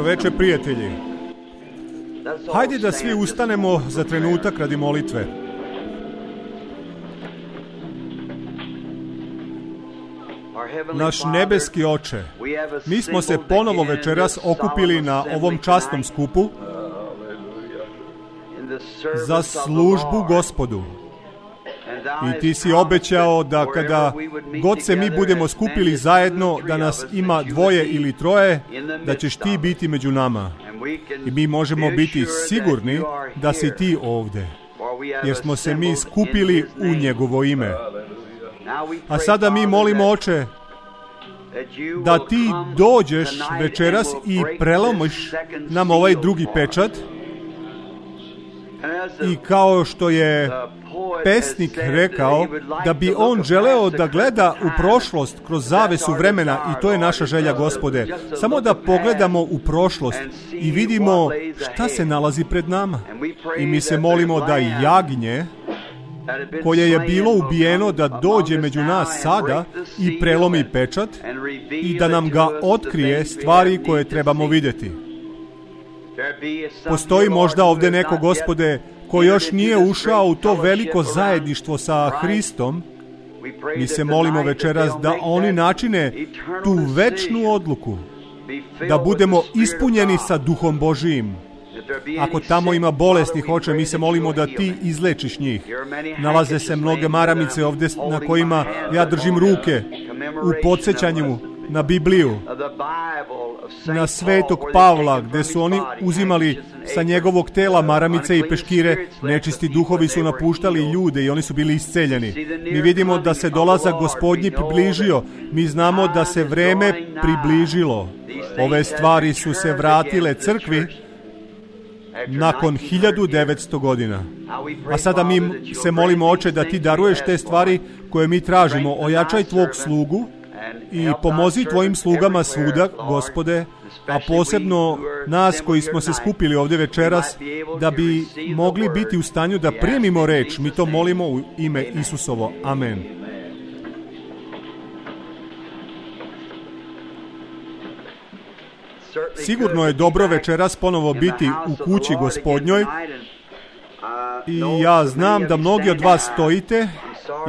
veče, prijatelji. Hajde da svi ustanemo za trenutak radi molitve. Naš nebeski Oče, mi smo se ponovo večeras okupili na ovom časnom skupu za službu Gospodu. I ti si obećao da kada god se mi budemo skupili zajedno, da nas ima 2 ili 3, da ćeš ti biti među nama. I mi možemo biti sigurni da si ti ovde, jer smo se mi skupili u njegovo ime. A sada mi molimo, Oče, da ti dođeš večeras i prelomiš nam ovaj drugi pečat. I kao što je pesnik rekao, da bi on želeo da gleda u prošlost kroz zavesu vremena, i to je naša želja, Gospode. Samo da pogledamo u prošlost i vidimo šta se nalazi pred nama. I mi se molimo da jagnje koje je bilo ubijeno da dođe među nas sada i prelomi pečat i da nam ga otkrije stvari koje trebamo vidjeti. Postoji možda ovdje neko, Gospode, ko još nije ušao u to veliko zajedništvo sa Hristom. Mi se molimo večeras da oni načine tu večnu odluku, da budemo ispunjeni sa Duhom Božijim. Ako tamo ima bolesnih, Oče, mi se molimo da ti izlečiš njih. Nalaze se mnoge maramice ovdje na kojima ja držim ruke u podsjećanju na Bibliju, na svetog Pavla, gdje su oni uzimali sa njegovog tela maramice i peškire. Nečisti duhovi su napuštali ljude i oni su bili isceljeni. Mi vidimo da se dolazak Gospodnji približio. Mi znamo da se vreme približilo. Ove stvari su se vratile crkvi nakon 1900 godina. A sada mi se molimo, Oče, da ti daruješ te stvari koje mi tražimo. Ojačaj tvog slugu i pomozi tvojim slugama svuda, Gospode, a posebno nas koji smo se skupili ovdje večeras, da bi mogli biti u stanju da primimo reč. Mi to molimo u ime Isusovo. Amen. Sigurno je dobro večeras ponovo biti u kući Gospodnjoj i ja znam da mnogi od vas stojite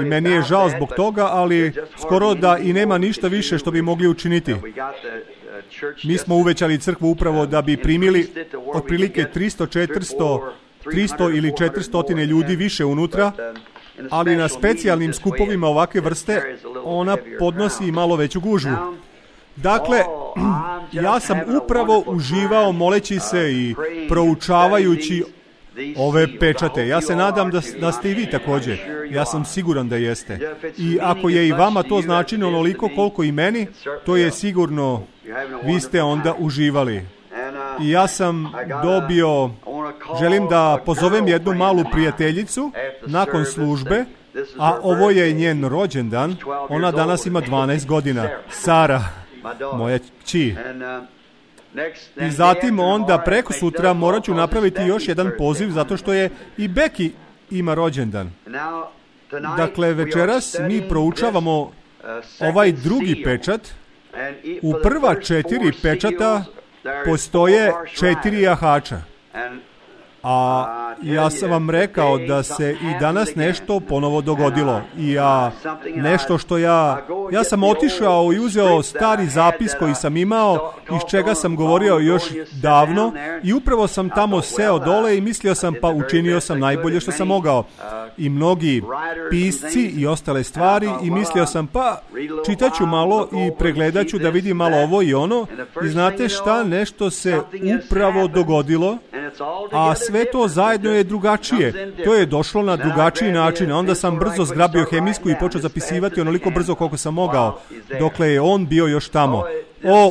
i meni je žao zbog toga, ali skoro da i nema ništa više što bi mogli učiniti. Mi smo uvećali crkvu upravo da bi primili otprilike 300 ili 400 ljudi više unutra, ali na specijalnim skupovima ovakve vrste ona podnosi malo veću gužvu. Dakle, ja sam upravo uživao moleći se i proučavajući ove pečate. Ja se nadam da ste i vi također. Ja sam siguran da jeste. I ako je i vama to značilo onoliko koliko i meni, to je sigurno, vi ste onda uživali. I ja sam dobio, želim da pozovem jednu malu prijateljicu nakon službe, a ovo je njen rođendan. Ona danas ima 12 godina. Sara, moja kći. I zatim onda preko sutra morat ću napraviti još jedan poziv zato što je i Becky ima rođendan. Dakle, večeras mi proučavamo ovaj drugi pečat. U prva 4 pečata postoje 4 jahača. A ja sam vam rekao da se i danas nešto ponovo dogodilo. I nešto što ja sam otišao i uzeo stari zapis koji sam imao, iz čega sam govorio još davno, i upravo sam tamo seo dole i mislio sam, pa učinio sam najbolje što sam mogao. I mnogi pisci i ostale stvari, i mislio sam, pa čitat ću malo i pregledat ću da vidim malo ovo i ono. I znate šta, nešto se upravo dogodilo, a sve to zajedno je drugačije. To je došlo na drugačiji način. Onda sam brzo zgrabio hemijsku i počeo zapisivati onoliko brzo koliko sam mogao, dokle je on bio još tamo.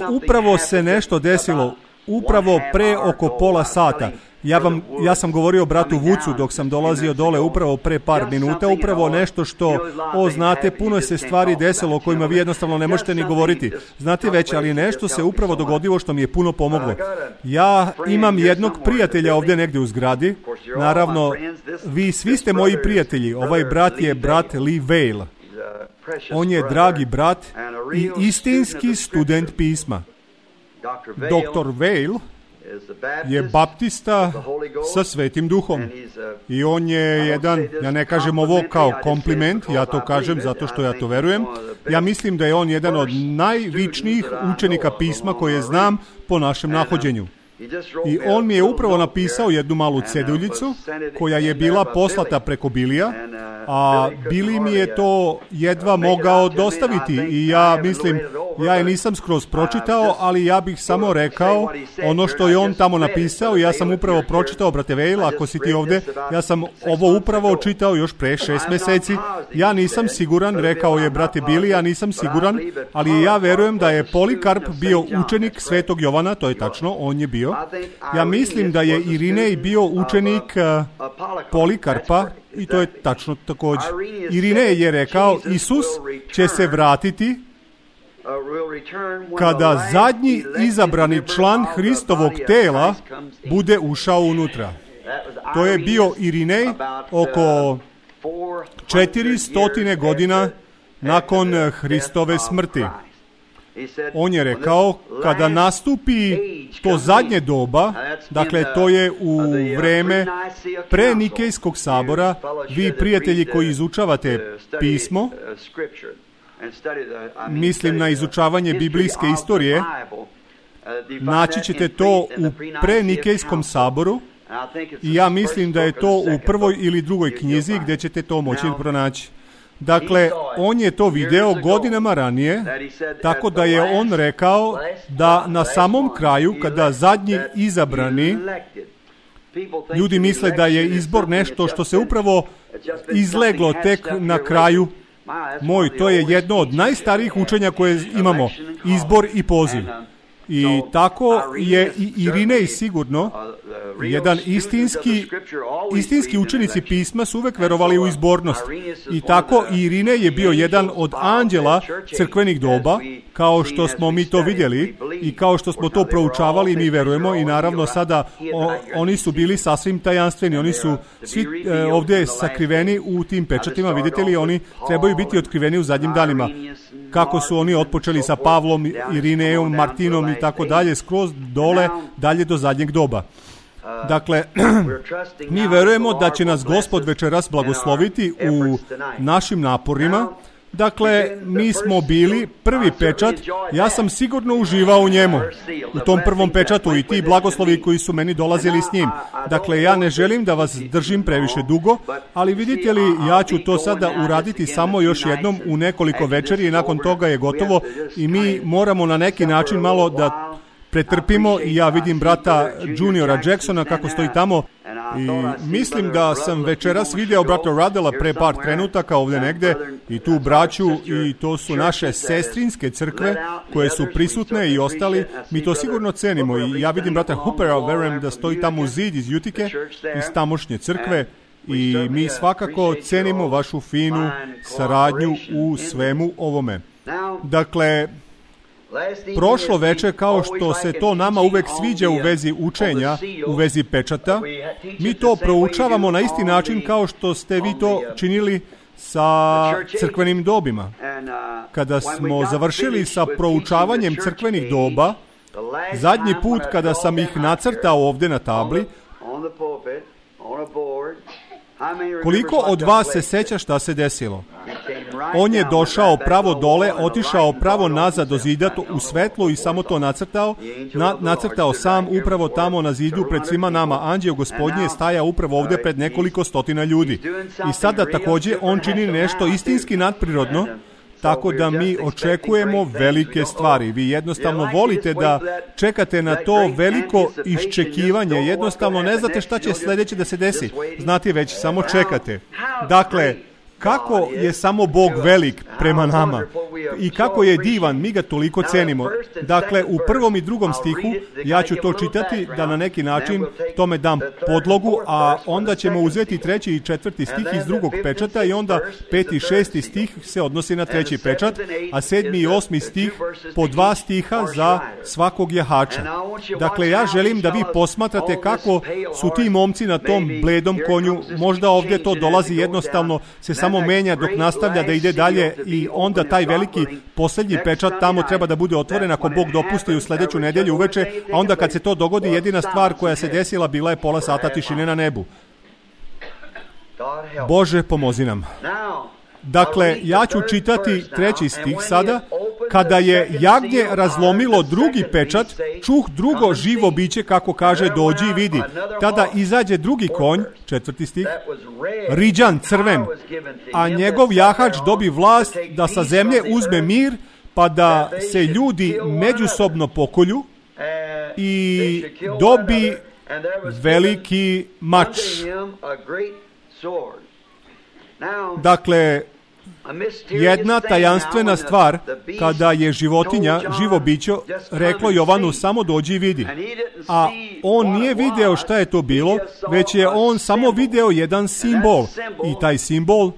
Upravo se nešto desilo, upravo pre oko pola sata. Ja sam govorio bratu Vucu dok sam dolazio dole upravo pre par minuta, upravo nešto što, znate, puno se stvari desilo o kojima vi jednostavno ne možete ni govoriti. Znate već, ali nešto se upravo dogodilo što mi je puno pomoglo. Ja imam jednog prijatelja ovdje negdje u zgradi. Naravno, vi svi ste moji prijatelji. Ovaj brat je brat Lee Vail. On je dragi brat i istinski student pisma. Dr. Vail je baptista sa Svetim Duhom. I on je jedan, ja ne kažem ovo kao kompliment, ja to kažem zato što ja to verujem. Ja mislim da je on jedan od najvičnijih učenika pisma koje znam po našem nahođenju. I on mi je upravo napisao jednu malu ceduljicu koja je bila poslata preko Bilija, a Bili mi je to jedva mogao dostaviti i ja mislim, ja je nisam skroz pročitao, ali ja bih samo rekao ono što je on tamo napisao. Ja sam upravo pročitao, brate Vejl, ako si ti ovde, ja sam ovo upravo čitao još pre 6 meseci. Ja nisam siguran, rekao je brate Bili, ja nisam siguran, ali ja verujem da je Polikarp bio učenik Svetog Jovana, to je tačno, on je bio. Ja mislim da je Irinej bio učenik Polikarpa i to je tačno također. Irinej je rekao, Isus će se vratiti kada zadnji izabrani član Hristovog tela bude ušao unutra. To je bio Irinej oko 400 godina nakon Hristove smrti. On je rekao, kada nastupi to zadnje doba, dakle to je u vreme pre Nikejskog sabora, vi prijatelji koji izučavate pismo, mislim na izučavanje biblijske istorije, naći ćete to u prenikejskom saboru i ja mislim da je to u prvoj ili drugoj knjizi gdje ćete to moći pronaći. Dakle, on je to video godinama ranije, tako da je on rekao da na samom kraju, kada zadnji izabrani, ljudi misle da je izbor nešto što se upravo izleglo tek na kraju. To je jedno od najstarijih učenja koje imamo, izbor i poziv. I tako je i Irinej sigurno, jedan istinski učenici pisma su uvek verovali u izbornost. I tako i Irinej je bio jedan od anđela crkvenih doba, kao što smo mi to vidjeli i kao što smo to proučavali i mi verujemo. I naravno sada oni su bili sasvim tajanstveni, oni su svi ovdje sakriveni u tim pečatima, vidite li, oni trebaju biti otkriveni u zadnjim danima. Kako su oni otpočeli sa Pavlom, Irinejom, Martinom i tako dalje, skroz dole, dalje do zadnjeg doba. Dakle, mi verujemo da će nas Gospod večeras blagosloviti u našim naporima. Dakle, mi smo bili prvi pečat, ja sam sigurno uživao u njemu, u tom prvom pečatu i ti blagoslovi koji su meni dolazili s njim. Dakle, ja ne želim da vas držim previše dugo, ali vidite li, ja ću to sada uraditi samo još jednom u nekoliko večeri i nakon toga je gotovo i mi moramo na neki način malo da pretrpimo i ja vidim brata Juniora Jacksona kako stoji tamo i mislim da sam večeras video brata Radela pre par trenutaka ovdje negde i tu braću i to su naše sestrinske crkve koje su prisutne i ostali. Mi to sigurno cenimo i ja vidim brata Hoopera, verujem da stoji tamo u zid iz Jutike, iz tamošnje crkve i mi svakako cenimo vašu finu saradnju u svemu ovome. Dakle, prošlo veče, kao što se to nama uvek sviđa u vezi učenja, u vezi pečata, mi to proučavamo na isti način kao što ste vi to činili sa crkvenim dobima. Kada smo završili sa proučavanjem crkvenih doba, zadnji put kada sam ih nacrtao ovdje na tabli, koliko od vas se seća šta se desilo? On je došao pravo dole, otišao pravo nazad do zida u svetlu i samo to nacrtao sam upravo tamo na zidu pred svima nama. Anđeo Gospodnji je stajao upravo ovdje pred nekoliko stotina ljudi. I sada također on čini nešto istinski nadprirodno, tako da mi očekujemo velike stvari. Vi jednostavno volite da čekate na to veliko iščekivanje. Jednostavno ne znate šta će sljedeće da se desi. Znate već, samo čekate. Dakle, kako je samo Bog velik prema nama i kako je divan, mi ga toliko cenimo. Dakle, u prvom i drugom stihu ja ću to čitati da na neki način tome dam podlogu, a onda ćemo uzeti 3. i 4. stih iz drugog pečata i onda 5. i 6. stih se odnosi na 3. pečat, a 7. i 8. stih po 2 stiha za svakog jahača. Dakle, ja želim da vi posmatrate kako su ti momci na tom bledom konju, možda ovdje to dolazi jednostavno se samo menja dok nastavlja da ide dalje i onda taj veliki veliki posljednji pečat tamo treba da bude otvoren ako Bog dopusti u sljedeću nedjelju uveče, a onda kad se to dogodi, jedina stvar koja se desila bila je pola sata tišine na nebu. Bože, pomozi nam. Dakle, ja ću čitati 3. stih sada. Kada je jagnje razlomilo drugi pečat, čuh drugo živo biće, kako kaže, dođi i vidi. Tada izađe drugi konj, 4. stih, riđan, crven, a njegov jahač dobi vlast da sa zemlje uzme mir, pa da se ljudi međusobno pokolju i dobi veliki mač. Dakle, jedna tajanstvena stvar, kada je životinja, živo biće, reklo Jovanu samo dođi i vidi. A on nije video šta je to bilo, već je on samo video jedan simbol. I taj simbol,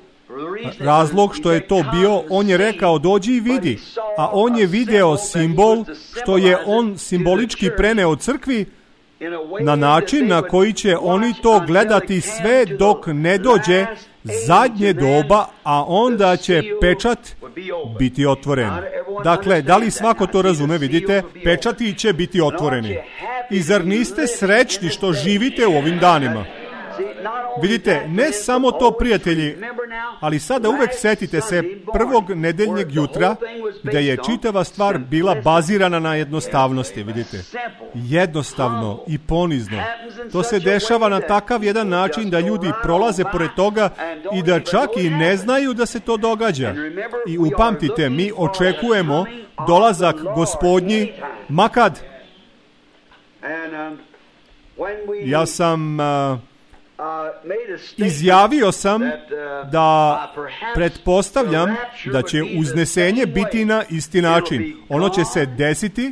razlog što je to bio, on je rekao dođi i vidi. A on je video simbol što je on simbolički preneo crkvi na način na koji će oni to gledati sve dok ne dođe zadnje doba, a onda će pečat biti otvoren. Dakle, da li svako to razume? Vidite, pečati će biti otvoreni. I zar niste srećni što živite u ovim danima? Vidite, ne samo to, prijatelji, ali sada uvek setite se prvog nedeljnjeg jutra gdje je čitava stvar bila bazirana na jednostavnosti, vidite. Jednostavno i ponizno. To se dešava na takav jedan način da ljudi prolaze pored toga i da čak i ne znaju da se to događa. I upamtite, mi očekujemo dolazak Gospodnji makad. Ja sam izjavio sam da pretpostavljam da će uznesenje biti na isti način. Ono će se desiti,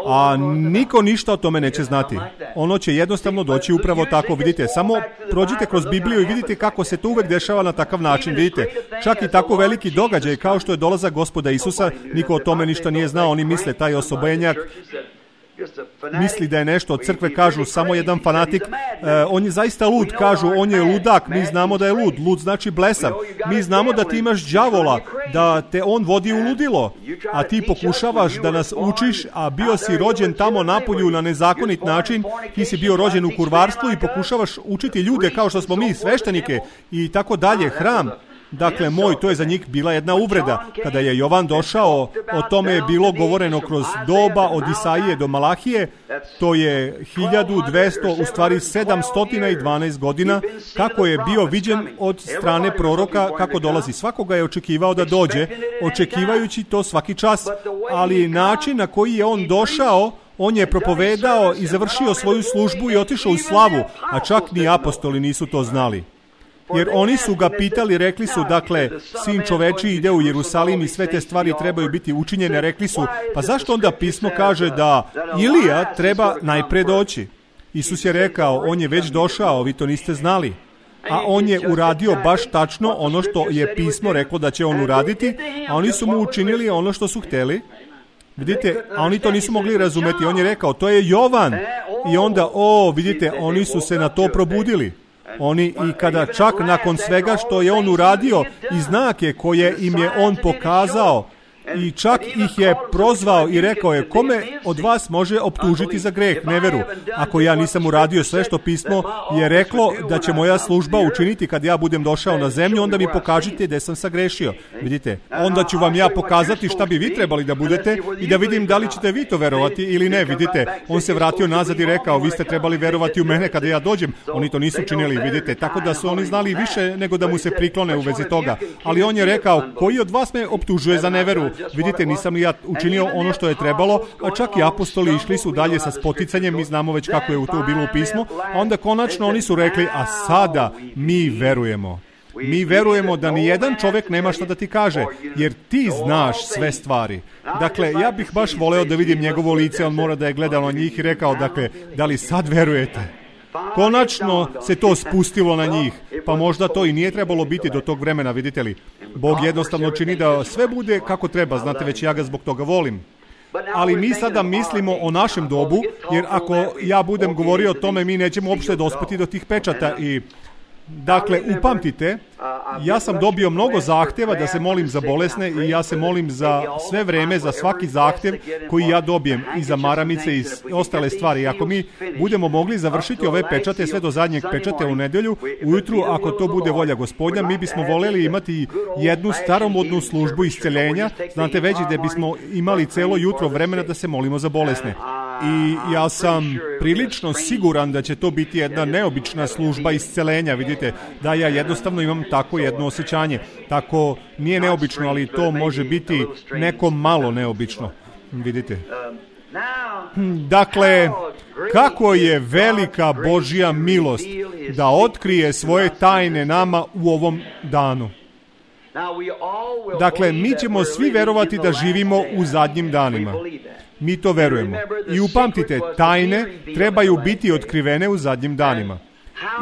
a niko ništa o tome neće znati. Ono će jednostavno doći upravo tako. Vidite, samo prođite kroz Bibliju i vidite kako se to uvek dešava na takav način. Vidite, čak i tako veliki događaj kao što je dolazak Gospoda Isusa, niko o tome ništa nije znao. Oni misle taj osobenjak misli da je nešto od crkve, kažu samo jedan fanatik, on je zaista lud, kažu on je ludak, mi znamo da je lud, lud znači blesav, mi znamo da ti imaš đavola, da te on vodi u ludilo, a ti pokušavaš da nas učiš, a bio si rođen tamo napolju na nezakonit način, ti si bio rođen u kurvarstvu i pokušavaš učiti ljude kao što smo mi, sveštenike i tako dalje, hram. Dakle, to je za njih bila jedna uvreda. Kada je Jovan došao, o tome je bilo govoreno kroz doba od Isaije do Malahije, to je 1200, u stvari 712 godina, kako je bio viđen od strane proroka, kako dolazi. Svakoga je očekivao da dođe, očekivajući to svaki čas, ali način na koji je on došao, on je propovedao i završio svoju službu i otišao u slavu, a čak ni apostoli nisu to znali. Jer oni su ga pitali, rekli su, dakle, sin čoveči ide u Jerusalim i sve te stvari trebaju biti učinjene, rekli su, pa zašto onda pismo kaže da Ilija treba najpre doći? Isus je rekao, on je već došao, vi to niste znali. A on je uradio baš tačno ono što je pismo reklo da će on uraditi, a oni su mu učinili ono što su htjeli. Vidite, a oni to nisu mogli razumeti. On je rekao, to je Jovan. I onda, vidite, oni su se na to probudili. Oni i kada čak nakon svega što je on uradio i znake koje im je on pokazao i čak ih je prozvao i rekao je, kome od vas može optužiti za greh, neveru? Ako ja nisam uradio sve što pismo je reklo da će moja služba učiniti kad ja budem došao na zemlju, onda mi pokažite da sam sagrešio. Vidite, onda ću vam ja pokazati šta bi vi trebali da budete i da vidim da li ćete vi to verovati ili ne. Vidite, on se vratio nazad i rekao, vi ste trebali verovati u mene kada ja dođem. Oni to nisu činili, vidite, tako da su oni znali više nego da mu se priklone u vezi toga. Ali on je rekao, koji od vas me optužuje za neveru? Vidite, nisam li ja učinio ono što je trebalo, a čak i apostoli išli su dalje sa spoticanjem, mi znamo već kako je to bilo u pismu, a onda konačno oni su rekli, a sada mi verujemo. Mi verujemo da ni jedan čovjek nema šta da ti kaže, jer ti znaš sve stvari. Dakle, ja bih baš voleo da vidim njegovo lice, on mora da je gledao na njih i rekao, dakle, da li sad verujete? Konačno se to spustilo na njih, pa možda to i nije trebalo biti do tog vremena, vidite li. Bog jednostavno čini da sve bude kako treba, znate, već ja ga zbog toga volim. Ali mi sada mislimo o našem dobu, jer ako ja budem govorio o tome, mi nećemo uopšte dospeti do tih pečata i Dakle, upamtite, ja sam dobio mnogo zahtjeva da se molim za bolesne i ja se molim za sve vreme, za svaki zahtjev koji ja dobijem i za maramice i ostale stvari. Ako mi budemo mogli završiti ove pečate sve do zadnjeg pečate u nedjelju, ujutru, ako to bude volja Gospodnja, mi bismo voljeli imati jednu staromodnu službu isceljenja, znate već da bismo imali celo jutro vremena da se molimo za bolesne. I ja sam prilično siguran da će to biti jedna neobična služba iscelenja, vidite, da ja jednostavno imam tako jedno osjećanje. Tako nije neobično, ali to može biti nekom malo neobično, vidite. Dakle, kako je velika Božja milost da otkrije svoje tajne nama u ovom danu. Dakle, mi ćemo svi verovati da živimo u zadnjim danima. Mi to verujemo. I upamtite, tajne trebaju biti otkrivene u zadnjim danima.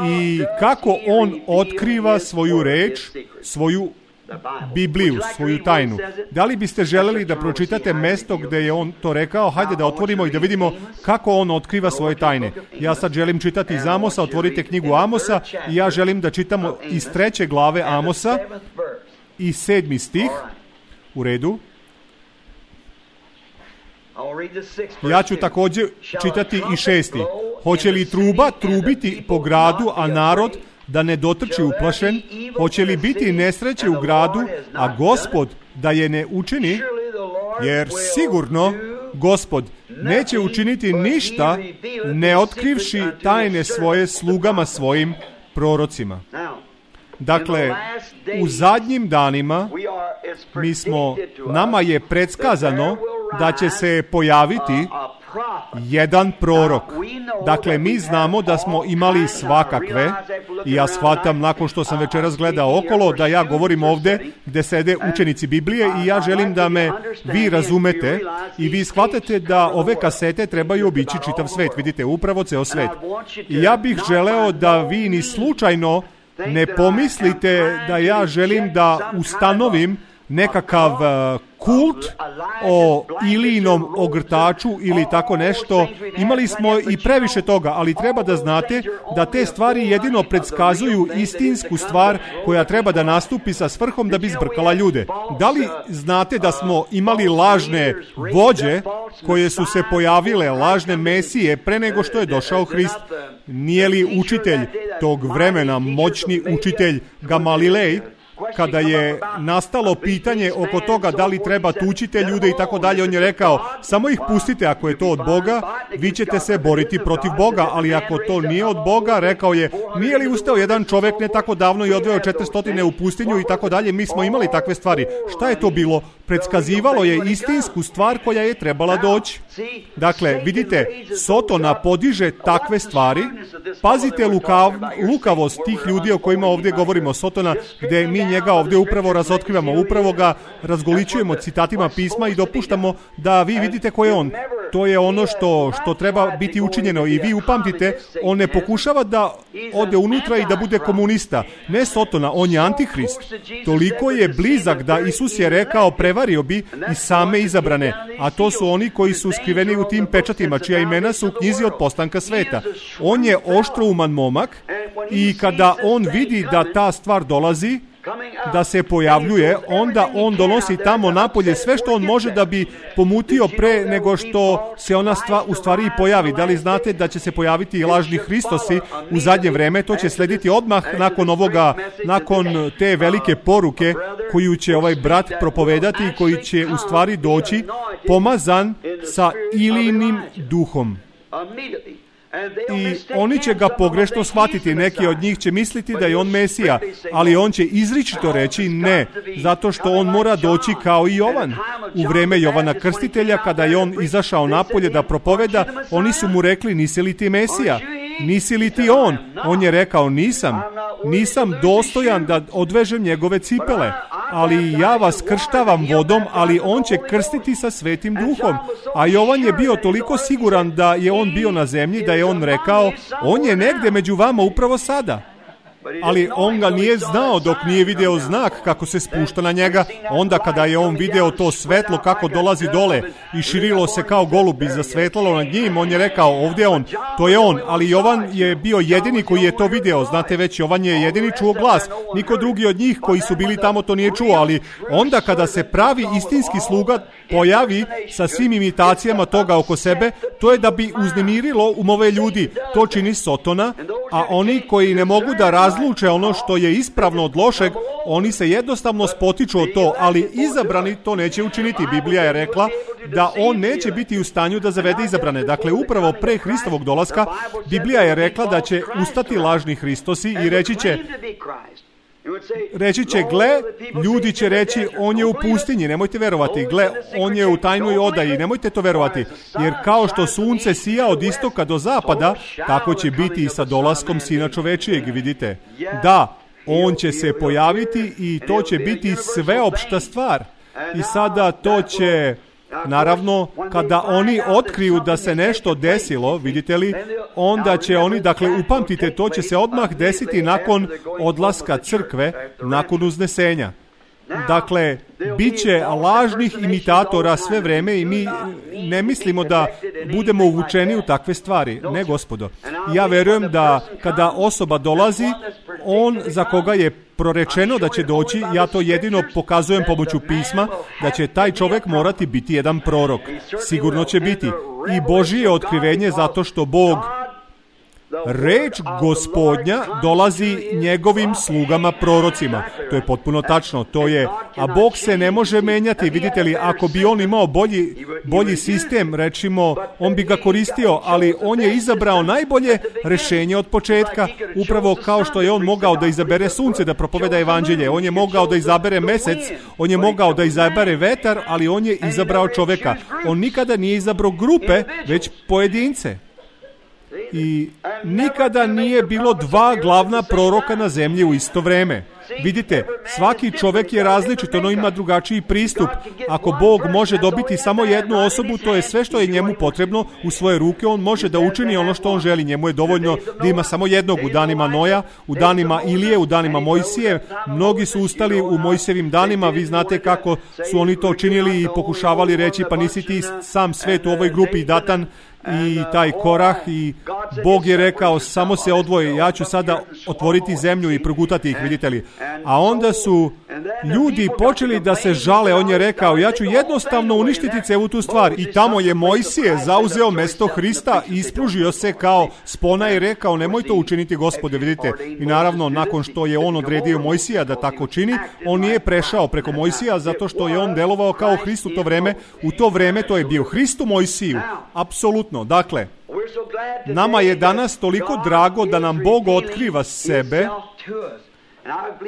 I kako on otkriva svoju reč, svoju Bibliju, svoju tajnu. Da li biste želeli da pročitate mesto gdje je on to rekao? Hajde da otvorimo i da vidimo kako on otkriva svoje tajne. Ja sad želim čitati iz Amosa, otvorite knjigu Amosa i ja želim da čitamo iz 3. glave Amosa i 7. stih. U redu. Ja ću također čitati i 6. Hoće li truba trubiti po gradu, a narod da ne dotrči uplašen? Hoće li biti nesreće u gradu, a Gospod da je ne učini? Jer sigurno Gospod neće učiniti ništa ne otkrivši tajne svoje slugama svojim prorocima. Dakle, u zadnjim danima nama je predskazano da će se pojaviti jedan prorok. Dakle, mi znamo da smo imali svakakve i ja shvatam nakon što sam večeras gledao okolo da ja govorim ovdje gdje sede učenici Biblije i ja želim da me vi razumete i vi shvatate da ove kasete trebaju obići čitav svet. Vidite, upravo ceo svet. I ja bih želeo da vi ni slučajno ne pomislite da ja želim da ustanovim nekakav kult o Ilijinom ogrtaču ili tako nešto. Imali smo i previše toga, ali treba da znate da te stvari jedino predskazuju istinsku stvar koja treba da nastupi sa svrhom da bi zbrkala ljude. Da li znate da smo imali lažne vođe koje su se pojavile, lažne mesije pre nego što je došao Hrist? Nije li učitelj tog vremena, moćni učitelj Gamalilej, kada je nastalo pitanje oko toga da li treba tučite ljude i tako dalje, on je rekao, samo ih pustite ako je to od Boga, vi ćete se boriti protiv Boga, ali ako to nije od Boga, rekao je, nije li ustao jedan čovjek ne tako davno i odveo 400 u pustinju i tako dalje, mi smo imali takve stvari. Šta je to bilo? Predskazivalo je istinsku stvar koja je trebala doći. Dakle, vidite, Sotona podiže takve stvari. Pazite lukavost tih ljudi o kojima ovdje govorimo. Sotona, gdje mi njega ovdje upravo razotkrivamo, upravo ga razgoličujemo citatima pisma i dopuštamo da vi vidite ko je on. To je ono što treba biti učinjeno i vi upamtite, on ne pokušava da ode unutra i da bude komunista. Ne Sotona, on je antihrist. Toliko je blizak da Isus je rekao, prevario bi i same izabrane, a to su oni koji su skriveni u tim pečatima, čija imena su u knjizi od postanka sveta. On je oštrouman momak i kada on vidi da ta stvar dolazi, da se pojavljuje, onda on donosi tamo napolje sve što on može da bi pomutio pre nego što se ona u stvari pojavi. Da li znate da će se pojaviti i lažni Hristosi u zadnje vreme? To će slediti odmah nakon te velike poruke koju će ovaj brat propovedati i koji će u stvari doći pomazan sa Ilijinim duhom. I oni će ga pogrešno shvatiti, neki od njih će misliti da je on Mesija, ali on će izričito reći ne, zato što on mora doći kao i Jovan. U vreme Jovana Krstitelja, kada je on izašao napolje da propoveda, oni su mu rekli, nisi li ti Mesija? Nisi li ti on? On je rekao, nisam dostojan da odvežem njegove cipele, ali ja vas krštavam vodom, ali on će krstiti sa Svetim Duhom. A Jovan je bio toliko siguran da je on bio na zemlji, da je on rekao, on je negde među vama upravo sada. ali on ga nije znao dok nije video znak kako se spušta na njega. Onda kada je on video to svetlo kako dolazi dole i širilo se kao golub i zasvetlalo nad njim, on je rekao, ovdje je on, to je on. Ali Jovan je bio jedini koji je to video. Znate već, Jovan je jedini čuo glas. Niko drugi od njih koji su bili tamo to nije čuo, ali onda kada se pravi istinski sluga pojavi sa svim imitacijama toga oko sebe, to je da bi uznemirilo umove ljudi. To čini Sotona, a oni koji ne mogu da razluče ono što je ispravno od lošeg, oni se jednostavno spotiču od to, ali izabrani to neće učiniti. Biblija je rekla da on neće biti u stanju da zavede izabrane. Dakle, upravo pre Hristovog dolaska, Biblija je rekla da će ustati lažni Hristosi i reći će, gle, ljudi će reći, on je u pustinji, nemojte verovati, gle, on je u tajnoj odaji, nemojte to verovati, jer kao što sunce sija od istoka do zapada, tako će biti i sa dolaskom Sina čovečijeg, vidite. Da, on će se pojaviti i to će biti sveopšta stvar. I sada to će, naravno, kada oni otkriju da se nešto desilo, vidite li, onda će oni, dakle, upamtite, to će se odmah desiti nakon odlaska crkve, nakon uznesenja. Dakle, bit će lažnih imitatora sve vreme i mi ne mislimo da budemo uvučeni u takve stvari. Ne, gospodo. Ja verujem da kada osoba dolazi, on za koga je prorečeno da će doći, ja to jedino pokazujem pomoću pisma, da će taj čovjek morati biti jedan prorok. Sigurno će biti. I Božije otkrivenje zato što Bog, reč Gospodnja dolazi njegovim slugama prorocima. To je potpuno tačno. To je, a Bog se ne može menjati. Vidite li, ako bi on imao bolji sistem, rečimo, on bi ga koristio, ali on je izabrao najbolje rešenje od početka, upravo kao što je on mogao da izabere sunce da propoveda evanđelje. On je mogao da izabere mesec, on je mogao da izabere vetar, ali on je izabrao čoveka. On nikada nije izabrao grupe, već pojedince. I nikada nije bilo dva glavna proroka na zemlji u isto vreme. Vidite, svaki čovjek je različit, ono ima drugačiji pristup. Ako Bog može dobiti samo jednu osobu, to je sve što je njemu potrebno u svoje ruke, on može da učini ono što on želi. Njemu je dovoljno da ima samo jednog u danima Noja, u danima Ilije, u danima Mojsije. Mnogi su ustali u Mojsijevim danima, vi znate kako su oni to činili i pokušavali reći, pa nisi ti sam svet u ovoj grupi Datan i taj Korah, i Bog je rekao, samo se odvoje, ja ću sada otvoriti zemlju i progutati ih, vidite li. A onda su ljudi počeli da se žale, on je rekao, ja ću jednostavno uništiti celu tu stvar. I tamo je Mojsije zauzeo mesto Hrista i ispružio se kao spona i rekao, nemoj to učiniti, Gospode, vidite. I naravno, nakon što je on odredio Mojsija da tako čini, on nije prešao preko Mojsija zato što je on delovao kao Hrist u to vreme. U to vreme to je bio Hrist u Mojsiju. Apsolutno. Dakle, nama je danas toliko drago da nam Bog otkriva sebe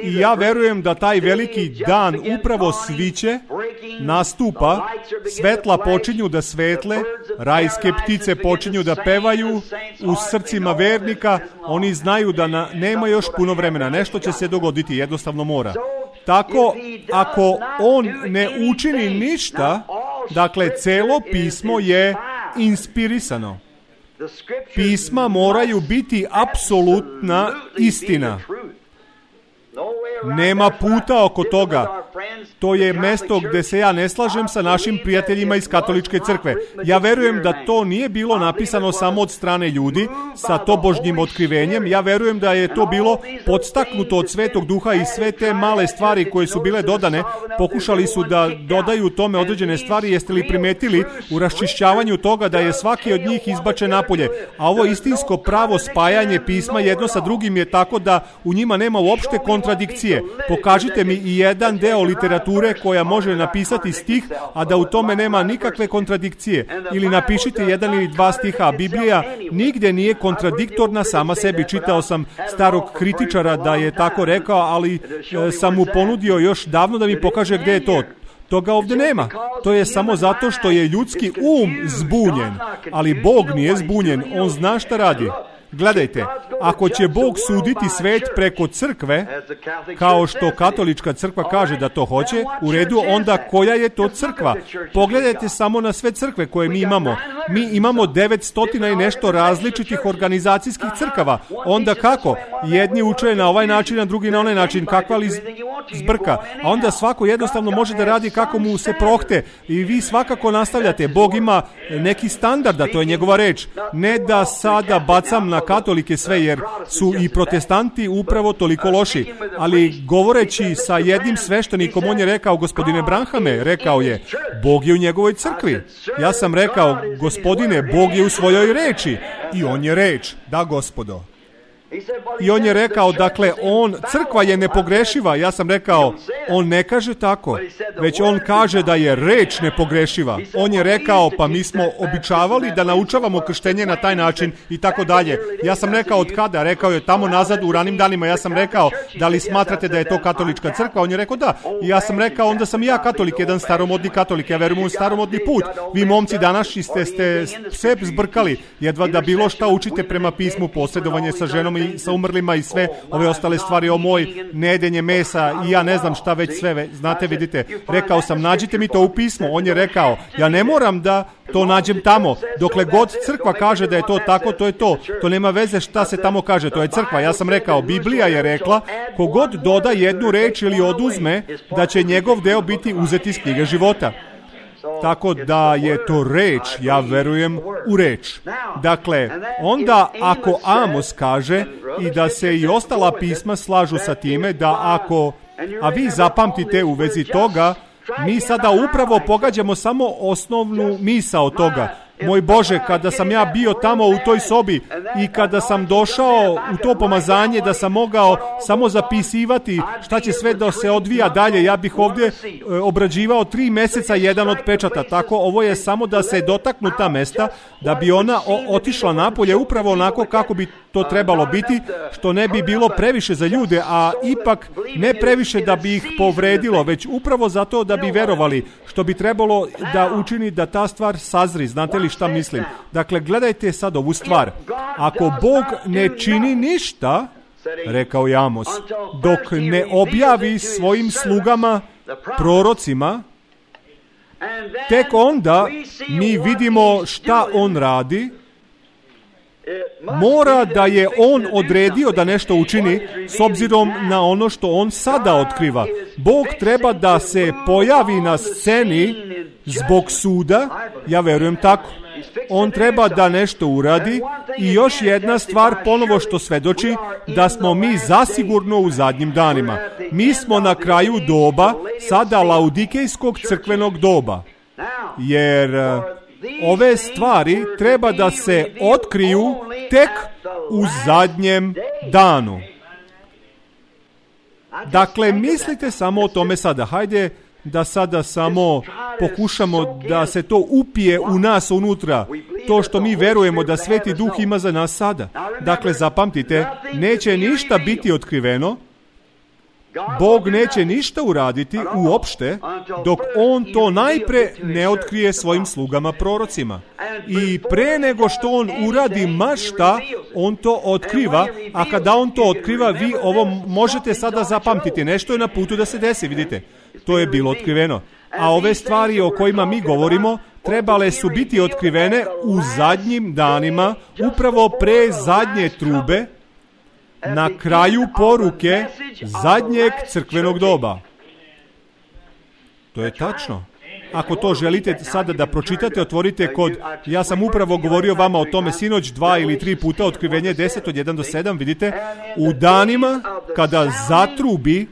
i ja verujem da taj veliki dan upravo sviće, nastupa, svetla počinju da svetle, rajske ptice počinju da pevaju u srcima vernika, oni znaju da nema još puno vremena, nešto će se dogoditi, jednostavno mora. Tako, ako on ne učini ništa, dakle, celo pismo je inspirisano. Pisma moraju biti apsolutna istina. Nema puta oko toga. To je mesto gdje se ja ne slažem sa našim prijateljima iz katoličke crkve. Ja verujem da to nije bilo napisano samo od strane ljudi sa tobožnjim otkrivenjem. Ja verujem da je to bilo podstaknuto od Svetog Duha i sve te male stvari koje su bile dodane, pokušali su da dodaju tome određene stvari. Jeste li primetili u raščišćavanju toga da je svaki od njih izbačen napolje? A ovo istinsko pravo spajanje pisma jedno sa drugim je tako da u njima nema uopšte kontradikcije. Pokažite mi i jedan deo literature koja može napisati stih, a da u tome nema nikakve kontradikcije. Ili napišite jedan ili dva stiha. Biblija nigdje nije kontradiktorna sama sebi. Čitao sam starog kritičara da je tako rekao, ali sam mu ponudio još davno da mi pokaže gdje je to. Toga ovdje nema. To je samo zato što je ljudski zbunjen. Ali Bog nije zbunjen. On zna šta radi. Gledajte, ako će Bog suditi svet preko crkve, kao što katolička crkva kaže da to hoće, u redu, onda koja je to crkva? Pogledajte samo na sve crkve koje mi imamo. Mi imamo 900 i nešto različitih organizacijskih crkava. Onda kako? Jedni uče na ovaj način, a drugi na onaj način. Kakva li zbrka? A onda svako jednostavno može da radi kako mu se prohte. I vi svakako nastavljate. Bog ima neki standard, a to je njegova reč. Ne da sada bacam na katolike sve, jer su i protestanti upravo toliko loši. Ali govoreći sa jednim sveštenikom, on je rekao, gospodine Branhame, rekao je, Bog je u njegovoj crkvi. Ja sam rekao, gospodine, Bog je u svojoj reči. I on je reč. Da, gospodo. I on je rekao, dakle, crkva je nepogrešiva. Ja sam rekao, on ne kaže tako, već on kaže da je reč nepogrešiva. On je rekao, pa mi smo običavali da naučavamo krštenje na taj način i tako dalje. Ja sam rekao, od kada? Rekao je, tamo nazad u ranim danima. Ja sam rekao, da li smatrate da je to katolička crkva? On je rekao, da. I ja sam rekao, onda sam ja katolik, jedan staromodni katolik. Ja verujem u staromodni put. Vi momci današnji ste sve zbrkali. Jedva da bilo šta učite prema pismu, posredovanje sa ženom i sa umrlima i sve ove ostale stvari, o moj, nejedenje mesa i ja ne znam šta već sve, znate, vidite. Rekao sam, nađite mi to u pismu. On je rekao, ja ne moram da to nađem tamo. Dokle god crkva kaže da je to tako, to je to. To nema veze šta se tamo kaže, to je crkva. Ja sam rekao, Biblija je rekla, kogod doda jednu reč ili oduzme, da će njegov deo biti uzeti iz knjige života. Tako da je to reč, ja verujem u reč. Dakle, onda ako Amos kaže i da se i ostala pisma slažu sa time, da ako, a vi zapamtite u vezi toga, mi sada upravo pogađamo samo osnovnu misao toga. Moj Bože, kada sam ja bio tamo u toj sobi i kada sam došao u to pomazanje da sam mogao samo zapisivati šta će sve da se odvija dalje, ja bih ovdje obrađivao 3 meseca jedan od pečata. Tako, ovo je samo da se dotaknu ta mesta, da bi ona otišla napolje upravo onako kako bi to trebalo biti, što ne bi bilo previše za ljude, a ipak ne previše da bi ih povredilo, već upravo zato da bi verovali, što bi trebalo da učini da ta stvar sazri. Znate li šta mislim? Dakle, gledajte sad ovu stvar. Ako Bog ne čini ništa, rekao je Amos, dok ne objavi svojim slugama, prorocima, tek onda mi vidimo šta on radi. Mora da je on odredio da nešto učini s obzirom na ono što on sada otkriva. Bog treba da se pojavi na sceni zbog suda, ja verujem tako. On treba da nešto uradi i još jedna stvar ponovo što svedoči da smo mi zasigurno u zadnjim danima. Mi smo na kraju doba, sada laudikejskog crkvenog doba, jer ove stvari treba da se otkriju tek u zadnjem danu. Dakle, mislite samo o tome sada. Hajde da sada samo pokušamo da se to upije u nas unutra. To što mi verujemo da Sveti Duh ima za nas sada. Dakle, zapamtite, neće ništa biti otkriveno. Bog neće ništa uraditi uopšte dok on to najpre ne otkrije svojim slugama prorocima. I pre nego što on uradi ma šta, on to otkriva, a kada on to otkriva, vi ovo možete sada zapamtiti. Nešto je na putu da se desi, vidite. To je bilo otkriveno. A ove stvari o kojima mi govorimo trebale su biti otkrivene u zadnjim danima, upravo pre zadnje trube, na kraju poruke zadnjeg crkvenog doba. To je tačno. Ako to želite sada da pročitate, otvorite kod, ja sam upravo govorio vama o tome sinoć 2 ili 3 puta, Otkrivenje 10 od 1 do 7, vidite, u danima kada zatrubi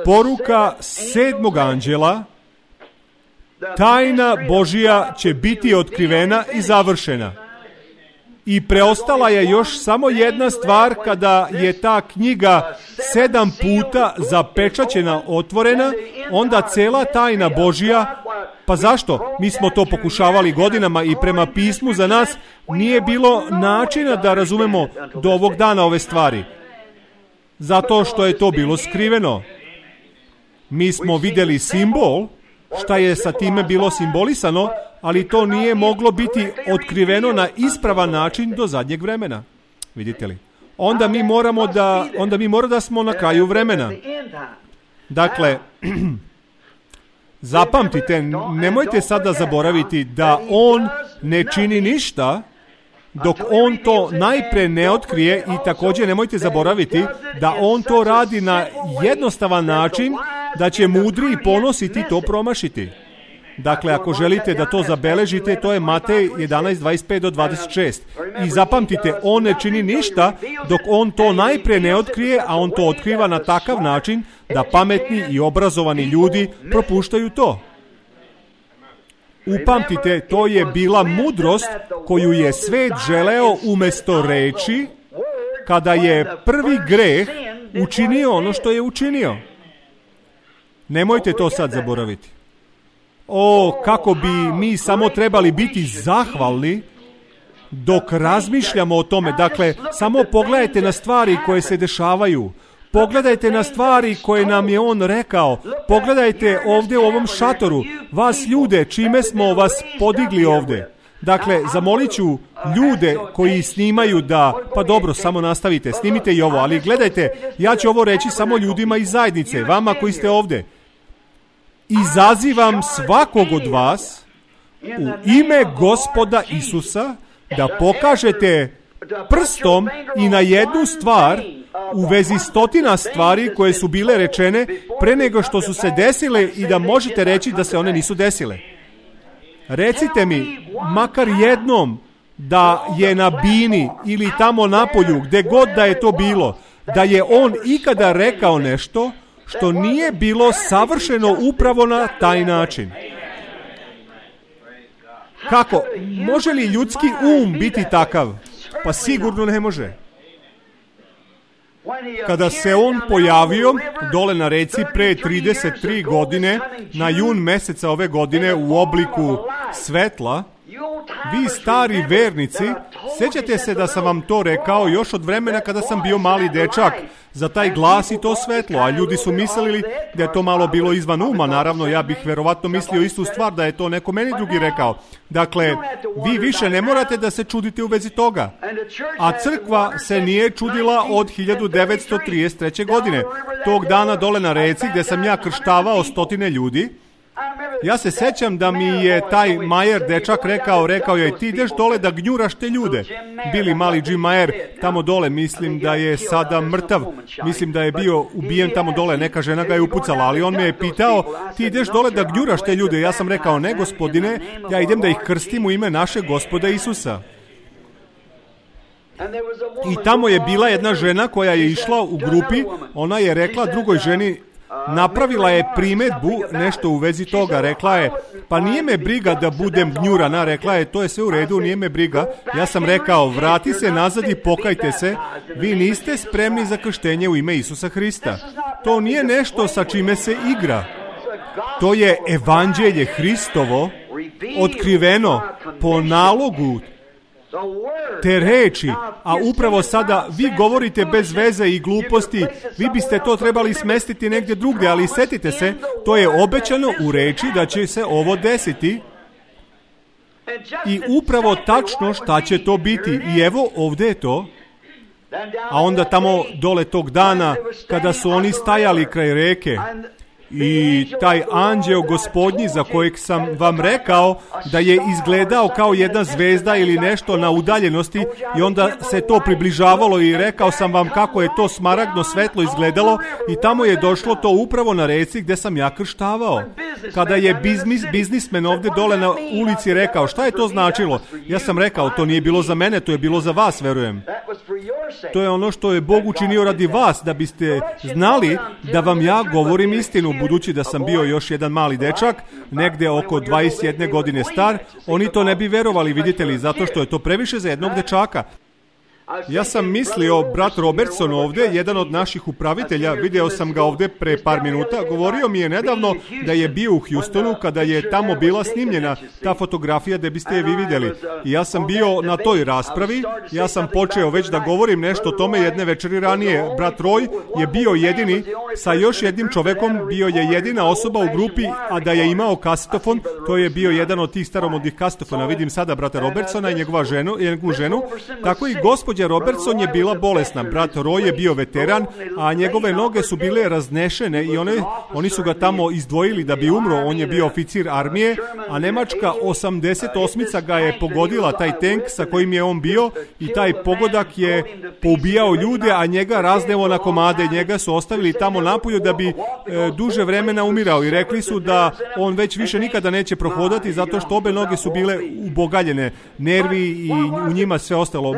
poruka 7. anđela, tajna Božija će biti otkrivena i završena. I preostala je još samo jedna stvar, kada je ta knjiga 7 puta zapečaćena, otvorena, onda cela tajna Božija, pa zašto? Mi smo to pokušavali godinama i prema pismu za nas nije bilo načina da razumemo do ovog dana ove stvari. Zato što je to bilo skriveno. Mi smo vidjeli simbol, šta je sa time bilo simbolisano, ali to nije moglo biti otkriveno na ispravan način do zadnjeg vremena. Vidite li? Onda mi moramo da smo na kraju vremena. Dakle, Zapamtite, nemojte sada zaboraviti da on ne čini ništa dok on to najpre ne otkrije i također nemojte zaboraviti da on to radi na jednostavan način da će mudri i ponositi to promašiti. Dakle, ako želite da to zabeležite, to je Matej 11:25 do 26. I zapamtite, on ne čini ništa dok on to najpre ne otkrije, a on to otkriva na takav način da pametni i obrazovani ljudi propuštaju to. Upamtite, to je bila mudrost koju je svet želeo umjesto reči kada je prvi greh učinio ono što je učinio. Nemojte to sad zaboraviti. O, kako bi mi samo trebali biti zahvalni dok razmišljamo o tome. Dakle, samo pogledajte na stvari koje se dešavaju. Pogledajte na stvari koje nam je on rekao. Pogledajte ovdje u ovom šatoru. Vas ljude, čime smo vas podigli ovdje. Dakle, zamolit ću ljude koji snimaju da... Pa dobro, samo nastavite, snimite i ovo. Ali gledajte, ja ću ovo reći samo ljudima iz zajednice. Vama koji ste ovdje. Izazivam svakog od vas u ime Gospoda Isusa da pokažete prstom i na jednu stvar u vezi stotina stvari koje su bile rečene pre nego što su se desile i da možete reći da se one nisu desile. Recite mi, makar jednom, da je na bini ili tamo napolju, gde god da je to bilo, da je on ikada rekao nešto što nije bilo savršeno upravo na taj način. Kako? Može li ljudski biti takav? Pa sigurno ne može. Kada se on pojavio dole na reci pre 33 godine, na jun meseca ove godine u obliku svetla, vi stari vernici, sjećate se da sam vam to rekao još od vremena kada sam bio mali dečak, za taj glas i to svetlo, a ljudi su mislili da je to malo bilo izvan uma. Naravno, ja bih verovatno mislio istu stvar da je to neko meni drugi rekao. Dakle, vi više ne morate da se čudite u vezi toga. A crkva se nije čudila od 1933. godine. Tog dana dole na reci gdje sam ja krštavao stotine ljudi. Ja se sećam da mi je taj Majer dečak rekao je, ti ideš dole da gnjuraš te ljude. Bili mali Jim Majer tamo dole, mislim da je sada mrtav, mislim da je bio ubijen tamo dole, neka žena ga je upucala, ali on me je pitao, ti ideš dole da gnjuraš te ljude. Ja sam rekao, ne gospodine, ja idem da ih krstim u ime našeg Gospoda Isusa. I tamo je bila jedna žena koja je išla u grupi, ona je rekla drugoj ženi, napravila je primjedbu nešto u vezi toga, rekla je, pa nije me briga da budem gnjurana, rekla je, to je sve u redu, nije me briga. Ja sam rekao, vrati se nazad i pokajte se, vi niste spremni za krštenje u ime Isusa Hrista. To nije nešto sa čime se igra. To je evanđelje Hristovo, otkriveno po nalogu te reči, a upravo sada vi govorite bez veze i gluposti, vi biste to trebali smestiti negdje drugdje, ali setite se, to je obećano u reči da će se ovo desiti i upravo tačno šta će to biti. I evo ovdje je to. A onda tamo dole tog dana kada su oni stajali kraj reke i taj anđeo gospodnji za kojeg sam vam rekao da je izgledao kao jedna zvezda ili nešto na udaljenosti i onda se to približavalo i rekao sam vam kako je to smaragdno svetlo izgledalo i tamo je došlo to upravo na reci gdje sam ja krštavao. Kada je biznismen ovdje dole na ulici rekao šta je to značilo, ja sam rekao to nije bilo za mene, to je bilo za vas, verujem. To je ono što je Bog učinio radi vas, da biste znali da vam ja govorim istinu. Budući da sam bio još jedan mali dečak, negdje oko 21 godine star, oni to ne bi verovali, vidite li, zato što je to previše za jednog dečaka. Ja sam mislio, brat Robertson ovdje, jedan od naših upravitelja, video sam ga ovdje pre par minuta, govorio mi je nedavno da je bio u Houstonu kada je tamo bila snimljena ta fotografija da biste je vi vidjeli. I ja sam bio na toj raspravi, ja sam počeo već da govorim nešto o tome jedne večeri ranije. Brat Roy je bio jedini, sa još jednim čovekom, bio je jedina osoba u grupi, a da je imao kasetofon, to je bio jedan od tih staromodnih kasetofona. Vidim sada brata Robertsona i njegovu ženu, tako i gospođa gospođa Robertson je bila bolesna, brat Roy je bio veteran, a njegove noge su bile raznešene i oni su ga tamo izdvojili da bi umro. On je bio oficir armije, a nemačka 88-ica ga je pogodila, taj tank sa kojim je on bio, i taj pogodak je poubijao ljude, a njega razneo na komade. Njega su ostavili tamo napolju da bi duže vremena umirao i rekli su da on već više nikada neće prohodati zato što obe noge su bile ubogaljene, nervi i u njima sve ostalo.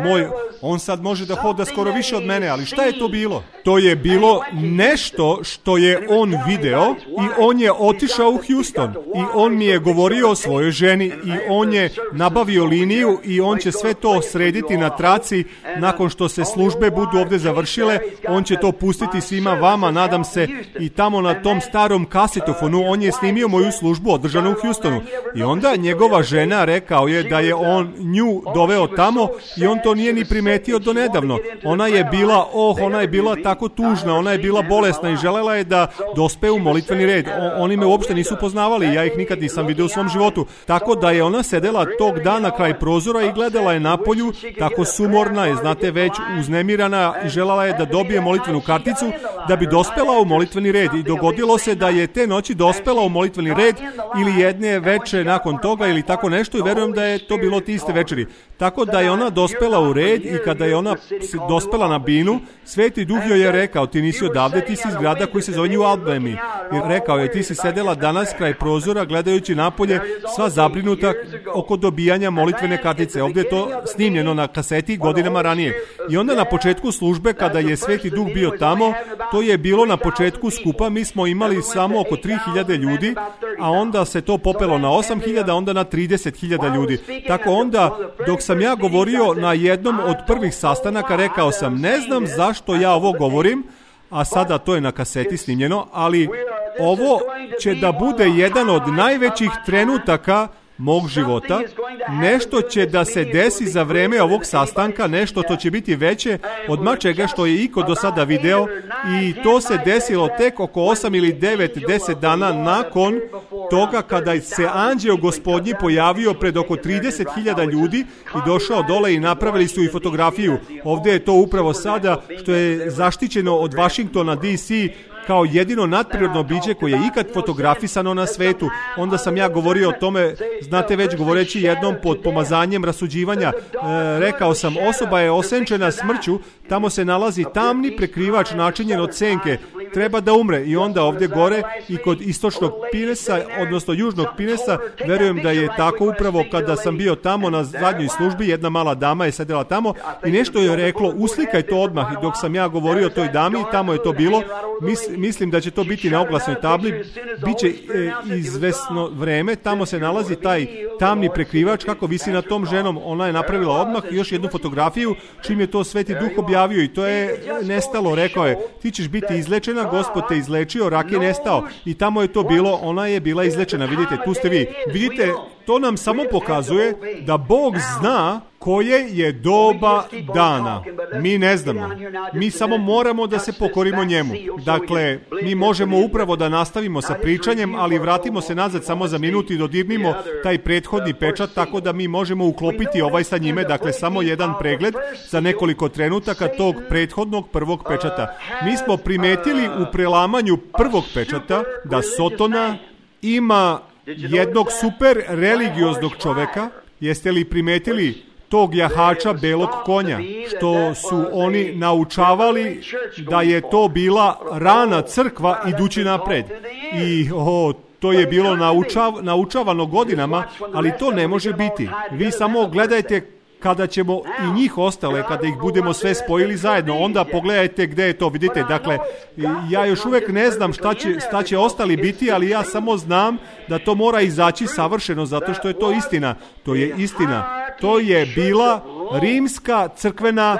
On sad može da hoda skoro više od mene, ali šta je to bilo? To je bilo nešto što je on video i on je otišao u Houston i on mi je govorio o svojoj ženi i on je nabavio liniju i on će sve to srediti na traci nakon što se službe budu ovdje završile. On će to pustiti svima vama, nadam se, i tamo na tom starom kasetofonu on je snimio moju službu održanu u Houstonu. I onda njegova žena rekao je da je on nju doveo tamo i on to nije ni primetio do nedavno. Ona je bila tako tužna, ona je bila bolesna i želela je da dospe u molitveni red. Oni me uopšte nisu poznavali, ja ih nikad nisam vidio u svom životu. Tako da je ona sedela tog dana kraj prozora i gledala je napolju, tako sumorna je, znate, već uznemirana, i želala je da dobije molitvenu karticu da bi dospela u molitveni red. I dogodilo se da je te noći dospela u molitveni red ili jedne veče nakon toga ili tako nešto, i verujem da je to bilo te iste večeri. Tako da je ona dospela u red i kada je ona dospela na binu, Sveti Duh joj je rekao: ti nisi odavde, ti si iz grada koji se zove New Albany. I rekao je: ti si sedela danas kraj prozora gledajući napolje, sva zabrinuta oko dobijanja molitvene kartice. Ovdje je to snimljeno na kaseti godinama ranije. I onda na početku službe, kada je Sveti Duh bio tamo, to je bilo na početku skupa, mi smo imali samo oko 3000 ljudi, a onda se to popelo na 8000, onda na 30.000 ljudi. Tako onda, dok sam ja govorio na jednom od prvih sastanaka, rekao sam: ne znam zašto ja ovo govorim, a sada to je na kaseti snimljeno, ali ovo će da bude jedan od najvećih trenutaka mog života. Nešto će da se desi za vreme ovog sastanka, nešto to će biti veće od mačega što je iko do sada video, i to se desilo tek oko 8 ili 9, 10 dana nakon toga, kada se anđeo Gospodnji pojavio pred oko 30.000 ljudi i došao dole i napravili su i fotografiju. Ovdje je to upravo sada, što je zaštićeno od Washingtona DC kao jedino nadprirodno biće koje je ikad fotografisano na svetu. Onda sam ja govorio o tome, znate, već govoreći jednom pod pomazanjem rasuđivanja, rekao sam: osoba je osenčena smrću, tamo se nalazi tamni prekrivač načinjen od senke, treba da umre. I onda ovdje gore i kod istočnog Pinesa, odnosno južnog Pinesa, verujem da je tako upravo kada sam bio tamo na zadnjoj službi, jedna mala dama je sedela tamo i nešto je reklo: uslikaj to odmah. I dok sam ja govorio o toj dami, tamo je to bilo. Mislim da će to biti na oglasnoj tabli. Biće izvesno vreme, tamo se nalazi taj tamni prekrivač kako visi nad tom ženom. Ona je napravila odmah još jednu fotografiju čim je to Sveti Duh objavio, i to je nestalo. Rekao je: ti ćeš biti izlečena, Gospod te izlečio, rak je nestao. I tamo je to bilo, ona je bila izlečena. Vidite, tu ste vi. Vidite, to nam samo pokazuje da Bog zna koje je doba dana. Mi ne znamo. Mi samo moramo da se pokorimo njemu. Dakle, mi možemo upravo da nastavimo sa pričanjem, ali vratimo se nazad samo za minut i dodirnimo taj prethodni pečat, tako da mi možemo uklopiti ovaj sa njime. Dakle, samo jedan pregled za nekoliko trenutaka tog prethodnog prvog pečata. Mi smo primetili u prelamanju prvog pečata da Sotona ima jednog super religioznog čoveka. Jeste li primetili tog jahača belog konja, što su oni naučavali da je to bila rana crkva idući napred? I to je bilo naučavano godinama, ali to ne može biti. Vi samo gledajte kada ćemo i njih ostale, kada ih budemo sve spojili zajedno, onda pogledajte gdje je to. Vidite, dakle, ja još uvijek ne znam šta će ostali biti, ali ja samo znam da to mora izaći savršeno, zato što je to istina. To je istina. To je bila rimska crkvena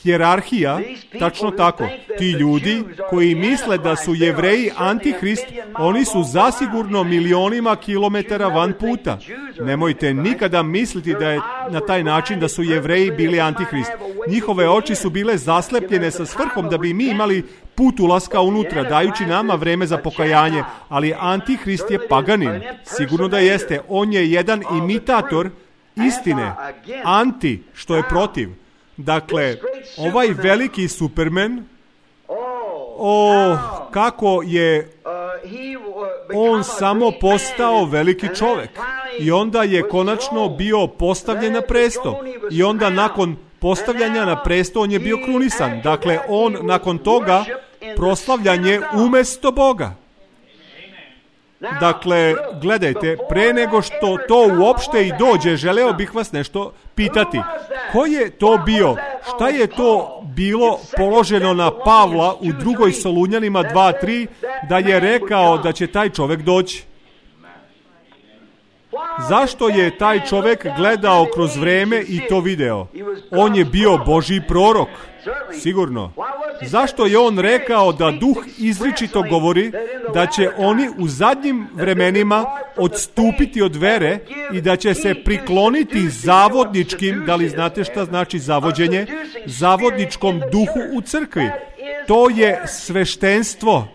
hijerarhija, tačno tako. Ti ljudi koji misle da su Jevreji antihrist, oni su zasigurno milionima kilometara van puta. Nemojte nikada misliti da je na taj način da su Jevreji bili antihrist. Njihove oči su bile zaslepljene sa svrhom da bi mi imali put ulaska unutra, dajući nama vreme za pokajanje, ali antihrist je paganin. Sigurno da jeste. On je jedan imitator istine. Anti, što je protiv. Dakle, ovaj veliki Superman, kako je on samo postao veliki čovjek i onda je konačno bio postavljen na presto i onda nakon postavljanja na presto on je bio krunisan. Dakle, on nakon toga proslavljanje umjesto Boga. Dakle, gledajte, pre nego što to uopšte i dođe, želeo bih vas nešto pitati. Ko je to bio? Šta je to bilo položeno na Pavla u 2. Solunjanima 2:3 da je rekao da će taj čovjek doći? Zašto je taj čovjek gledao kroz vreme i to video? On je bio Božji prorok. Sigurno. Zašto je on rekao da duh izričito govori da će oni u zadnjim vremenima odstupiti od vere i da će se prikloniti zavodničkim, da li znate šta znači zavođenje? Zavodničkom duhu u crkvi. To je sveštenstvo.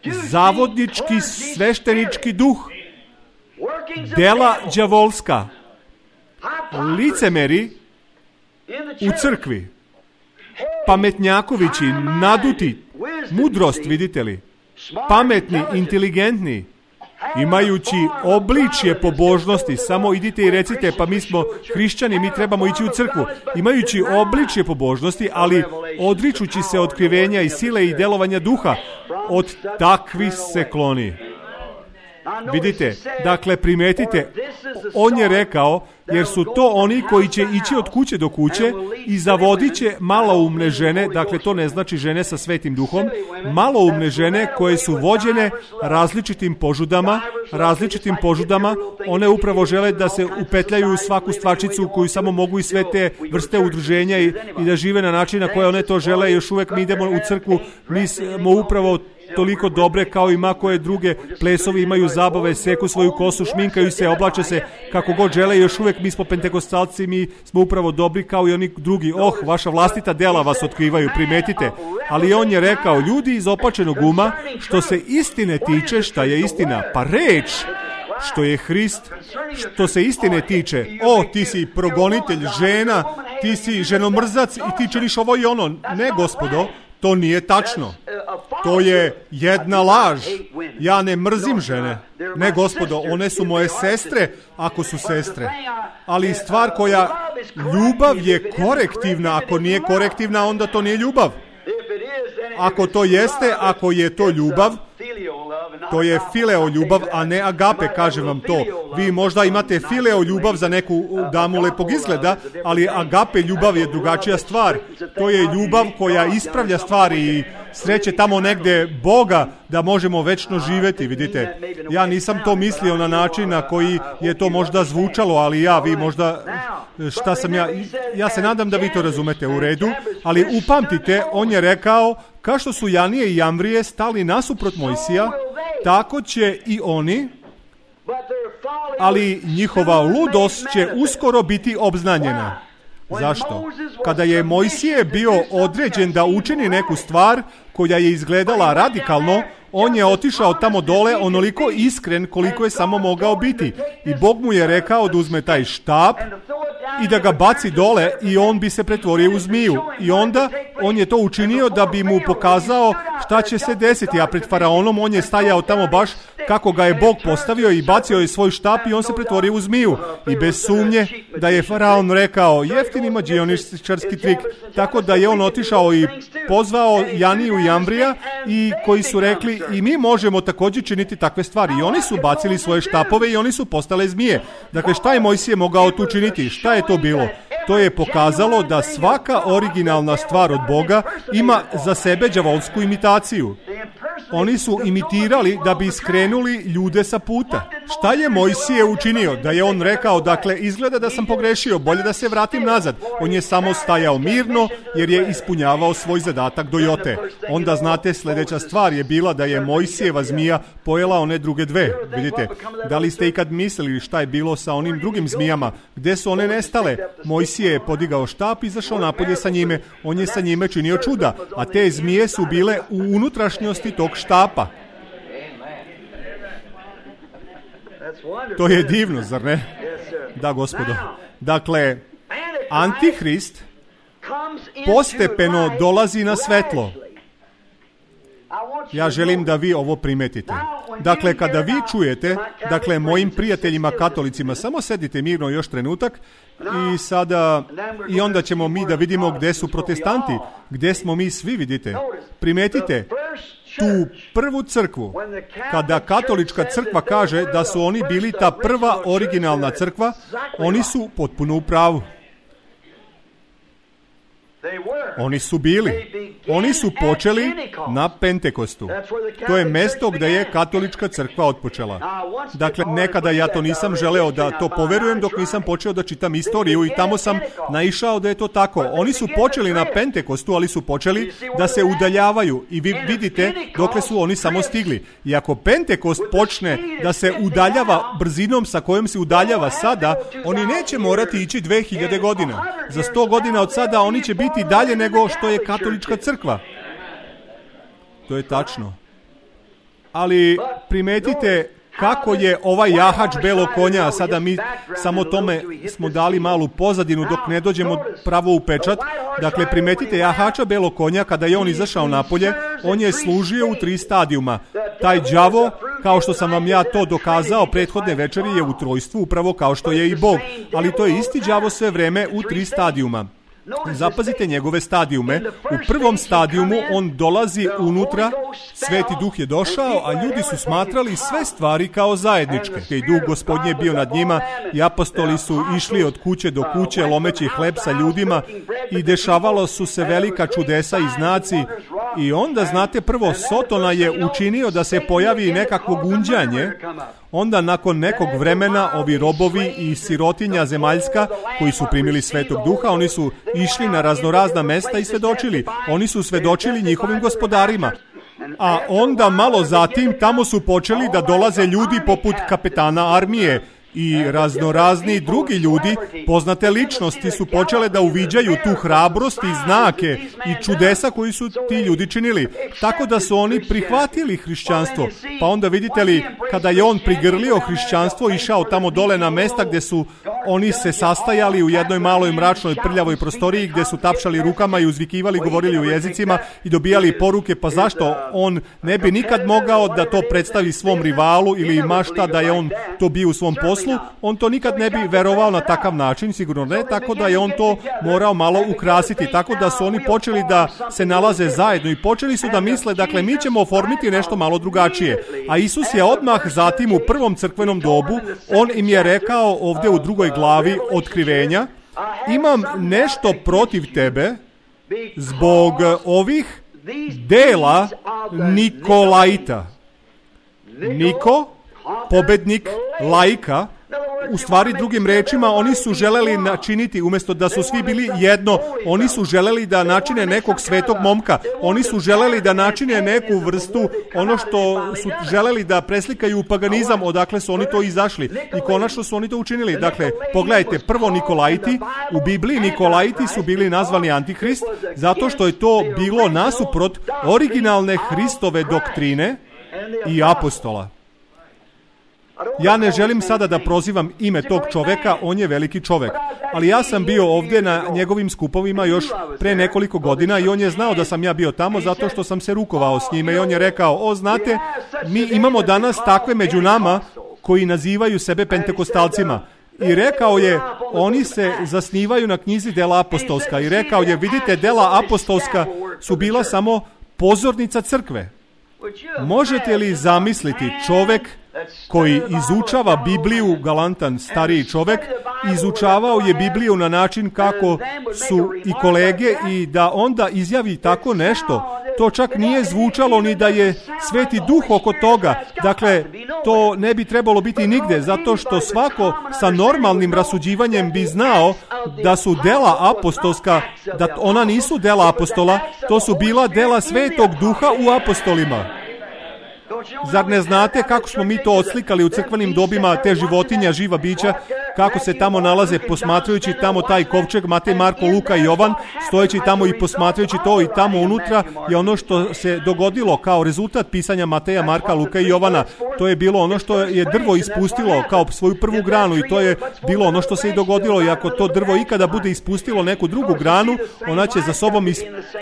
Zavodnički sveštenički duh. Dela đavolska. Licemeri u crkvi. Pametnjakovići, naduti, mudrost, vidite li? Pametni, inteligentni, imajući obličje pobožnosti, samo idite i recite, pa mi smo hrišćani, mi trebamo ići u crkvu. Imajući obličje pobožnosti, ali odričući se otkrivenja i sile i delovanja duha, od takvih se kloni. Vidite, dakle, primetite, on je rekao, jer su to oni koji će ići od kuće do kuće i zavodit će maloumne žene, dakle to ne znači žene sa svetim duhom, maloumne žene koje su vođene različitim požudama, one upravo žele da se upetljaju u svaku stvačicu koju samo mogu i sve te vrste udruženja i da žive na način na koje one to žele. Još uvijek mi idemo u crkvu, mi smo upravo toliko dobre kao i ma koje druge plesovi, imaju zabave, seku svoju kosu, šminkaju se, oblače se kako god žele. Još uvijek mi smo pentekostalci, mi smo upravo dobri kao i oni drugi. Vaša vlastita dela vas otkrivaju, primetite. Ali on je rekao, ljudi iz opačenog uma, što se istine tiče, šta je istina? Pa reč, što je Hrist. Što se istine tiče, ti si progonitelj žena, ti si ženomrzac i ti činiš ovo i ono. Ne, gospodo, to nije tačno. To je jedna laž. Ja ne mrzim žene. Ne, gospodo, one su moje sestre, ako su sestre. Ali stvar koja, ljubav je korektivna. Ako nije korektivna, onda to nije ljubav. Ako to jeste, ako je to ljubav, to je fileo ljubav, a ne agape, kažem vam to. Vi možda imate fileo ljubav za neku damu lepog izgleda, ali agape ljubav je drugačija stvar. To je ljubav koja ispravlja stvari i sreće tamo negde Boga da možemo večno živjeti, vidite. Ja nisam to mislio na način na koji je to možda zvučalo, ali vi možda, šta sam ja se nadam da vi to razumete u redu, ali upamtite, on je rekao, kao što su Janije i Jamvrije stali nasuprot Mojsija, tako će i oni, ali njihova ludost će uskoro biti obznanjena. Zašto? Kada je Mojsije bio određen da učini neku stvar koja je izgledala radikalno, on je otišao tamo dole onoliko iskren koliko je samo mogao biti. I Bog mu je rekao da uzme taj štap i da ga baci dole i on bi se pretvorio u zmiju. I onda on je to učinio da bi mu pokazao šta će se desiti, a pred faraonom on je stajao tamo baš kako ga je Bog postavio i bacio je svoj štap i on se pretvorio u zmiju. I bez sumnje da je faraon rekao jeftini mađioničarski trik, tako da je on otišao i pozvao Janiju i Jamvrija i koji su rekli i mi možemo također činiti takve stvari. I oni su bacili svoje štapove i oni su postale zmije. Dakle, šta je Mojsije mogao tu činiti? Šta je to bilo? To je pokazalo da svaka originalna stvar od Boga ima za sebe đavolsku imitaciju. Oni su imitirali da bi skrenuli ljude sa puta. Šta je Mojsije učinio? Da je on rekao, dakle, izgleda da sam pogrešio, bolje da se vratim nazad. On je samo stajao mirno jer je ispunjavao svoj zadatak do jote. Onda, znate, sljedeća stvar je bila da je Mojsijeva zmija pojela one druge dve. Vidite, da li ste ikad mislili šta je bilo sa onim drugim zmijama? Gde su one nestale? Mojsije je podigao štap i izašao napolje sa njime. On je sa njime činio čuda, a te zmije su bile u unutrašnjosti tog štapa. To je divno, zar ne? Da, gospodo. Dakle, Antihrist postepeno dolazi na svetlo. Ja želim da vi ovo primetite. Dakle, kada vi čujete, dakle, mojim prijateljima katolicima, samo sedite mirno još trenutak i onda ćemo mi da vidimo gde su protestanti, gde smo mi svi, vidite. Primetite, tu prvu crkvu, kada katolička crkva kaže da su oni bili ta prva originalna crkva, oni su potpuno u pravu. Oni su počeli na Pentekostu. To je mesto gde je katolička crkva otpočela. Dakle, nekada ja to nisam želeo da to poverujem dok nisam počeo da čitam istoriju i tamo sam naišao da je to tako. Oni su počeli na Pentekostu, ali su počeli da se udaljavaju i vi vidite dokle su oni samo stigli. I ako Pentekost počne da se udaljava brzinom sa kojom se udaljava sada, oni neće morati ići 2000 godina. Za 100 godina od sada oni će biti dalje nego što je katolička crkva. To je tačno. Ali primetite kako je ovaj jahač belog konja, sada mi samo tome smo dali malu pozadinu dok ne dođemo pravo u pečat. Dakle, primetite jahača belog konja, kada je on izašao napolje, on je služio u 3 stadijuma. Taj đavo, kao što sam vam ja to dokazao prethodne večeri, je u trojstvu, upravo kao što je i Bog. Ali to je isti đavo sve vreme u 3 stadijuma. Zapazite njegove stadijume. U prvom stadijumu on dolazi unutra, Sveti Duh je došao, a ljudi su smatrali sve stvari kao zajedničke. I Duh Gospodnji je bio nad njima i apostoli su išli od kuće do kuće lomeći hleb sa ljudima i dešavalo su se velika čudesa i znaci. I onda, znate, prvo Sotona je učinio da se pojavi nekakvo gunđanje. Onda nakon nekog vremena ovi robovi i sirotinja zemaljska koji su primili Svetog Duha, oni su išli na raznorazna mesta i svedočili. Oni su svedočili njihovim gospodarima. A onda malo zatim tamo su počeli da dolaze ljudi poput kapetana armije i raznorazni drugi ljudi, poznate ličnosti, su počele da uviđaju tu hrabrost i znake i čudesa koji su ti ljudi činili. Tako da su oni prihvatili hrišćanstvo. Pa onda vidite li, kada je on prigrlio hrišćanstvo, išao tamo dole na mesta gde su oni se sastajali u jednoj maloj mračnoj prljavoj prostoriji gde su tapšali rukama i uzvikivali, govorili u jezicima i dobijali poruke, pa zašto on ne bi nikad mogao da to predstavi svom rivalu ili mašta da je on to bio u svom poslu, on to nikad ne bi verovao na takav način, sigurno ne, tako da je on to morao malo ukrasiti, tako da su oni počeli da se nalaze zajedno i počeli su da misle, dakle, mi ćemo oformiti nešto malo drugačije. A Isus je odmah zatim u prvom crkvenom dobu, on im je rekao ovdje u 2. glavi Otkrivenja, imam nešto protiv tebe zbog ovih dela Nikolaita. Niko, pobednik, laika. U stvari, drugim rečima, oni su želeli načiniti, umjesto da su svi bili jedno, oni su želeli da načine nekog svetog momka. Oni su želeli da načine neku vrstu, ono što su želeli da preslikaju u paganizam, odakle su oni to izašli. I konačno su oni to učinili. Dakle, pogledajte, prvo Nikolaiti, u Bibliji Nikolaiti su bili nazvani Antihrist, zato što je to bilo nasuprot originalne Hristove doktrine i apostola. Ja ne želim sada da prozivam ime tog čoveka, on je veliki čovek. Ali ja sam bio ovdje na njegovim skupovima još pre nekoliko godina i on je znao da sam ja bio tamo zato što sam se rukovao s njime i on je rekao, znate, mi imamo danas takve među nama koji nazivaju sebe pentekostalcima. I rekao je, oni se zasnivaju na knjizi Dela apostolska. I rekao je, vidite, Dela apostolska su bila samo pozornica crkve. Možete li zamisliti čovek koji izučava Bibliju, galantan stariji čovek, izučavao je Bibliju na način kako su i kolege i da onda izjavi tako nešto. To čak nije zvučalo ni da je Sveti Duh oko toga. Dakle, to ne bi trebalo biti nigde, zato što svako sa normalnim rasuđivanjem bi znao da su dela apostolska, da ona nisu dela apostola, to su bila dela Svetog Duha u apostolima. Zar ne znate kako smo mi to odslikali u crkvenim dobima, te životinja, živa bića, kako se tamo nalaze, posmatrajući tamo taj kovčeg, Matej, Marko, Luka i Jovan, stojeći tamo i posmatrajući to, i tamo unutra je ono što se dogodilo kao rezultat pisanja Mateja, Marka, Luka i Jovana. To je bilo ono što je drvo ispustilo kao svoju prvu granu i to je bilo ono što se i dogodilo. I ako to drvo ikada bude ispustilo neku drugu granu, ona će za sobom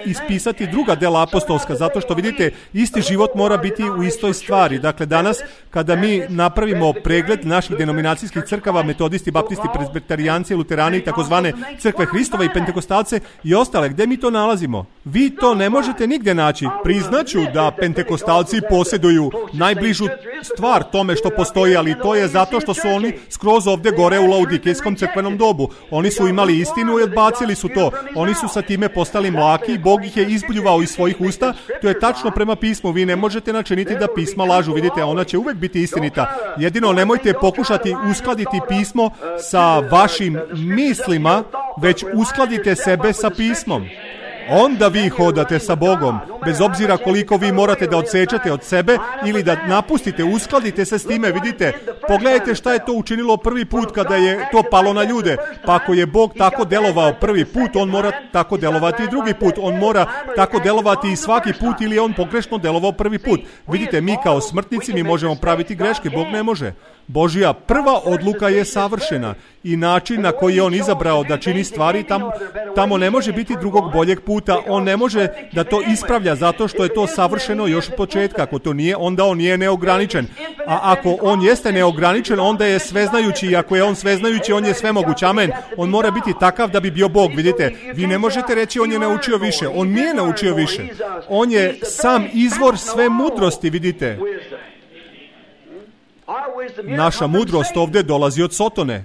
ispisati druga dela apostolska, zato što vidite, isti život mora biti u istoj stvari. Dakle, danas kada mi napravimo pregled naših denominacijskih crkava, metodisti, baptisti, prezbiterijanci, luterani i takozvane crkve Hristova i pentekostalce i ostale, gde mi to nalazimo? Vi to ne možete nigdje naći. Priznaću da pentekostalci posjeduju najbližu stvar tome što postoji, ali to je zato što su oni skroz ovdje gore u laudikejskom crkvenom dobu. Oni su imali istinu i odbacili su to. Oni su sa time postali mlaki, Bog ih je izbljuvao iz svojih usta. To je tačno prema pismu. Vi ne možete načiniti da pisma lažu. Vidite, ona će uvek biti istinita. Jedino nemojte pokušati uskladiti pismo sa vašim mislima, već uskladite sebe sa pismom. Onda vi hodate sa Bogom, bez obzira koliko vi morate da odsečete od sebe ili da napustite, uskladite se s time. Vidite, pogledajte šta je to učinilo prvi put kada je to palo na ljude. Pa ako je Bog tako delovao prvi put, on mora tako delovati i drugi put. On mora tako delovati i svaki put ili je on pogrešno delovao prvi put. Vidite, mi kao smrtnici mi možemo praviti greške, Bog ne može. Božja prva odluka je savršena i način na koji je on izabrao da čini stvari, tamo ne može biti drugog boljeg puta. On ne može da to ispravlja zato što je to savršeno još od početka. Ako to nije, onda on nije neograničen. A ako on jeste neograničen, onda je sveznajući, i ako je on sveznajući, on je svemoguć. Amen. On mora biti takav da bi bio Bog. Vidite, vi ne možete reći on je naučio više. On nije naučio više. On je sam izvor sve mudrosti, vidite. Naša mudrost ovdje dolazi od Sotone.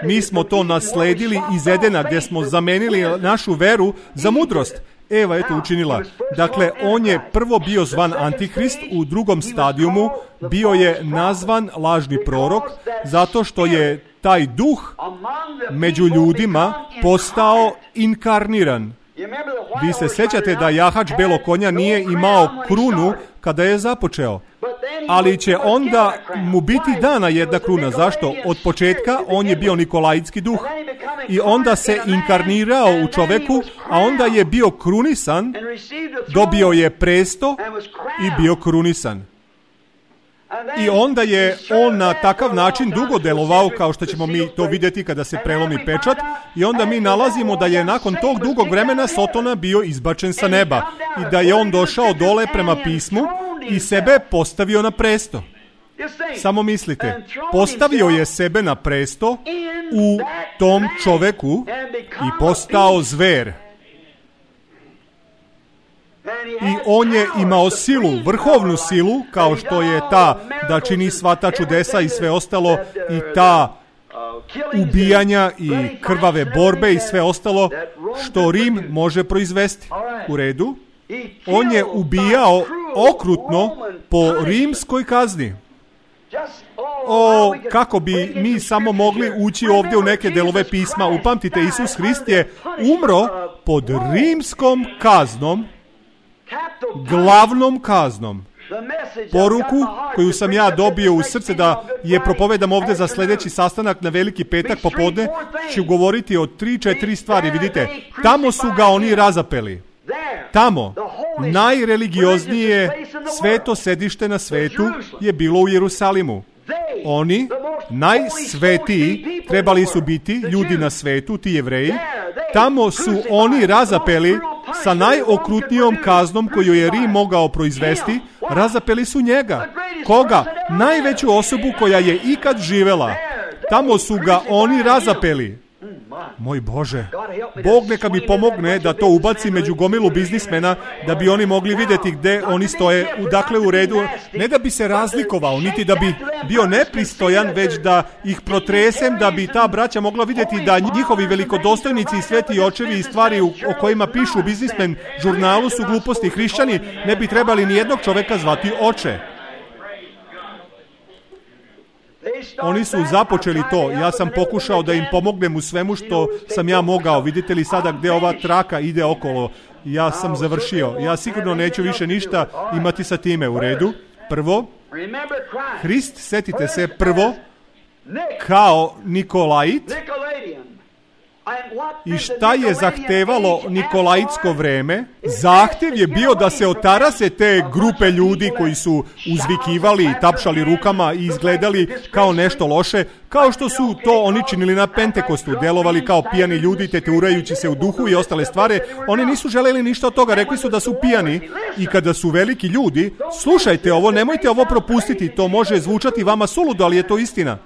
Mi smo to nasledili iz Edena, gdje smo zamenili našu veru za mudrost. Eva je to učinila. Dakle, on je prvo bio zvan Antihrist, u drugom stadijumu bio je nazvan lažni prorok, zato što je taj duh među ljudima postao inkarniran. Vi se sjećate da jahač belog konja nije imao krunu kada je započeo, ali će onda mu biti dana jedna kruna. Zašto? Od početka on je bio nikolajitski duh i onda se inkarnirao u čoveku, a onda je bio krunisan, dobio je presto i bio krunisan. I onda je on na takav način dugo delovao, kao što ćemo mi to vidjeti kada se prelomi pečat, i onda mi nalazimo da je nakon tog dugog vremena Sotona bio izbačen sa neba i da je on došao dole prema pismu i sebe postavio na presto. Samo mislite, postavio je sebe na presto u tom čoveku i postao zver. I on je imao silu, vrhovnu silu, kao što je ta da čini sva ta čudesa i sve ostalo, i ta ubijanja i krvave borbe i sve ostalo što Rim može proizvesti. U redu? On je ubijao okrutno po rimskoj kazni. Kako bi mi samo mogli ući ovdje u neke delove pisma. Upamtite, Isus Hrist je umro pod rimskom kaznom, glavnom kaznom. Poruku koju sam ja dobio u srce da je propovedam ovdje za sljedeći sastanak na Veliki petak popodne, ću govoriti o 3-4 stvari. Vidite, tamo su ga oni razapeli. Tamo, najreligioznije sveto sedište na svetu je bilo u Jerusalimu. Oni, najsvetiji, trebali su biti ljudi na svetu, ti Jevreji. Tamo su oni razapeli sa najokrutnijom kaznom koju je Rim mogao proizvesti. Razapeli su njega. Koga? Najveću osobu koja je ikad živela. Tamo su ga oni razapeli. Moj Bože, Bog neka mi pomogne da to ubaci među gomilu biznismena, da bi oni mogli vidjeti gde oni stoje, dakle u redu, ne da bi se razlikovao, niti da bi bio nepristojan, već da ih protresem, da bi ta braća mogla vidjeti da njihovi velikodostojnici i sveti očevi i stvari o kojima pišu u biznismen žurnalu su gluposti. Hrišćani ne bi trebali ni jednog čoveka zvati oče. Oni su započeli to. Ja sam pokušao da im pomognem u svemu što sam ja mogao. Vidite li sada gdje ova traka ide okolo? Ja sam završio. Ja sigurno neću više ništa imati sa time. U redu. Prvo, Hrist, setite se, prvo, kao Nikolajit, I šta je zahtevalo Nikolaitsko vreme? Zahtev je bio da se otarase te grupe ljudi koji su uzvikivali i tapšali rukama i izgledali kao nešto loše, kao što su to oni činili na Pentekostu, delovali kao pijani ljudi, teturajući se u duhu i ostale stvari. Oni nisu želeli ništa od toga, rekli su da su pijani i kada su veliki ljudi, slušajte ovo, nemojte ovo propustiti, to može zvučati vama suludo, ali je to istina.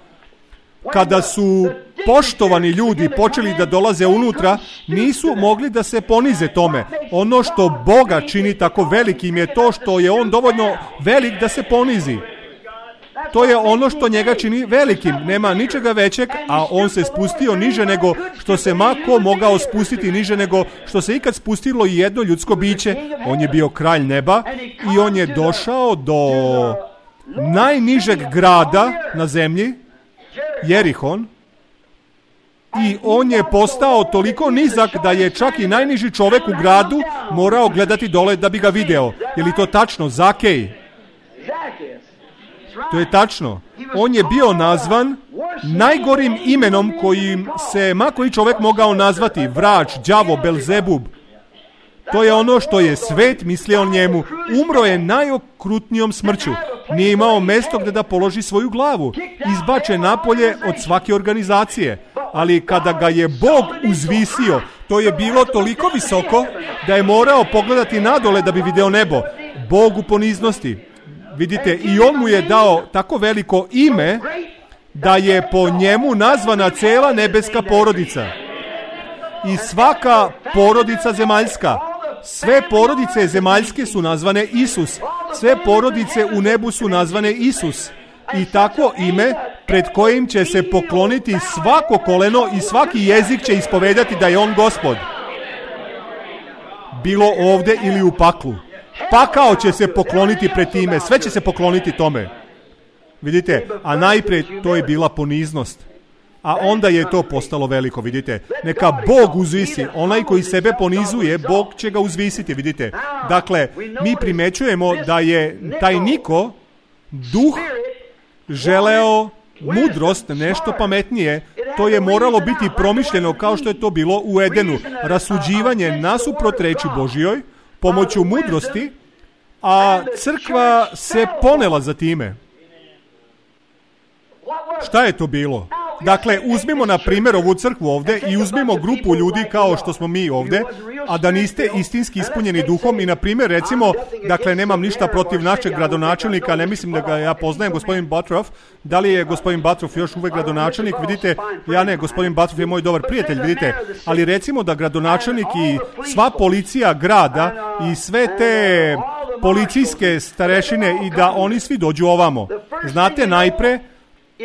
Kada su poštovani ljudi počeli da dolaze unutra, nisu mogli da se ponize tome. Ono što Boga čini tako velikim je to što je on dovoljno velik da se ponizi. To je ono što njega čini velikim. Nema ničega većeg, a on se spustio niže nego što se ko mogao spustiti niže nego što se ikad spustilo i jedno ljudsko biće. On je bio kralj neba i on je došao do najnižeg grada na zemlji, Jerihon, i on je postao toliko nizak da je čak i najniži čovek u gradu morao gledati dole da bi ga video. Je li to tačno? Zakej. To je tačno. On je bio nazvan najgorim imenom kojim se koji čovek mogao nazvati. Vrač, đavo, Belzebub. To je ono što je svet mislio o njemu. Umro je najokrutnijom smrću. Nije imao mesto gde da položi svoju glavu. Izbačen napolje od svake organizacije. Ali kada ga je Bog uzvisio, to je bilo toliko visoko da je morao pogledati nadole da bi video nebo. Bog u poniznosti. Vidite, i on mu je dao tako veliko ime da je po njemu nazvana cela nebeska porodica. I svaka porodica zemaljska. Sve porodice zemaljske su nazvane Isus. Sve porodice u nebu su nazvane Isus. I tako ime pred kojim će se pokloniti svako koleno i svaki jezik će ispovedati da je on Gospod. Bilo ovde ili u paklu. Pakao će se pokloniti pred time. Sve će se pokloniti tome. Vidite, a najpred to je bila poniznost. A onda je to postalo veliko, vidite. Neka Bog uzvisi. Onaj koji sebe ponizuje, Bog će ga uzvisiti, vidite. Dakle, mi primećujemo da je taj Niko, duh, želeo mudrost, nešto pametnije. To je moralo biti promišljeno kao što je to bilo u Edenu. Rasuđivanje nasuprot reči Božjoj, pomoću mudrosti, a crkva se ponela za time. Šta je to bilo? Dakle, uzmimo na primjer ovu crkvu ovde i uzmimo grupu ljudi kao što smo mi ovde, a da niste istinski ispunjeni duhom i na primjer recimo, dakle nemam ništa protiv našeg gradonačelnika, ne mislim da ga ja poznajem, gospodin Butterov, da li je gospodin Butterov još uvek gradonačelnik, vidite, ja ne, gospodin Butterov je moj dobar prijatelj, vidite, ali recimo da gradonačelnik i sva policija grada i sve te policijske starešine i da oni svi dođu ovamo. Znate, najpre,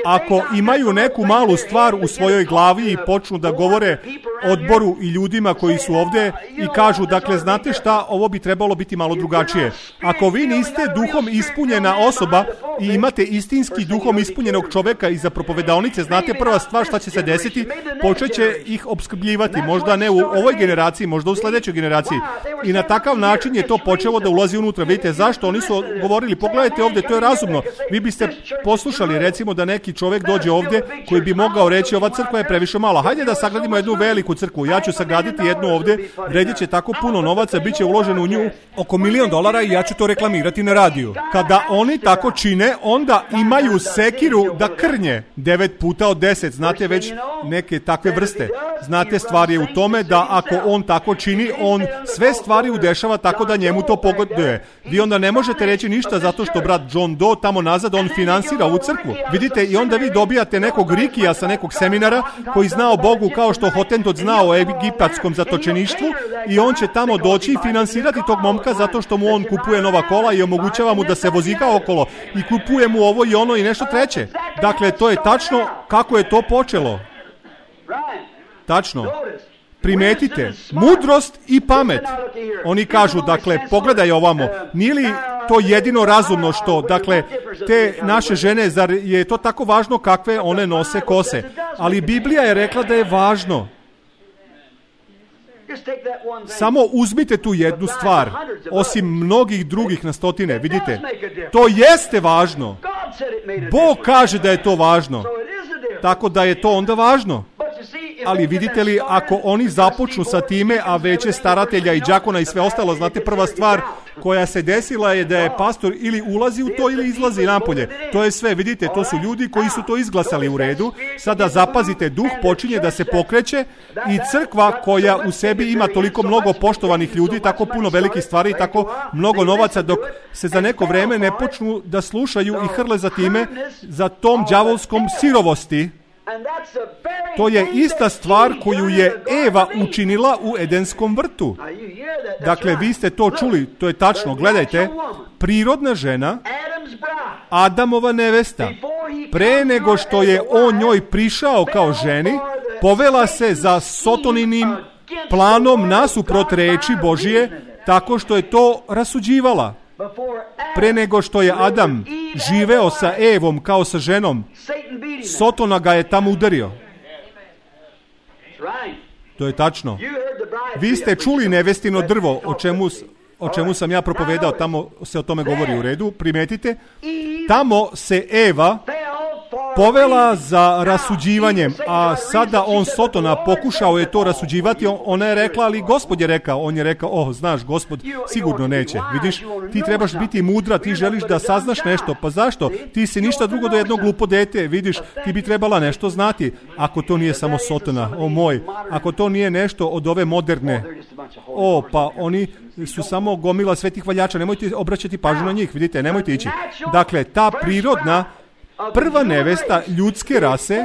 ako imaju neku malu stvar u svojoj glavi i počnu da govore odboru i ljudima koji su ovde i kažu, dakle, znate šta, ovo bi trebalo biti malo drugačije. Ako vi niste duhom ispunjena osoba i imate istinski duhom ispunjenog čoveka iza propovedaonice, znate prva stvar šta će se desiti, počet će ih opskrbljivati, možda ne u ovoj generaciji, možda u sledećoj generaciji. I na takav način je to počelo da ulazi unutra. Vidite, zašto? Oni su govorili, pogledajte ovde, to je razumno. Vi biste poslušali, recimo, da neki čovek dođe ovde koji bi mogao reći, ova crkva je previše mala. Hajde da sagradimo jednu veliku crkvu. Ja ću sagraditi jednu ovde, vredit će tako puno novaca, bit će uloženo u nju oko $1.000.000 i ja ću to reklamirati na radiju. Kada oni tako čine, onda imaju sekiru da krnje 9 puta od 10. Znate već neke takve vrste. Znate, stvar je u tome da ako on tako čini, on sve stvari udešava tako da njemu to pogoduje. Vi onda ne možete reći ništa zato što brat John Doe tamo nazad, on finansira ovu crkvu. Vidite, i onda vi dobijate nekog Rikija sa nekog seminara koji zna o Bogu kao što Hottentot zna o egipatskom zatočeništvu i on će tamo doći i finansirati tog momka zato što mu on kupuje nova kola i omogućava mu da se vozika okolo i kupuje mu ovo i ono i nešto treće. Dakle, to je tačno kako je to počelo. Tačno. Primetite, mudrost i pamet. Oni kažu, dakle, pogledaj ovamo, nije li to jedino razumno što, dakle, te naše žene, zar je to tako važno kakve one nose kose? Ali Biblija je rekla da je važno. Samo uzmite tu jednu stvar, osim mnogih drugih na stotine, vidite, to jeste važno. Bog kaže da je to važno, tako da je to onda važno. Ali vidite li, ako oni započnu sa time, a veće staratelja i đakona i sve ostalo, znate, prva stvar koja se desila je da je pastor ili ulazi u to ili izlazi napolje. To je sve, vidite, to su ljudi koji su to izglasali u redu. Sada zapazite, duh počinje da se pokreće i crkva koja u sebi ima toliko mnogo poštovanih ljudi, tako puno velikih stvari i tako mnogo novaca, dok se za neko vreme ne počnu da slušaju i hrle za time, za tom đavolskom sirovosti. To je ista stvar koju je Eva učinila u Edenskom vrtu. Dakle, vi ste to čuli, to je tačno. Gledajte, prirodna žena, Adamova nevesta, pre nego što je on njoj prišao kao ženi, povela se za Sotoninim planom nasuprot reči Božije, tako što je to rasuđivala. Pre nego što je Adam živeo sa Evom kao sa ženom, Sotona ga je tamo udario. To je tačno. Vi ste čuli nevestino drvo, o čemu sam ja propovedao, tamo se o tome govori u redu, primetite. Tamo se Eva povela za rasuđivanjem, a sada on Sotona pokušao je to rasuđivati, ona je rekla, ali Gospod je rekao, on je rekao, znaš, Gospod sigurno neće, vidiš, ti trebaš biti mudra, ti želiš da saznaš nešto, pa zašto? Ti si ništa drugo do jedno glupo dete, vidiš, ti bi trebala nešto znati, ako to nije samo Sotona, o moj, ako to nije nešto od ove moderne, pa oni su samo gomila svetih valjača, nemojte obraćati pažnju na njih, vidite, nemojte ići. Dakle, ta prirodna prva nevesta ljudske rase,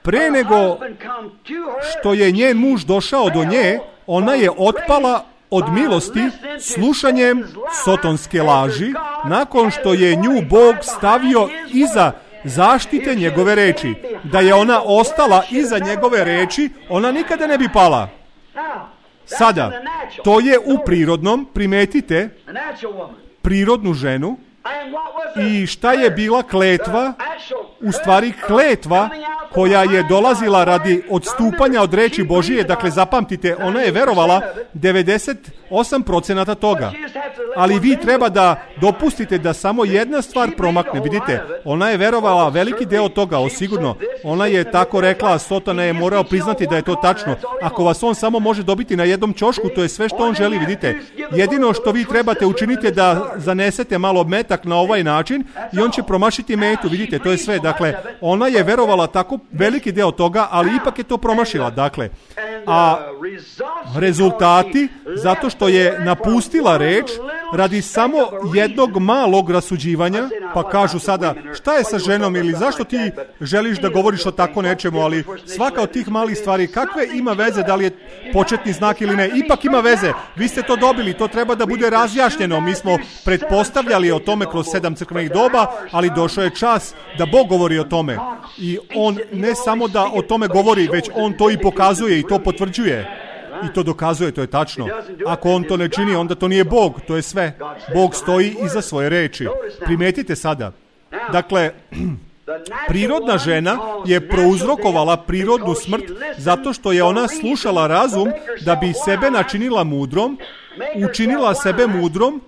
pre nego što je njen muž došao do nje, ona je otpala od milosti slušanjem sotonske laži, nakon što je nju Bog stavio iza zaštite njegove reči. Da je ona ostala iza njegove reči, ona nikada ne bi pala. Sada, to je u prirodnom, primetite, prirodnu ženu. I šta je bila kletva? U stvari kletva koja je dolazila radi odstupanja od reči Božije. Dakle, zapamtite, ona je verovala 98% toga. Ali vi treba da dopustite da samo jedna stvar promakne. Vidite, ona je verovala veliki deo toga, osigurno. Ona je tako rekla, Sotona je morao priznati da je to tačno. Ako vas on samo može dobiti na jednom ćošku, to je sve što on želi, vidite. Jedino što vi trebate učiniti da zanesete malo metak na ovaj način i on će promašiti metu, vidite, to je sve. Dakle, ona je verovala tako veliki deo toga, ali ipak je to promašila. Dakle, a rezultati, zato što je napustila reč radi samo jednog malog rasuđivanja, pa kažu sada, šta je sa ženom ili zašto ti želiš da govoriš o tako nečemu, ali svaka od tih malih stvari, kakve ima veze, da li je početni znak ili ne, ipak ima veze, vi ste to dobili, to treba da bude razjašnjeno, mi smo pretpostavljali o tome kroz 7 crkvenih doba, ali došao je čas da Bog govori o tome i on ne samo da o tome govori, već on to i pokazuje i to potvrđuje. I to dokazuje, to je tačno. Ako on to ne čini, onda to nije Bog, to je sve. Bog stoji iza svoje reči. Primetite sada. Dakle, prirodna žena je prouzrokovala prirodnu smrt zato što je ona slušala razum da bi sebe načinila mudrom, učinila sebe mudrom,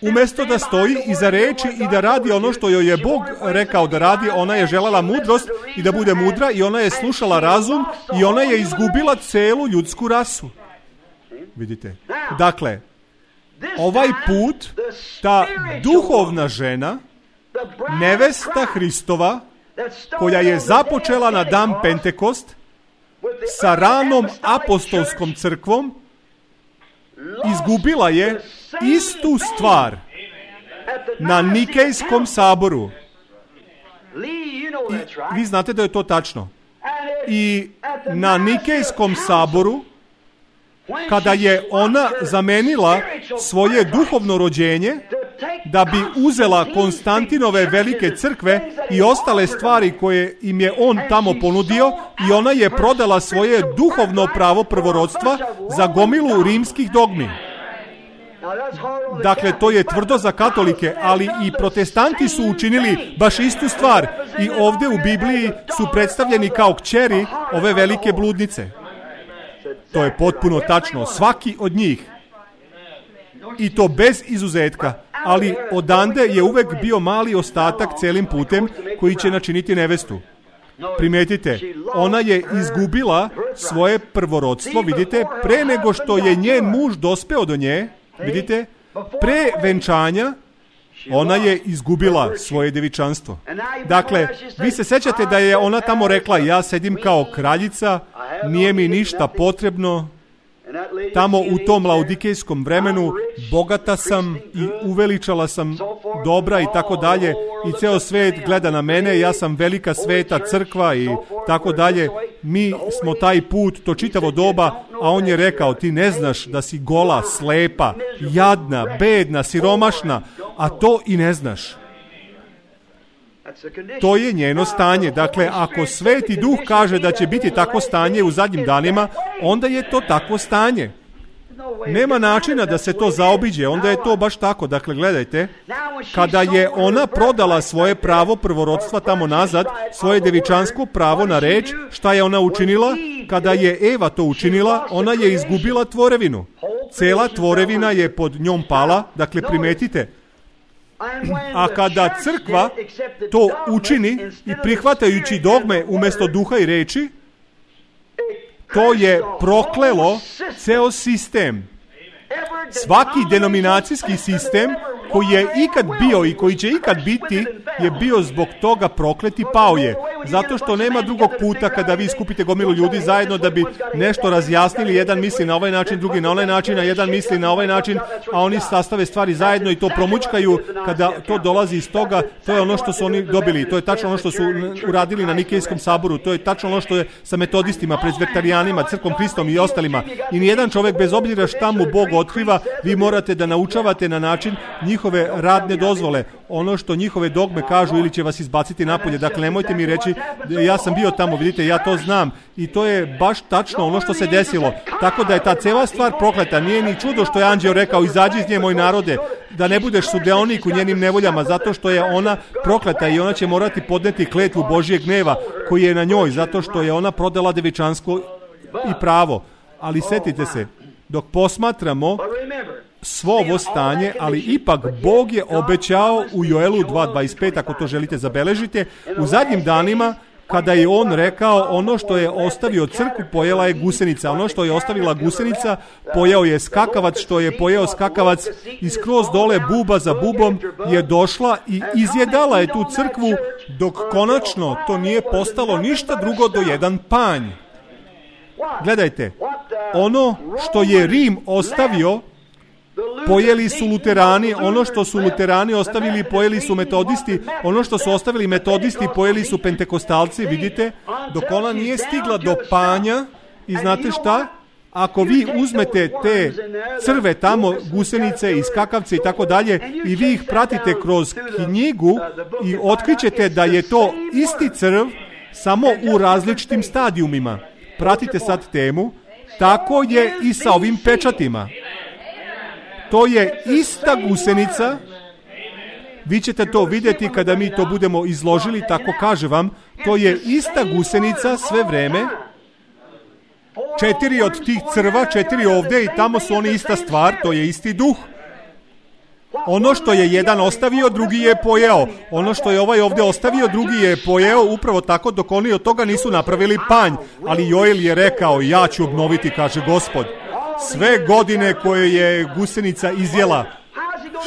umjesto da stoji iza reči i da radi ono što joj je Bog rekao da radi. Ona je želela mudrost i da bude mudra i ona je slušala razum i ona je izgubila celu ljudsku rasu. Vidite? Dakle, ovaj put, ta duhovna žena, nevesta Hristova, koja je započela na dan Pentekost sa ranom apostolskom crkvom, izgubila je istu stvar na Nikejskom saboru. I vi znate da je to tačno. I na Nikejskom saboru, kada je ona zamenila svoje duhovno rođenje da bi uzela Konstantinove velike crkve i ostale stvari koje im je on tamo ponudio, i ona je prodala svoje duhovno pravo prvorodstva za gomilu rimskih dogmi. Dakle, to je tvrdo za katolike, ali i protestanti su učinili baš istu stvar i ovdje u Bibliji su predstavljeni kao kćeri ove velike bludnice. To je potpuno tačno, svaki od njih. I to bez izuzetka, ali odande je uvek bio mali ostatak celim putem koji će načiniti nevestu. Primetite, ona je izgubila svoje prvorodstvo, vidite, pre nego što je njen muž dospeo do nje, vidite, pre venčanja, ona je izgubila svoje devičanstvo. Dakle, vi se sećate da je ona tamo rekla, ja sedim kao kraljica, nije mi ništa potrebno. Tamo u tom laodikejskom vremenu bogata sam i uveličala sam dobra i tako dalje i ceo svet gleda na mene, ja sam velika sveta crkva i tako dalje. Mi smo taj put, to čitavo doba, a on je rekao, ti ne znaš da si gola, slepa, jadna, bedna, siromašna, a to i ne znaš. To je njeno stanje. Dakle, ako Sveti Duh kaže da će biti takvo stanje u zadnjim danima, onda je to takvo stanje. Nema načina da se to zaobiđe, onda je to baš tako. Dakle, gledajte, kada je ona prodala svoje pravo prvorodstva tamo nazad, svoje devičansko pravo na reč, šta je ona učinila? Kada je Eva to učinila, ona je izgubila tvorevinu. Cela tvorevina je pod njom pala, dakle, primetite. A kada crkva to učini i prihvatajući dogme umjesto duha i reči, to je proklelo ceo sistem. Svaki denominacijski sistem koji je ikad bio i koji će ikad biti je bio zbog toga proklet i pao je. Zato što nema drugog puta kada vi skupite gomilu ljudi zajedno da bi nešto razjasnili. Jedan misli na ovaj način, drugi na onaj način, a jedan misli na ovaj način, a oni sastave stvari zajedno i to promućkaju. Kada to dolazi iz toga, to je ono što su oni dobili. To je tačno ono što su uradili na Nikejskom saboru. To je tačno ono što je sa metodistima, prezbekterijanima, crkvom Hristom i ostalima. I nijedan čovjek, bez obzira šta mu Bog otkriva, vi morate da naučavate na način njihove radne dozvole, ono što njihove dogme kažu ili će vas izbaciti napolje. Dakle, nemojte mi reći, ja sam bio tamo, vidite, ja to znam i to je baš tačno ono što se desilo. Tako da je ta cela stvar prokleta. Nije ni čudo što je anđeo rekao, izađi iz nje, moj narode, da ne budeš sudeonik u njenim nevoljama, zato što je ona prokleta i ona će morati podneti kletvu Božijeg gneva koji je na njoj, zato što je ona prodala devičansko i pravo. Ali setite se, dok posmatramo svo ovo stanje, ali ipak Bog je obećao u Joelu 2.25, ako to želite zabeležite, u zadnjim danima, kada je on rekao, ono što je ostavio crkvu, pojela je gusenica. Ono što je ostavila gusenica, pojeo je skakavac, što je pojeo skakavac i skroz dole buba za bubom je došla i izjedala je tu crkvu, dok konačno to nije postalo ništa drugo do jedan panj. Gledajte, ono što je Rim ostavio, pojeli su luterani, ono što su luterani ostavili, pojeli su metodisti, ono što su ostavili metodisti, pojeli su pentekostalci, vidite, dok ona nije stigla do panja. I znate šta? Ako vi uzmete te crve tamo, gusenice i skakavce i tako dalje, i vi ih pratite kroz knjigu i otkrićete da je to isti crv, samo u različitim stadijumima. Pratite sad temu, tako je i sa ovim pečatima. To je ista gusenica, vi ćete to vidjeti kada mi to budemo izložili, tako kaže vam, to je ista gusenica sve vreme, 4 od tih crva, 4 ovdje i tamo su oni ista stvar, to je isti duh. Ono što je jedan ostavio, drugi je pojeo. Ono što je ovaj ovdje ostavio, drugi je pojeo, upravo tako dok oni od toga nisu napravili panj. Ali Joel je rekao, ja ću obnoviti, kaže Gospod, sve godine koje je gusenica izjela.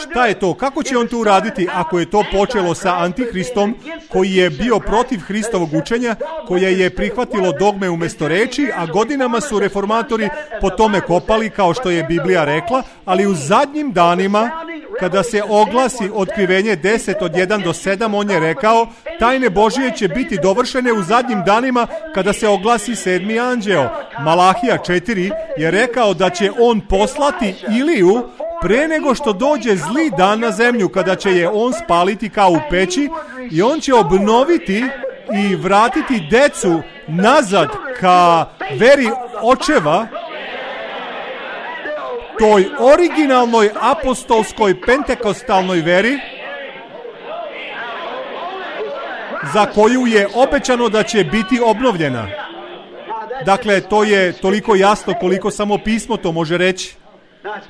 Šta je to? Kako će on to uraditi ako je to počelo sa Antihristom koji je bio protiv Hristovog učenja, koje je prihvatilo dogme umjesto reči, a godinama su reformatori po tome kopali kao što je Biblija rekla, ali u zadnjim danima kada se oglasi otkrivenje 10 od 1 do 7, on je rekao, tajne Božije će biti dovršene u zadnjim danima kada se oglasi 7. anđeo. Malahija 4 je rekao da će on poslati Iliju pre nego što dođe zli dan na zemlju, kada će je on spaliti kao u peći i on će obnoviti i vratiti decu nazad ka veri očeva, toj originalnoj apostolskoj pentekostalnoj veri za koju je obećano da će biti obnovljena. Dakle, to je toliko jasno koliko samo pismo to može reći.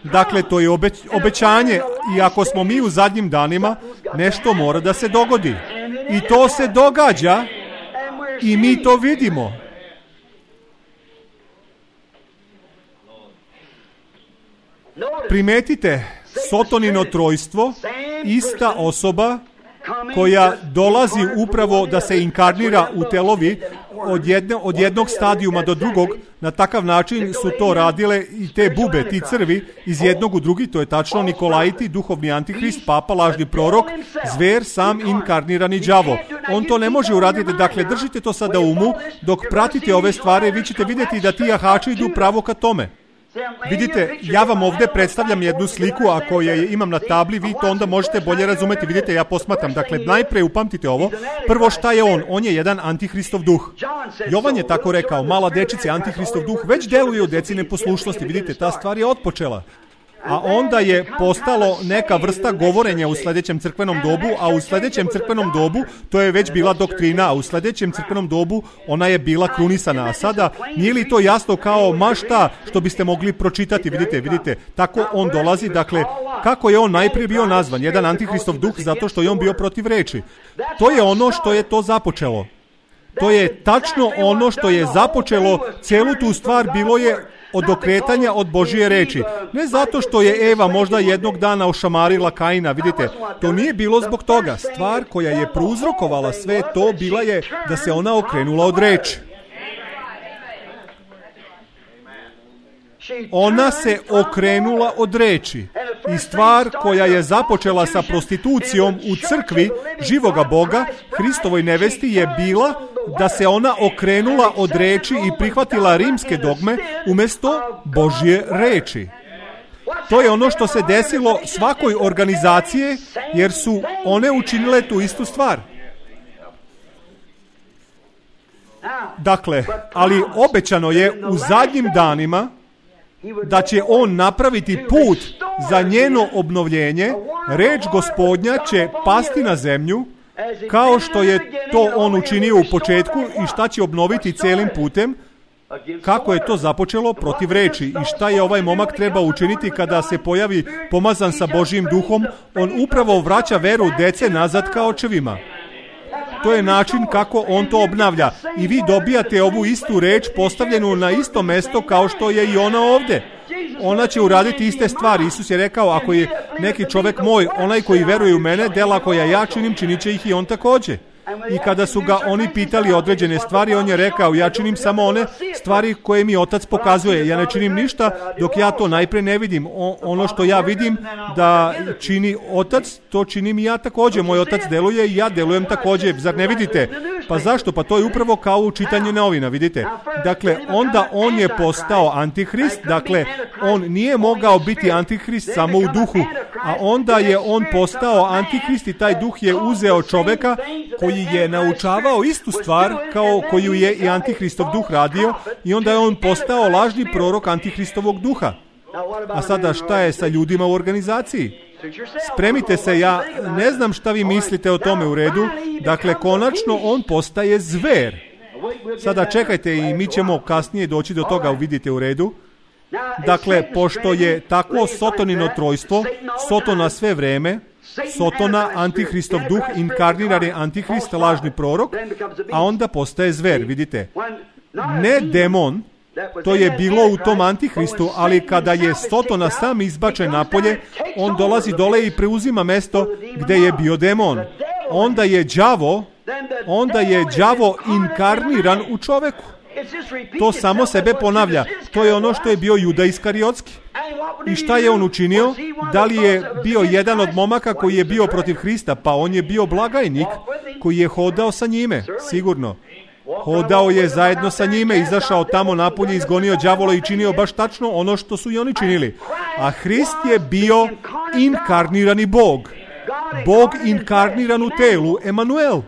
Dakle, to je obećanje i ako smo mi u zadnjim danima, nešto mora da se dogodi. I to se događa I mi to vidimo. Primetite, Sotonino trojstvo, ista osoba koja dolazi upravo da se inkarnira u telovi od jednog stadijuma do drugog. Na takav način su to radile i te bube, ti crvi, iz jednog u drugi. To je tačno Nikolajiti, duhovni antihrist, papa, lažni prorok, zver, sam inkarnirani đavo. On to ne može uraditi. Dakle, držite to sada u umu. Dok pratite ove stvari, vi ćete vidjeti da ti jahači idu pravo ka tome. Vidite, ja vam ovdje predstavljam jednu sliku, ako je imam na tabli, vi to onda možete bolje razumeti. Vidite, ja posmatram. Dakle, najprej upamtite ovo. Prvo, šta je on? On je jedan antihristov duh. Jovan je tako rekao, mala dečice, antihristov duh već deluje u deci neposlušnosti. Vidite, ta stvar je otpočela. A onda je postalo neka vrsta govorenja u sljedećem crkvenom dobu, a u sljedećem crkvenom dobu to je već bila doktrina, a u sljedećem crkvenom dobu ona je bila krunisana. A sada, nije li to jasno kao mašta što biste mogli pročitati? Vidite, tako on dolazi. Dakle, kako je on najprije bio nazvan? Jedan antihristov duh, zato što je on bio protiv reči. To je ono što je to započelo. To je tačno ono što je započelo celu tu stvar, bilo je od okretanja od Božije reči. Ne zato što je Eva možda jednog dana ošamarila Kaina, vidite, to nije bilo zbog toga. Stvar koja je prouzrokovala sve to bila je da se ona okrenula od reči. Ona se okrenula od reči. I stvar koja je započela sa prostitucijom u crkvi živoga Boga, Hristovoj nevesti, je bila da se ona okrenula od reči i prihvatila rimske dogme umjesto Božje reči. To je ono što se desilo svakoj organizacije, jer su one učinile tu istu stvar. Dakle, ali obećano je u zadnjim danima da će on napraviti put za njeno obnovljenje. Reč Gospodnja će pasti na zemlju, kao što je to on učinio u početku, i šta će obnoviti celim putem, kako je to započelo protiv reči. I šta je ovaj momak treba učiniti kada se pojavi pomazan sa Božjim duhom? On upravo vraća veru dece nazad ka očevima. To je način kako on to obnavlja. I vi dobijate ovu istu reč postavljenu na isto mesto kao što je i ona ovdje. Ona će uraditi iste stvari. Isus je rekao, ako je neki čovjek moj, onaj koji veruje u mene, dela koja ja činim, činit će ih i on također. I kada su ga oni pitali određene stvari, on je rekao, ja činim samo one stvari koje mi Otac pokazuje. Ja ne činim ništa dok ja to najprije ne vidim. Ono što ja vidim da čini Otac, to činim i ja također. Moj Otac deluje i ja delujem također. Zar ne vidite? Pa zašto? Pa to je upravo kao u čitanju novina, vidite. Dakle, onda on je postao antihrist. Dakle, on nije mogao biti antihrist samo u duhu. A onda je on postao antihrist i taj duh je uzeo čovjeka koji je naučavao istu stvar kao koju je i antihristov duh radio, i onda je on postao lažni prorok antihristovog duha. A sada šta je sa ljudima u organizaciji? Spremite se, ja ne znam šta vi mislite o tome, u redu. Dakle, konačno on postaje zver. Sada čekajte i mi ćemo kasnije doći do toga, vidite, u redu. Dakle, pošto je takvo Sotonino trojstvo, Sotona sve vreme, Sotona, antihristov duh, inkarnirani antihrist, lažni prorok, a onda postaje zver, vidite. Ne demon, to je bilo u tom antihristu, ali kada je Sotona sam izbačen napolje, on dolazi dole i preuzima mesto gdje je bio demon. Onda je đavo inkarniran u čoveku. To samo sebe ponavlja. To je ono što je bio Juda Iskariotski. I šta je on učinio? Da li je bio jedan od momaka koji je bio protiv Hrista? Pa on je bio blagajnik koji je hodao sa njime, sigurno. Hodao je zajedno sa njime, izašao tamo napolje, izgonio đavola i činio baš tačno ono što su i oni činili. A Hrist je bio inkarnirani Bog. Bog inkarniran u telu, Emanuel.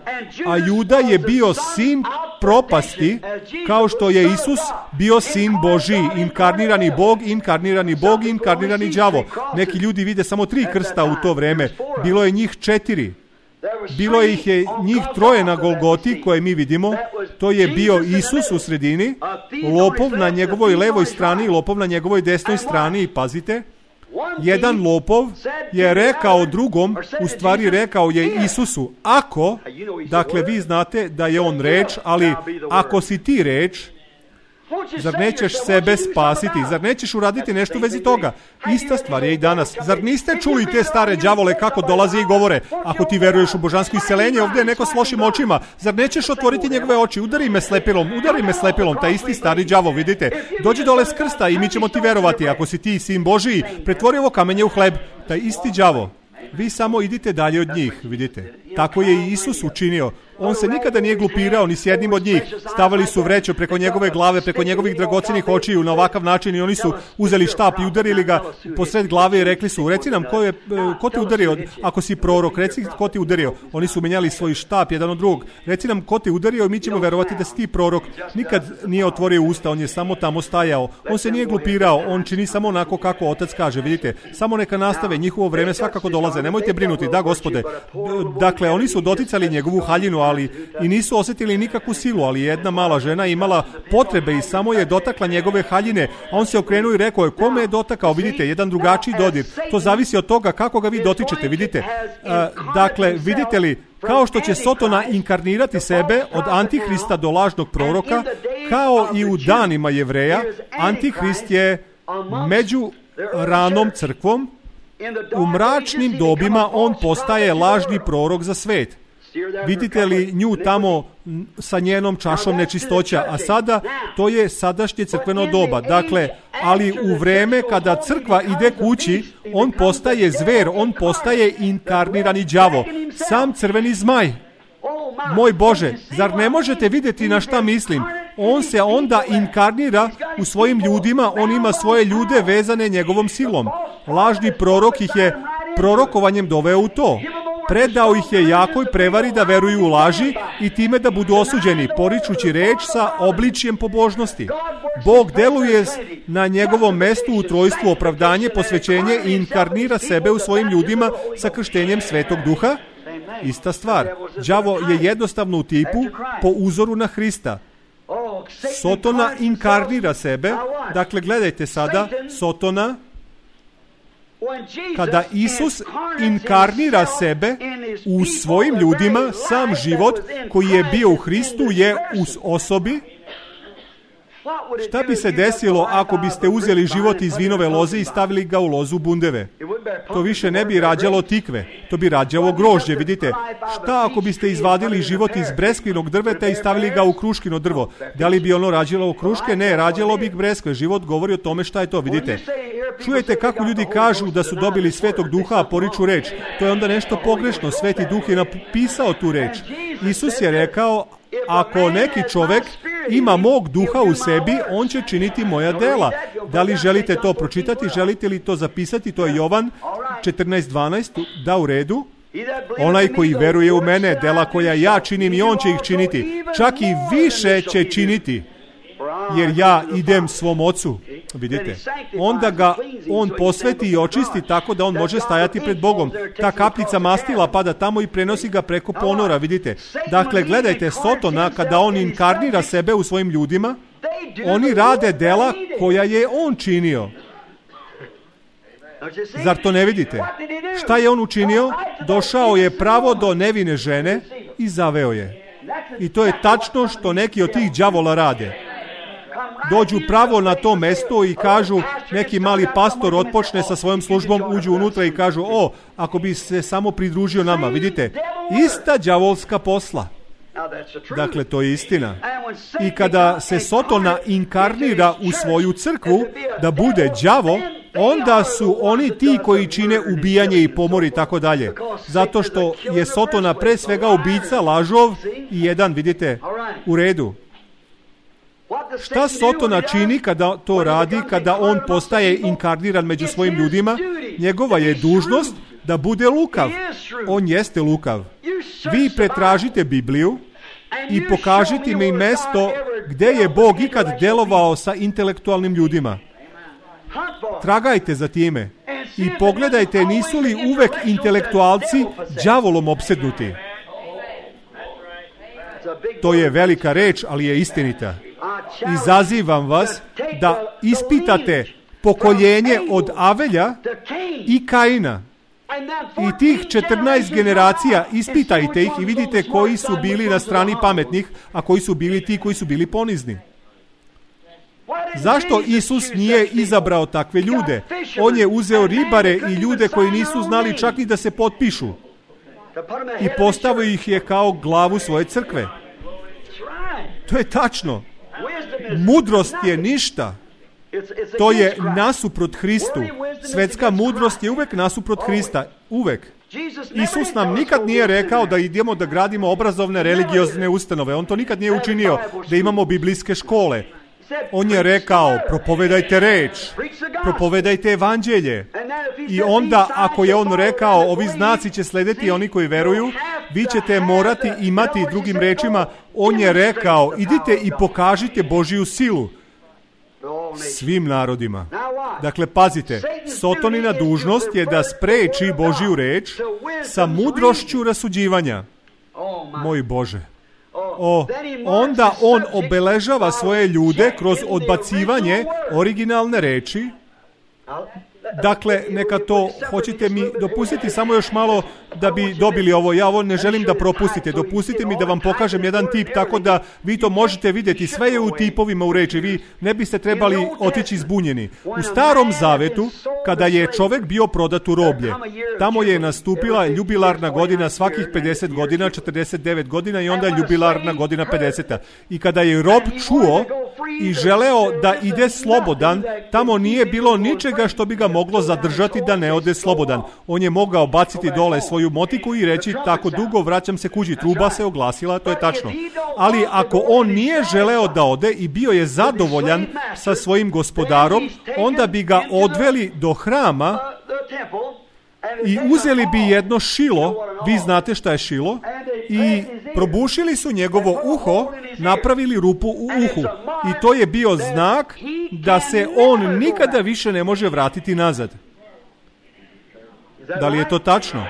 A Juda je bio sin propasti, kao što je Isus bio sin Božji, inkarnirani Bog, inkarnirani đavo. Neki ljudi vide samo 3 krsta u to vreme. Bilo je njih 4. Bilo ih je njih 3 na Golgoti koje mi vidimo. To je bio Isus u sredini, lopov na njegovoj levoj strani, lopov na njegovoj desnoj strani, i pazite. Jedan lopov je rekao drugom, u stvari rekao je Isusu, ako, dakle vi znate da je on reč, ali ako si ti reč, zar nećeš sebe spasiti? Zar nećeš uraditi nešto u vezi toga? Ista stvar je i danas. Zar niste čuli te stare đavole kako dolaze i govore? Ako ti veruješ u božansko isceljenje, ovdje je neko s lošim očima. Zar nećeš otvoriti njegove oči? Udari me slepilom, taj isti stari đavo, vidite. Dođi dole s krsta i mi ćemo ti verovati. Ako si ti sin Božiji, pretvori ovo kamenje u hleb. Taj isti đavo. Vi samo idite dalje od njih, vidite. Tako je i Isus učinio. On se nikada nije glupirao ni s jednim od njih. Stavili su vreću preko njegove glave, preko njegovih dragocenih očiju na ovakav način i oni su uzeli štap i udarili ga posred glave i rekli su, reci nam ko te udario, ako si prorok, reci ko te udario. Oni su menjali svoj štap jedan od drugog. Reci nam ko te udario i mi ćemo verovati da si ti prorok. Nikad nije otvorio usta, on je samo tamo stajao. On se nije glupirao, on čini samo onako kako Otac kaže, vidite. Samo neka nastave, njihovo vreme svakako dolaze. Nemojte brinuti, da Gospode. Dakle, oni su doticali njegovu haljinu, ali i nisu osjetili nikakvu silu, ali jedna mala žena imala potrebe i samo je dotakla njegove haljine, a on se okrenuo i rekao je, kome je dotakao, vidite, jedan drugačiji dodir. To zavisi od toga kako ga vi dotičete, vidite. Dakle, vidite li, kao što će Sotona inkarnirati sebe od Antihrista do lažnog proroka, kao i u danima Jevreja, Antihrist je među ranom crkvom, u mračnim dobima on postaje lažni prorok za svet. Vidite li nju tamo sa njenom čašom nečistoća, a sada to je sadašnje crkveno doba. Dakle, ali u vreme kada crkva ide kući, on postaje zver, on postaje inkarnirani đavo, sam crveni zmaj. Moj Bože, zar ne možete vidjeti na šta mislim? On se onda inkarnira u svojim ljudima, on ima svoje ljude vezane njegovom silom. Lažni prorok ih je prorokovanjem doveo u to. Predao ih je jakoj prevari da veruju u laži i time da budu osuđeni, poričući reč sa obličjem pobožnosti. Bog deluje na njegovom mestu u trojstvu opravdanje, posvećenje i inkarnira sebe u svojim ljudima sa krštenjem Svetog Duha. Ista stvar. Đavo je jednostavno u tipu po uzoru na Hrista. Sotona inkarnira sebe. Dakle, gledajte sada, Sotona, kada Isus inkarnira sebe u svojim ljudima, sam život koji je bio u Hristu je u osobi. Šta bi se desilo ako biste uzeli život iz vinove loze i stavili ga u lozu bundeve? To više ne bi rađalo tikve, to bi rađalo grožđe, vidite. Šta ako biste izvadili život iz breskvinog drveta i stavili ga u kruškino drvo? Da li bi ono rađalo kruške? Ne, rađalo bi breskve. Život govori o tome šta je to, vidite. Čujete kako ljudi kažu da su dobili Svetog Duha, a poriču reč. To je onda nešto pogrešno. Sveti Duh je napisao tu reč. Isus je rekao, ako neki čovjek ima mog duha u sebi, on će činiti moja dela. Da li želite to pročitati? Želite li to zapisati? To je Jovan 14:12. Da, u redu. Onaj koji veruje u mene, dela koja ja činim i on će ih činiti. Čak i više će činiti. Jer ja idem svom ocu. Vidite, onda ga on posveti i očisti tako da on može stajati pred Bogom. Ta kapljica mastila pada tamo i prenosi ga preko ponora, vidite. Dakle, gledajte, Sotona, kada on inkarnira sebe u svojim ljudima, oni rade dela koja je on činio. Zar to ne vidite? Šta je on učinio? Došao je pravo do nevine žene i zaveo je. I to je tačno što neki od tih đavola rade. Dođu pravo na to mesto i kažu, neki mali pastor otpočne sa svojom službom, uđu unutra i kažu, ako bi se samo pridružio nama, vidite, ista đavolska posla. Dakle, to je istina. I kada se Sotona inkarnira u svoju crkvu da bude đavo, onda su oni ti koji čine ubijanje i pomor i tako dalje. Zato što je Sotona pre svega ubica, lažov i jedan, vidite, u redu. Šta Sotona čini kada to radi, kada on postaje inkarniran među svojim ljudima? Njegova je dužnost da bude lukav. On jeste lukav. Vi pretražite Bibliju i pokažite mi mesto gdje je Bog ikad delovao sa intelektualnim ljudima. Tragajte za time i pogledajte nisu li uvek intelektualci đavolom opsednuti. To je velika reč, ali je istinita. Izazivam vas da ispitate pokoljenje od Avelja i Kaina. I tih 14 generacija, ispitajte ih i vidite koji su bili na strani pametnih, a koji su bili ti koji su bili ponizni. Zašto Isus nije izabrao takve ljude? On je uzeo ribare i ljude koji nisu znali čak i da se potpišu i postavio ih je kao glavu svoje crkve. To je tačno. Mudrost je ništa. To je nasuprot Hristu. Svetska mudrost je uvek nasuprot Hrista. Uvek. Isus nam nikad nije rekao da idemo da gradimo obrazovne religiozne ustanove. On to nikad nije učinio, da imamo biblijske škole. On je rekao, propovedajte reč, propovedajte evanđelje. I onda, ako je on rekao, ovi znaci će slediti oni koji veruju, vi ćete morati imati, drugim rečima, on je rekao, idite i pokažite Božiju silu svim narodima. Dakle, pazite, Sotonina dužnost je da spreči Božiju reč sa mudrošću rasuđivanja. Moj Bože. Onda on obeležava svoje ljude kroz odbacivanje originalne reči. Dakle, neka to, hoćete mi dopustiti samo još malo da bi dobili ovo. Ja ovo ne želim da propustite. Dopustite mi da vam pokažem jedan tip tako da vi to možete vidjeti. Sve je u tipovima u reči. Vi ne biste trebali otići zbunjeni. U Starom Zavetu, kada je čovek bio prodat u roblje, tamo je nastupila jubilarna godina svakih 50 godina, 49 godina i onda jubilarna godina 50. I kada je rob čuo i želeo da ide slobodan, tamo nije bilo ničega što bi ga moglo zadržati da ne ode slobodan. On je mogao baciti dole svoju motiku i reći, tako dugo vraćam se kući. Truba se oglasila, to je tačno. Ali ako on nije želeo da ode i bio je zadovoljan sa svojim gospodarom, onda bi ga odveli do hrama i uzeli bi jedno šilo, vi znate šta je šilo, i probušili su njegovo uho, napravili rupu u uhu. I to je bio znak da se on nikada više ne može vratiti nazad. Da li je to tačno?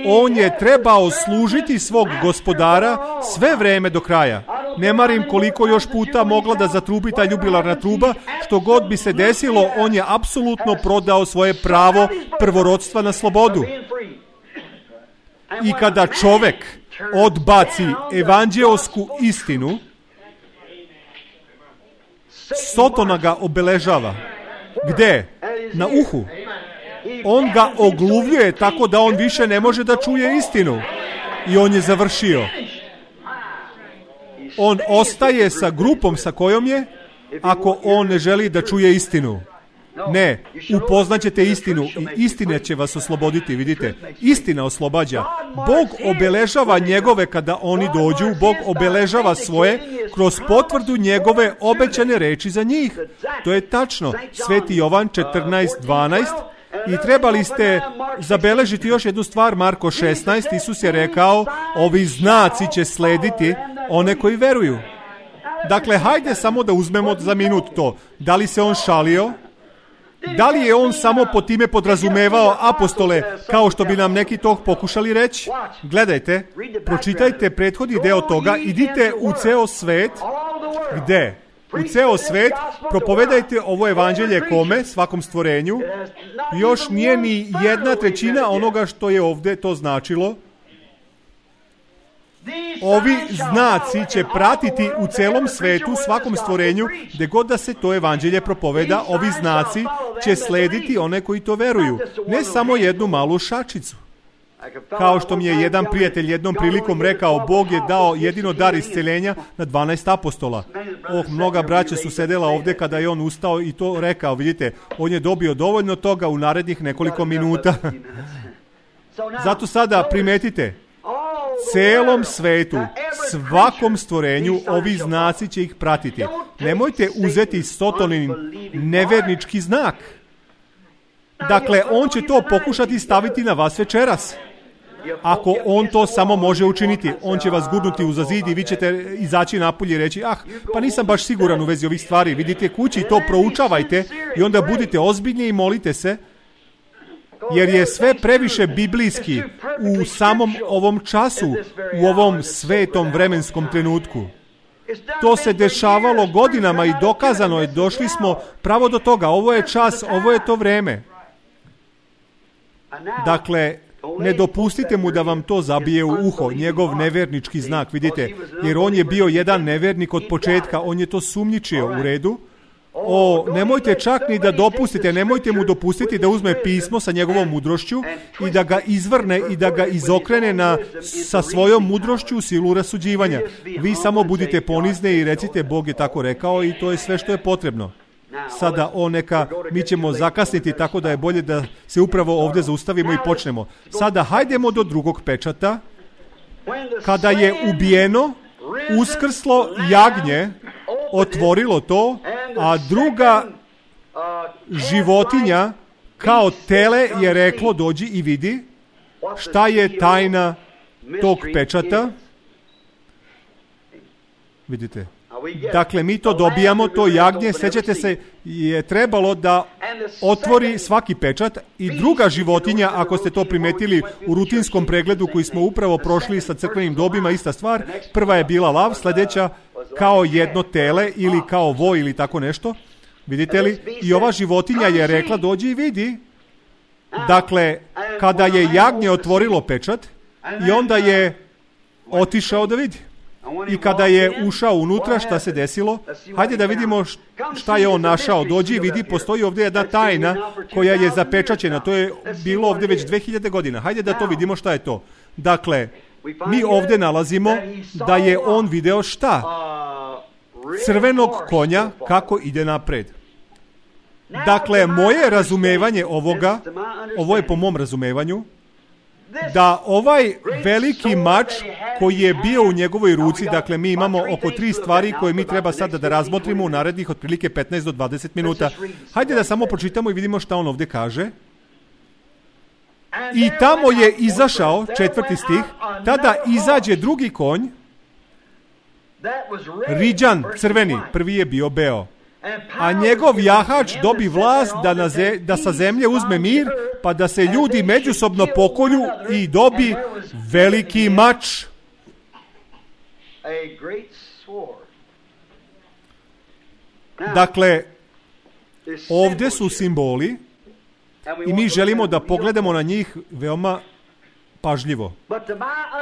On je trebao služiti svog gospodara sve vreme do kraja. Ne marim koliko još puta mogla da zatrubi ta jubilarna truba, što god bi se desilo, on je apsolutno prodao svoje pravo prvorodstva na slobodu. I kada čovek odbaci evanđeosku istinu, Sotona ga obeležava. Gde? Na uhu. On ga ogluvljuje tako da on više ne može da čuje istinu. I on je završio. On ostaje sa grupom sa kojom je, ako on ne želi da čuje istinu. Ne, upoznaćete istinu i istina će vas osloboditi, vidite. Istina oslobađa. Bog obeležava njegove kada oni dođu, Bog obeležava svoje kroz potvrdu njegove obećane reči za njih. To je tačno. Sveti Jovan 14:12. I trebali ste zabeležiti još jednu stvar, Marko 16, Isus je rekao, ovi znaci će slediti one koji veruju. Dakle, hajde samo da uzmemo za minut to. Da li se on šalio? Da li je on samo po time podrazumevao apostole, kao što bi nam neki to pokušali reći? Gledajte, pročitajte prethodni deo toga, idite u ceo svet. Gde? U ceo svet, propovedajte ovo evanđelje kome? Svakom stvorenju. Još nije ni 1/3 onoga što je ovdje to značilo. Ovi znaci će pratiti u celom svetu, svakom stvorenju, gde god da se to evanđelje propoveda, ovi znaci će slediti one koji to veruju. Ne samo jednu malu šačicu. Kao što mi je jedan prijatelj jednom prilikom rekao, Bog je dao jedino dar isceljenja na 12 apostola. Mnoga braća su sedela ovdje kada je on ustao i to rekao, vidite, on je dobio dovoljno toga u narednih nekoliko minuta. Zato sada primetite, celom svetu, svakom stvorenju, ovi znaci će ih pratiti. Nemojte uzeti Sotonin nevernički znak. Dakle, on će to pokušati staviti na vas večeras. Ako on to samo može učiniti, on će vas gurnuti uza zid i vi ćete izaći napolje i reći, pa nisam baš siguran u vezi ovih stvari. Vidite kući, to proučavajte i onda budite ozbiljni i molite se, jer je sve previše biblijski u samom ovom času, u ovom svetom vremenskom trenutku. To se dešavalo godinama i dokazano je, došli smo pravo do toga. Ovo je čas, ovo je to vreme. Dakle, ne dopustite mu da vam to zabije u uho, njegov nevernički znak, vidite, jer on je bio jedan nevernik od početka, on je to sumnjičio u redu. Nemojte čak ni da dopustite, nemojte mu dopustiti da uzme pismo sa njegovom mudrošću i da ga izvrne i da ga izokrene sa svojom mudrošću u silu rasuđivanja. Vi samo budite ponizne i recite Bog je tako rekao i to je sve što je potrebno. Sada mi ćemo zakasniti, tako da je bolje da se upravo ovdje zaustavimo i počnemo. Sada hajdemo do drugog pečata. Kada je ubijeno, uskrslo jagnje, otvorilo to, a druga životinja kao tele je reklo dođi i vidi šta je tajna tog pečata. Vidite. Dakle, mi to dobijamo, to jagnje, sjećate se, je trebalo da otvori svaki pečat i druga životinja, ako ste to primetili u rutinskom pregledu koji smo upravo prošli sa crkvenim dobima, ista stvar, prva je bila lav, sljedeća kao jedno tele ili kao voj ili tako nešto, vidite li, i ova životinja je rekla dođi i vidi. Dakle, kada je jagnje otvorilo pečat i onda je otišao da vidi. I kada je ušao unutra, šta se desilo? Hajde da vidimo šta je on našao. Dođi i vidi, postoji ovdje jedna tajna koja je zapečaćena. To je bilo ovdje već 2000 godina. Hajde da to vidimo šta je to. Dakle, mi ovdje nalazimo da je on video šta? Crvenog konja kako ide napred. Dakle, moje razumevanje ovoga, ovo je po mom razumevanju, da ovaj veliki mač koji je bio u njegovoj ruci, dakle mi imamo oko 3 stvari koje mi treba sada da razmotrimo u narednih otprilike 15 do 20 minuta. Hajde da samo pročitamo i vidimo šta on ovdje kaže. I tamo je izašao, 4. stih, tada izađe drugi konj, riđan, crveni, prvi je bio beo. A njegov jahač dobi vlast da sa zemlje uzme mir, pa da se ljudi međusobno pokolju i dobi veliki mač. Dakle, ovdje su simboli i mi želimo da pogledamo na njih veoma pažljivo.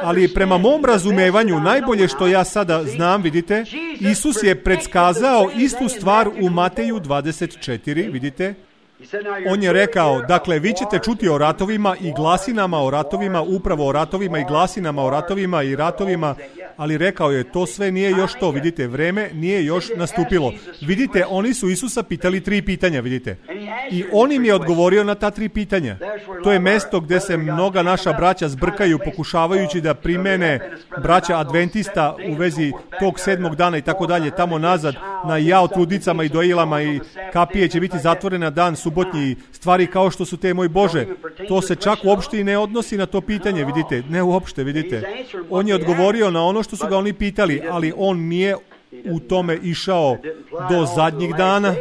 Ali prema mom razumevanju, najbolje što ja sada znam, vidite, Isus je predskazao istu stvar u Mateju 24, vidite. On je rekao, dakle, vi ćete čuti o ratovima i glasinama o ratovima, upravo o ratovima i glasinama o ratovima i ratovima, ali rekao je, to sve nije još to, vidite, vreme nije još nastupilo. Vidite, oni su Isusa pitali 3 pitanja, vidite. I on im je odgovorio na ta 3 pitanja. To je mesto gdje se mnoga naša braća zbrkaju, pokušavajući da primene braća adventista u vezi tog 7. dana i tako dalje, tamo nazad, na jao trudnicama i dojilama i kapije će biti zatvorena dan subotnji, stvari kao što su te, moj Bože. To se čak uopšte i ne odnosi na to pitanje, vidite, ne uopšte, vidite. On je odgovorio na ono što su ga oni pitali, ali on nije u tome išao do zadnjih dana.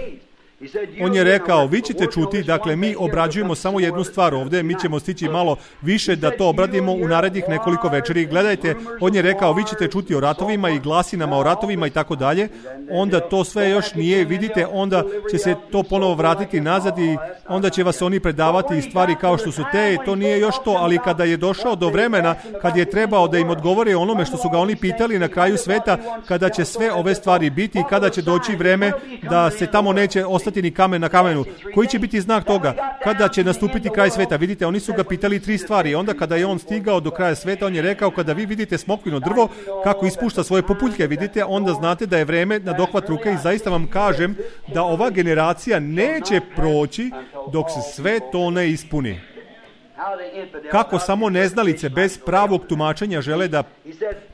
On je rekao, vi ćete čuti, dakle mi obrađujemo samo jednu stvar ovdje, mi ćemo stići malo više da to obradimo u narednih nekoliko večeri. Gledajte, on je rekao, vi ćete čuti o ratovima i glasinama o ratovima i tako dalje, onda to sve još nije, vidite, onda će se to ponovo vratiti nazad i onda će vas oni predavati stvari kao što su te, to nije još to, ali kada je došao do vremena, kad je trebao da im odgovore onome što su ga oni pitali na kraju sveta, kada će sve ove stvari biti i kada će doći vreme da se tamo neće ostati ni kamen na kamenu. Koji će biti znak toga? Kada će nastupiti kraj sveta? Vidite, oni su ga pitali 3 stvari. Onda kada je on stigao do kraja sveta, on je rekao, kada vi vidite smokvino drvo kako ispušta svoje populjke, vidite, onda znate da je vreme na dohvat ruke i zaista vam kažem da ova generacija neće proći dok se sve to ne ispuni. Kako samo neznalice bez pravog tumačenja žele da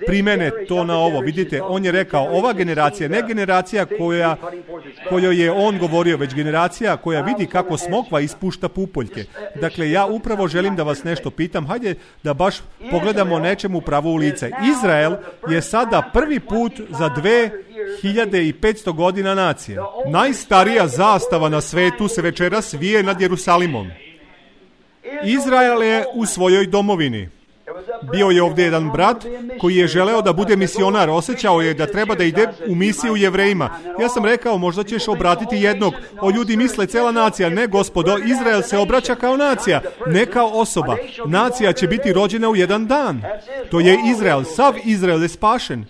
primene to na ovo. Vidite, on je rekao, ova generacija, ne generacija kojoj je on govorio, već generacija koja vidi kako smokva ispušta pupoljke. Dakle, ja upravo želim da vas nešto pitam, hajde da baš pogledamo nečemu pravo u lice. Izrael je sada prvi put za 2500 godina nacije. Najstarija zastava na svetu se večeras vije nad Jerusalimom. Izrael je u svojoj domovini. Bio je ovdje jedan brat koji je želeo da bude misionar, osjećao je da treba da ide u misiju Jevrejima. Ja sam rekao, možda ćeš obratiti jednog. O, ljudi misle cela nacija. Ne, gospodo, Izrael se obraća kao nacija, ne kao osoba. Nacija će biti rođena u jedan dan. To je Izrael, sav Izrael je spašen.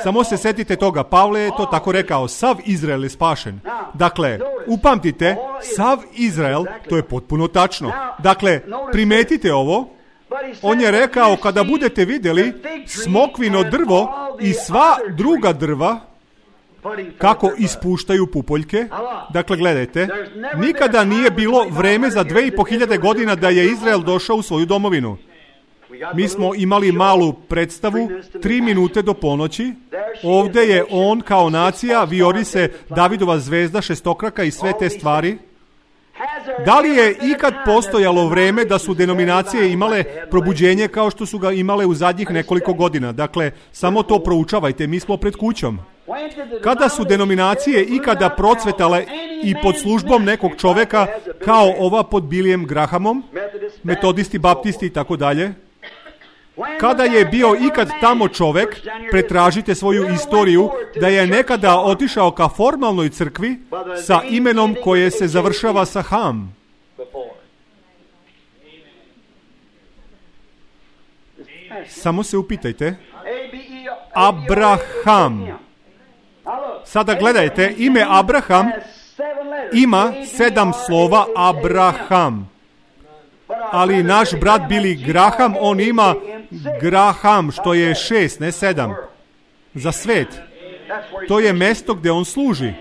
Samo se setite toga, Pavle je to tako rekao, sav Izrael je spašen. Dakle, upamtite, sav Izrael, to je potpuno tačno. Dakle, primetite ovo. On je rekao, kada budete vidjeli smokvino drvo i sva druga drva, kako ispuštaju pupoljke. Dakle, gledajte, nikada nije bilo vreme za 2500 godina da je Izrael došao u svoju domovinu. Mi smo imali malu predstavu, 3 minute do ponoći. Ovdje je on kao nacija, vijori se Davidova zvezda, šestokraka i sve te stvari. Da li je ikad postojalo vreme da su denominacije imale probuđenje kao što su ga imale u zadnjih nekoliko godina? Dakle, samo to proučavajte, mi smo pred kućom. Kada su denominacije ikada procvetale i pod službom nekog čoveka kao ova pod Billyjem Grahamom, metodisti, baptisti i tako dalje? Kada je bio ikad tamo čovek, pretražite svoju istoriju, da je nekada otišao ka formalnoj crkvi sa imenom koje se završava sa Ham. Samo se upitajte. Abraham. Sada gledajte, ime Abraham ima 7 slova Abraham. Ali naš brat Billy Graham, on ima Graham, što je 6, ne 7. Za svet. To je mesto gdje on služi.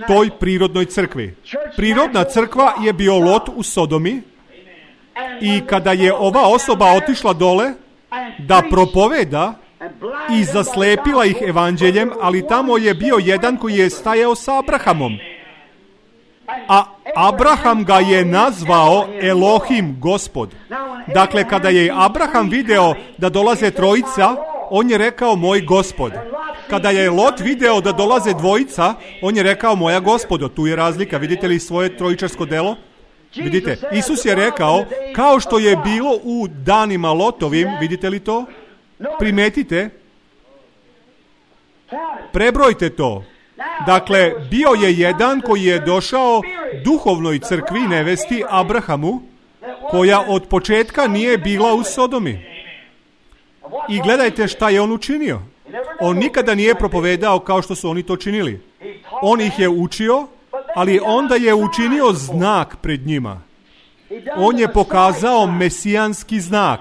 Toj prirodnoj crkvi. Prirodna crkva je bio Lot u Sodomi i kada je ova osoba otišla dole da propoveda i zaslepila ih evanđeljem, ali tamo je bio jedan koji je stajao sa Abrahamom. A Abraham ga je nazvao Elohim, Gospod. Dakle, kada je Abraham video da dolaze trojica, on je rekao moj Gospod. Kada je Lot video da dolaze dvojica, on je rekao moja Gospodo. Tu je razlika. Vidite li svoje trojičarsko delo? Vidite, Isus je rekao, kao što je bilo u danima Lotovim, vidite li to? Primetite. Prebrojte to. Dakle, bio je jedan koji je došao duhovnoj crkvi nevesti Abrahamu, koja od početka nije bila u Sodomi. I gledajte šta je on učinio. On nikada nije propovedao kao što su oni to činili. On ih je učio, ali onda je učinio znak pred njima. On je pokazao mesijanski znak.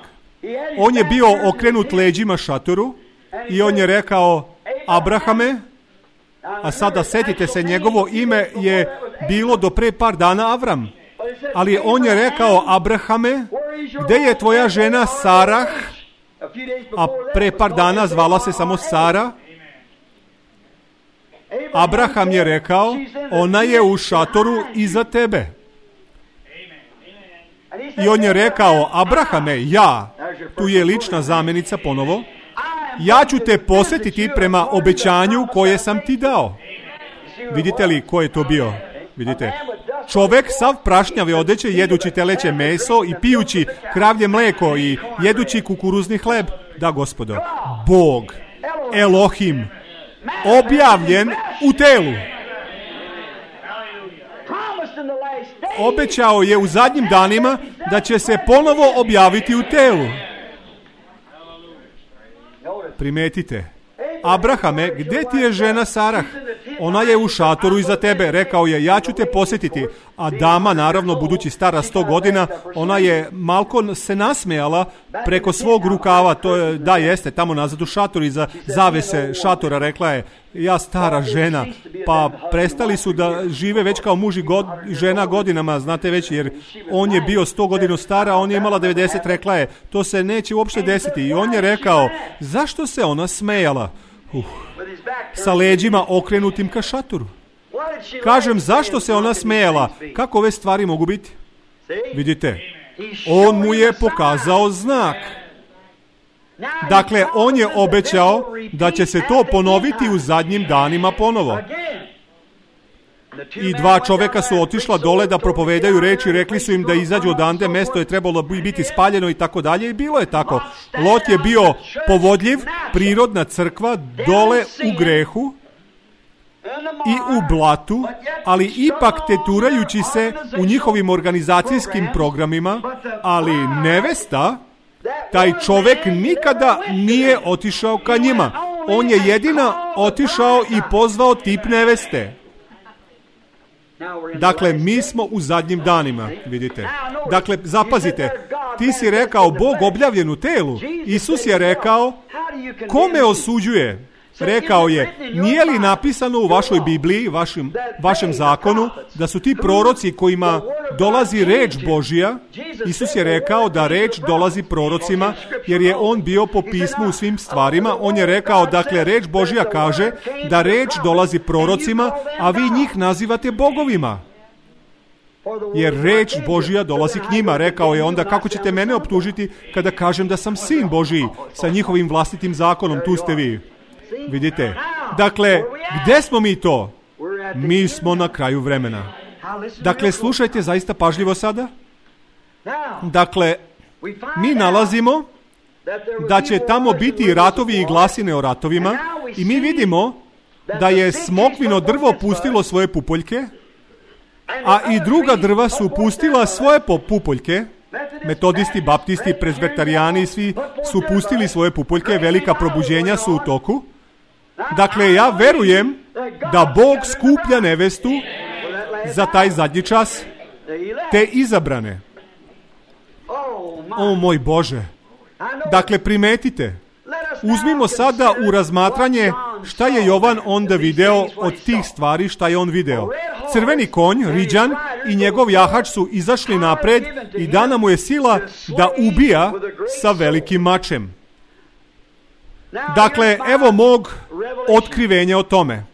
On je bio okrenut leđima šatoru i on je rekao, Abrahame, a sada setite se, njegovo ime je bilo do pre par dana Avram. Ali on je rekao, Abrahame, gde je tvoja žena Sarah? A pre par dana zvala se samo Sara. Abraham je rekao, ona je u šatoru iza tebe. I on je rekao, Abrahame, ja, tu je lična zamjenica ponovo, ja ću te posjetiti prema obećanju koje sam ti dao. Vidite li ko je to bio? Vidite, čovek sav prašnjave odeće, jedući teleće meso i pijući kravlje mleko i jedući kukuruzni hleb. Da, gospodo, Bog, Elohim, objavljen u telu. Obećao je u zadnjim danima da će se ponovo objaviti u telu. Primetite. Abrahame, gdje ti je žena Sarah? Ona je u šatoru iza tebe. Rekao je, ja ću te posjetiti. A dama, naravno, budući stara 100 godina, ona je malko se nasmejala preko svog rukava. To je, da, jeste, tamo nazad u šatoru iza zavese šatora. Rekla je, ja stara žena. Pa prestali su da žive već kao muž i žena godinama, znate već, jer on je bio 100 godina stara, a on je imala 90. Rekla je, to se neće uopšte desiti. I on je rekao, zašto se ona smejala? Sa leđima okrenutim ka šatoru. Kažem, zašto se ona smejala? Kako ove stvari mogu biti? Vidite, on mu je pokazao znak. Dakle, on je obećao da će se to ponoviti u zadnjim danima ponovo. I 2 čoveka su otišla dole da propovedaju reči, rekli su im da izađu odande, mesto je trebalo biti spaljeno i tako dalje, i bilo je tako. Lot je bio povodljiv, prirodna crkva, dole u grehu i u blatu, ali ipak teturajući se u njihovim organizacijskim programima, ali nevesta, taj čovek nikada nije otišao ka njima. On je jedina otišao i pozvao tip neveste. Dakle, mi smo u zadnjim danima, vidite. Dakle, zapazite, ti si rekao Bog objavljen u telu. Isus je rekao, ko me osuđuje? Rekao je, nije li napisano u vašoj Bibliji, vašem zakonu, da su ti proroci kojima dolazi reč Božja? Isus je rekao da reč dolazi prorocima, jer je on bio po pismu u svim stvarima. On je rekao, dakle, reč Božja kaže da reč dolazi prorocima, a vi njih nazivate bogovima. Jer reč Božja dolazi k njima. Rekao je onda, kako ćete mene optužiti kada kažem da sam sin Božji sa njihovim vlastitim zakonom? Tu ste vi. Vidite, dakle, gde smo mi to? Mi smo na kraju vremena. Dakle, slušajte zaista pažljivo sada. Dakle, mi nalazimo da će tamo biti ratovi i glasine o ratovima i mi vidimo da je smokvino drvo pustilo svoje pupoljke, a i druga drva su pustila svoje pupoljke. Metodisti, baptisti, prezbetarijani, svi su pustili svoje pupoljke, velika probuđenja su u toku. Dakle, ja verujem da Bog skuplja nevestu za taj zadnji čas, te izabrane. O moj Bože! Dakle, primetite, uzmimo sada u razmatranje šta je Jovan onda video od tih stvari, šta je on video. Crveni konj, Riđan i njegov jahač su izašli napred i dana mu je sila da ubija sa velikim mačem. Dakle, evo mog otkrivenja o tome.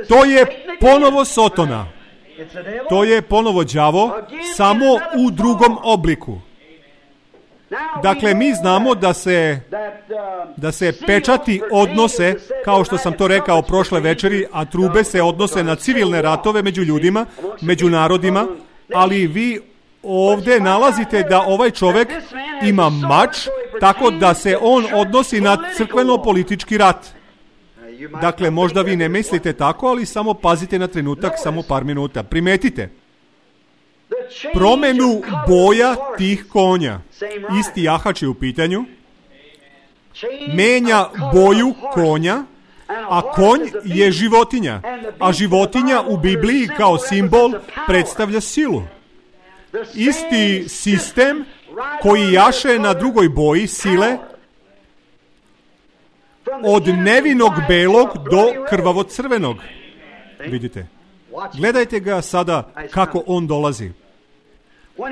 To je ponovo Sotona. To je ponovo đavo, samo u drugom obliku. Dakle, mi znamo da se pečati odnose, kao što sam to rekao prošle večeri, a trube se odnose na civilne ratove među ljudima, među narodima, ali vi ovdje nalazite da ovaj čovjek ima mač, tako da se on odnosi na crkveno-politički rat. Dakle, možda vi ne mislite tako, ali samo pazite na trenutak, samo par minuta. Primetite promenu boja tih konja. Isti jahač je u pitanju. Menja boju konja, a konj je životinja. A životinja u Bibliji kao simbol predstavlja silu. Isti sistem koji jaše na drugoj boji sile, od nevinog belog do krvavo crvenog. Vidite. Gledajte ga sada kako on dolazi.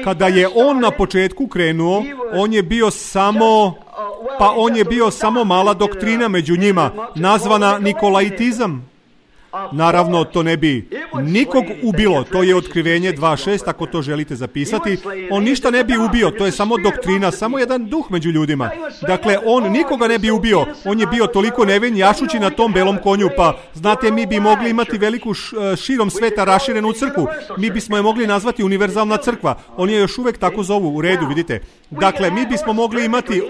Kada je on na početku krenuo, on je bio samo mala doktrina među njima, nazvana Nikolaitizam. Naravno, to ne bi nikog ubilo. To je Otkrivenje 2.6, ako to želite zapisati. On ništa ne bi ubio, to je samo doktrina, samo jedan duh među ljudima. Dakle, on nikoga ne bi ubio. On je bio toliko nevin jašući na tom belom konju, pa znate, mi bi mogli imati veliku širom sveta raširenu crkvu. Mi bismo je mogli nazvati univerzalna crkva. On je još uvek tako zovu, u redu, vidite. Dakle, mi bismo mogli imati,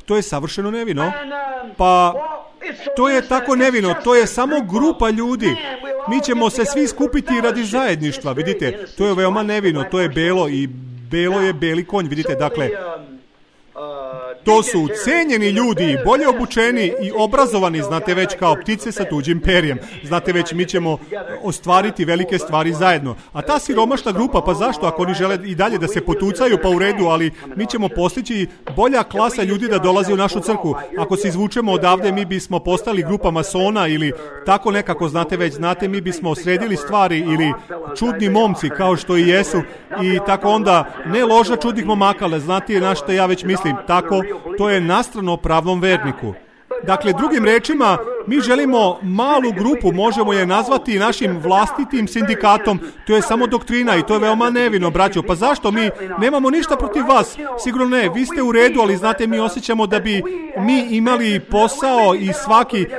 to je savršeno nevino. Pa to je tako nevino, to je samo grupa ljudi. Mi ćemo se svi skupiti radi zajedništva, vidite. To je veoma nevino, to je belo i belo je beli konj, vidite. Dakle, to su cenjeni ljudi, bolje obučeni i obrazovani, znate već, kao ptice sa tuđim perjem. Znate već, mi ćemo ostvariti velike stvari zajedno. A ta siromašna grupa, pa zašto? Ako oni žele i dalje da se potucaju, pa u redu, ali mi ćemo postići bolja klasa ljudi da dolazi u našu crkvu. Ako se izvučemo odavde, mi bismo postali grupa masona ili tako nekako, znate već, mi bismo sredili stvari ili čudni momci, kao što i jesu, i tako onda, ne loža čudnih momaka, ali znate na što ja već mislim, tako, to je nastrano pravom verniku. Dakle, drugim rečima, mi želimo malu grupu, možemo je nazvati našim vlastitim sindikatom. To je samo doktrina i to je veoma nevino, braćo. Pa zašto? Mi nemamo ništa protiv vas. Sigurno ne, vi ste u redu, ali znate, mi osjećamo da bi mi imali posao i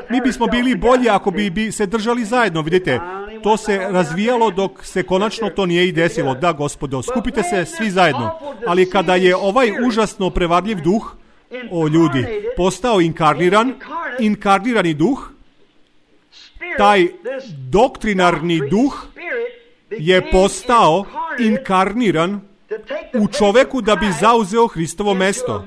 mi bismo bili bolji ako bi se držali zajedno, vidite. to se razvijalo dok se konačno to nije i desilo. Da, Gospodo, skupite se svi zajedno. Ali kada je ovaj užasno prevarljiv duh, o ljudi, postao inkarnirani duh, taj doktrinarni duh je postao inkarniran u čoveku da bi zauzeo Hristovo mesto.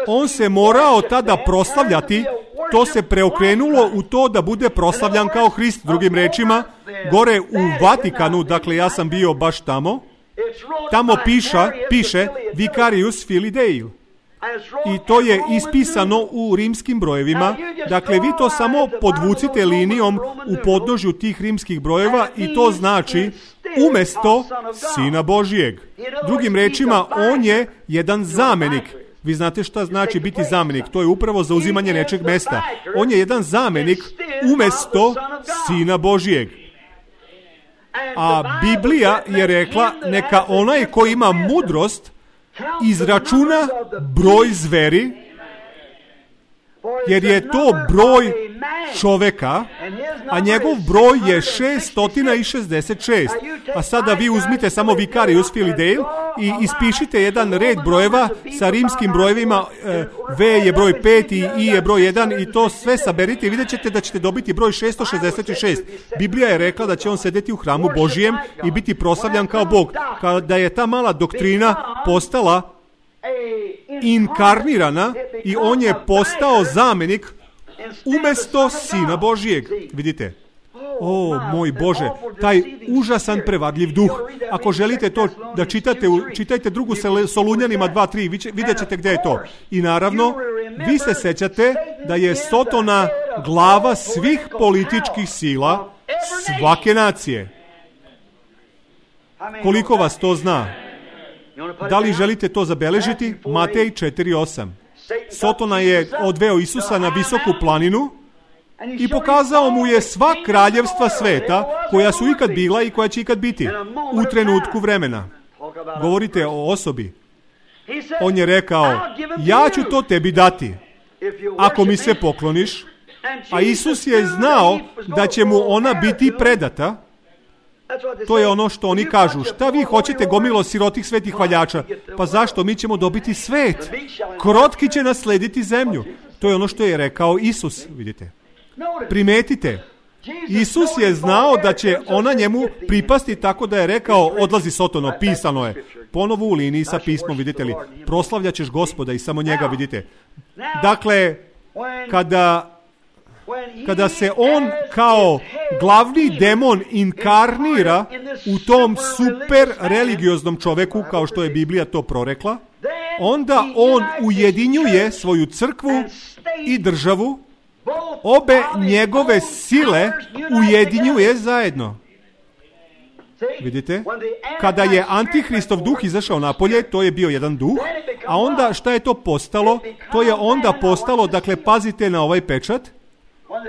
On se morao tada proslavljati, to se preokrenulo u to da bude proslavljan kao Hrist. Drugim rečima, gore u Vatikanu, dakle ja sam bio baš tamo piše Vicarius Filii Dei. I to je ispisano u rimskim brojevima. Dakle, vi to samo podvucite linijom u podnožju tih rimskih brojeva i to znači umesto Sina Božijeg. Drugim rečima, on je jedan zamenik. Vi znate šta znači biti zamenik? To je upravo zauzimanje nečeg mesta. On je jedan zamenik umesto Sina Božijeg. A Biblija je rekla, neka onaj ko ima mudrost izračuna broj zveri, jer je to broj čoveka, a njegov broj je 666. A sada vi uzmite samo Vicarius Filii Dei i ispišite jedan red brojeva sa rimskim brojevima. V je broj 5 i I je broj 1 i to sve saberite i vidjet ćete da ćete dobiti broj 666. Biblija je rekla da će on sedeti u hramu Božijem i biti proslavljan kao Bog. Kada je ta mala doktrina postala inkarnirana i on je postao zamenik umesto Sina Božijeg. Vidite? O, moj Bože, taj užasan prevarljiv duh. Ako želite to da čitate, čitajte drugu Solunjanima 2:3, vidjet ćete gdje je to. I naravno, vi se sećate da je Sotona glava svih političkih sila svake nacije. Koliko vas to zna? Da li želite to zabeležiti? Matej 4:8. Sotona je odveo Isusa na visoku planinu i pokazao mu je sva kraljevstva sveta koja su ikad bila i koja će ikad biti u trenutku vremena. Govorite o osobi. On je rekao, ja ću to tebi dati ako mi se pokloniš. A Isus je znao da će mu ona biti predata. To je ono što oni kažu. Šta vi hoćete, gomilo sirotih svetih hvaljača? Pa zašto? Mi ćemo dobiti svet. Krotki će naslediti zemlju. To je ono što je rekao Isus, vidite. Primetite. Isus je znao da će ona njemu pripasti, tako da je rekao, odlazi Sotono, pisano je. Ponovo u liniji sa pismom, vidite li. Proslavljat ćeš Gospoda i samo njega, vidite. Dakle, kada se on kao glavni demon inkarnira u tom super religioznom čoveku, kao što je Biblija to prorekla, onda on ujedinjuje svoju crkvu i državu, obe njegove sile ujedinjuje zajedno. Vidite? Kada je Antihristov duh izašao napolje, to je bio jedan duh, a onda šta je to postalo? To je onda postalo, dakle, pazite na ovaj pečat,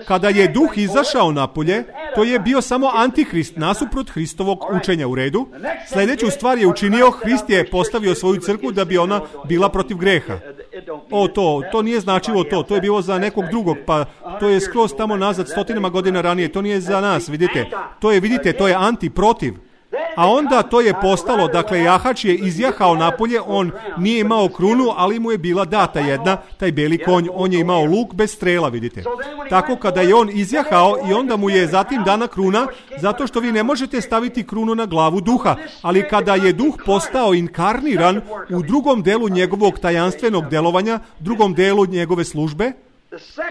kada je duh izašao napolje, to je bio samo Antihrist nasuprot Hristovog učenja, u redu. Sljedeću stvar je učinio, Hrist je postavio svoju crkvu da bi ona bila protiv greha. To nije značilo to je bilo za nekog drugog, pa to je skroz tamo nazad, stotinama godina ranije, to nije za nas, vidite. To je anti, protiv. A onda to je postalo, dakle, jahač je izjahao napolje, on nije imao krunu, ali mu je bila data jedna, taj beli konj, on je imao luk bez strela, vidite. Tako kada je on izjahao i onda mu je zatim dana kruna, zato što vi ne možete staviti krunu na glavu duha, ali kada je duh postao inkarniran u drugom delu njegovog tajanstvenog delovanja, drugom delu njegove službe,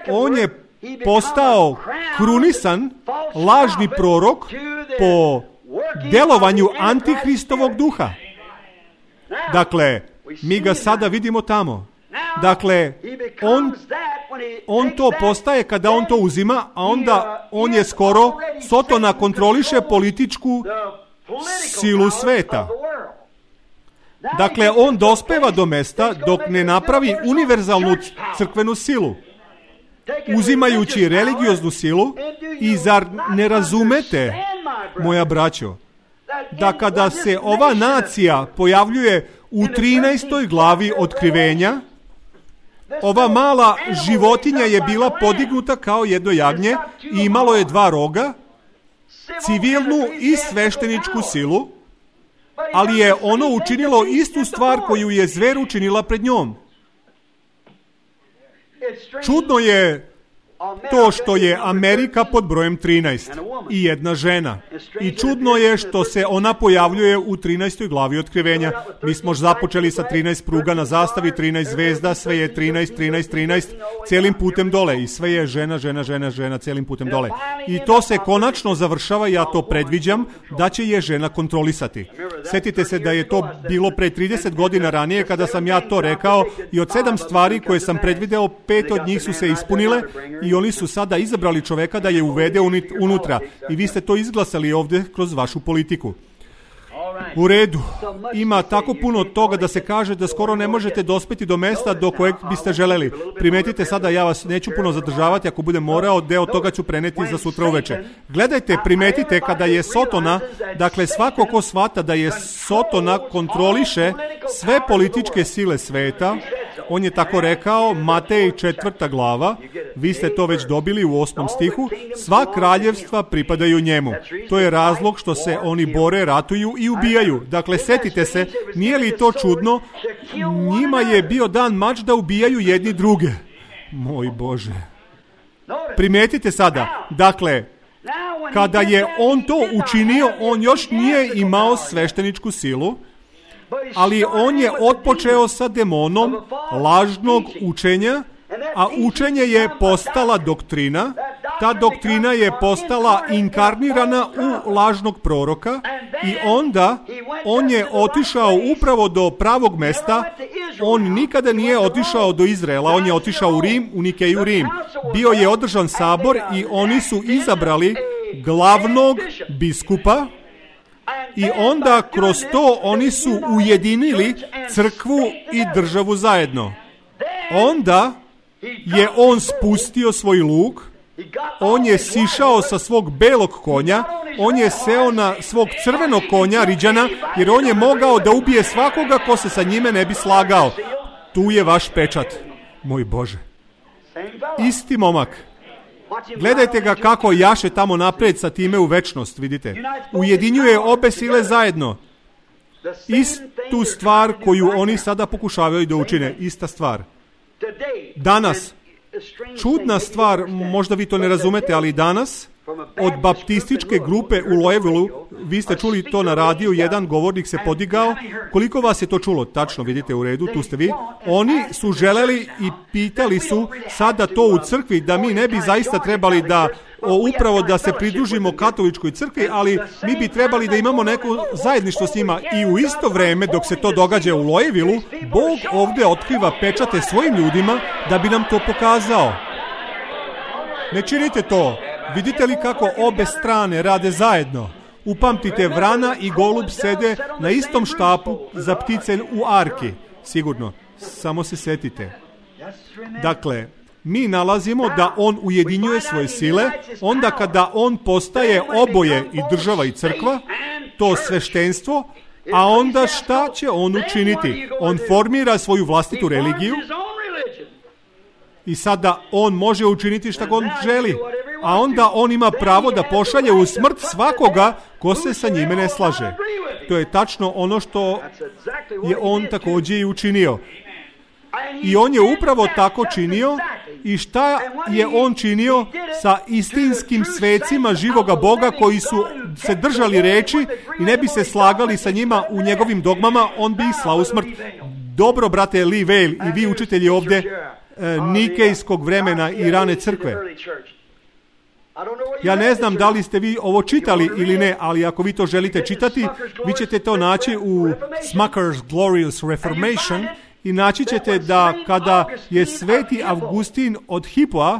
on je postao krunisan, lažni prorok po delovanju Antihristovog duha. Dakle, mi ga sada vidimo tamo. Dakle, on to postaje kada on to uzima, a onda on je skoro, Sotona kontroliše političku silu sveta. Dakle, on dospeva do mesta dok ne napravi univerzalnu crkvenu silu, uzimajući religioznu silu. I zar ne razumete, moja braćo, da kada se ova nacija pojavljuje u 13. glavi Otkrivenja, ova mala životinja je bila podignuta kao jedno jagnje i imalo je 2 roga civilnu i svešteničku silu, ali je ono učinilo istu stvar koju je zver učinila pred njom. Čudno je to što je Amerika pod brojem 13 i jedna žena. I čudno je što se ona pojavljuje u 13. glavi Otkrivenja. Mi smo započeli sa 13 pruga na zastavi, 13 zvezda, sve je 13, cijelim putem dole. I sve je žena, cijelim putem dole. I to se konačno završava, ja to predviđam, da će je žena kontrolisati. Sjetite se da je to bilo pre 30 godina ranije kada sam ja to rekao i od 7 stvari koje sam predvideo, 5 od njih su se ispunile i oni su sada izabrali čoveka da je uvede unutra. I vi ste to izglasali ovdje kroz vašu politiku. U redu. Ima tako puno toga da se kaže da skoro ne možete dospeti do mesta do kojeg biste želeli. Primetite sada, ja vas neću puno zadržavati, ako budem morao, deo toga ću preneti za sutra uveče. Gledajte, primetite kada je Sotona, dakle svako ko shvata da je Sotona kontroliše sve političke sile sveta, on je tako rekao, Matej 4. glava, vi ste to već dobili u 8. stihu, sva kraljevstva pripadaju njemu. To je razlog što se oni bore, ratuju i ubijaju. Dakle, setite se, nije li to čudno? Njima je bio dan mač da ubijaju jedni druge. Moj Bože. Primetite sada, dakle, kada je on to učinio, on još nije imao svešteničku silu, ali on je otpočeo sa demonom lažnog učenja, a učenje je postala doktrina. Ta doktrina je postala inkarnirana u lažnog proroka i onda on je otišao upravo do pravog mesta. On nikada nije otišao do Izraela, on je otišao u Rim, u Nikeju Rim. Bio je održan sabor i oni su izabrali glavnog biskupa. I onda kroz to oni su ujedinili crkvu i državu zajedno. Onda je on spustio svoj luk, on je sišao sa svog belog konja, on je seo na svog crvenog konja, Riđana, jer on je mogao da ubije svakoga ko se sa njime ne bi slagao. Tu je vaš pečat, moj Bože. Isti momak. Gledajte ga kako jaše tamo napred sa time u večnost, vidite. Ujedinjuje obe sile zajedno. Istu stvar koju oni sada pokušavaju da učine, ista stvar. Danas, čudna stvar, možda vi to ne razumete, ali danas, od baptističke grupe u Louisvilleu, vi ste čuli to na radiju, jedan govornik se podigao. Koliko vas je to čulo? Tačno, vidite, u redu, tu ste vi. Oni su želeli i pitali su sada to u crkvi, da mi ne bi zaista trebali da upravo da se pridružimo katoličkoj crkvi, ali mi bi trebali da imamo neko zajedništvo s njima. I u isto vreme, dok se to događa u Louisvilleu, Bog ovdje otkriva pečate svojim ljudima da bi nam to pokazao. Ne činite to. Vidite li kako obe strane rade zajedno? Upamtite, vrana i golub sede na istom štapu za ptice u arki. Sigurno. Samo se setite. Dakle, mi nalazimo da on ujedinjuje svoje sile, onda kada on postaje oboje i država i crkva, to sveštenstvo, a onda šta će on učiniti? On formira svoju vlastitu religiju i sada on može učiniti šta god želi, a onda on ima pravo da pošalje u smrt svakoga ko se sa njime ne slaže. To je tačno ono što je on također i učinio. I on je upravo tako činio. I šta je on činio sa istinskim svecima živoga Boga koji su se držali reči i ne bi se slagali sa njima u njegovim dogmama, on bi ih slao u smrt. Dobro, brate Lee Vail i vi učitelji ovdje nikejskog vremena i rane crkve. Ja ne znam da li ste vi ovo čitali ili ne, ali ako vi to želite čitati, vi ćete to naći u Smucker's Glorious Reformation i naći ćete da kada je sveti Avgustin od Hippoa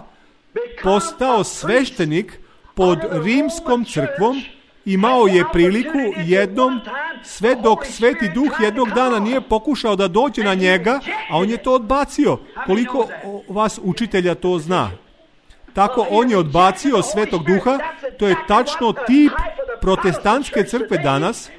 postao sveštenik pod rimskom crkvom, imao je priliku jednom, sve dok Sveti Duh jednog dana nije pokušao da dođe na njega, a on je to odbacio. Koliko vas učitelja to zna? Tako on je odbacio Svetog Duha. To je tačno tip protestantske crkve danas,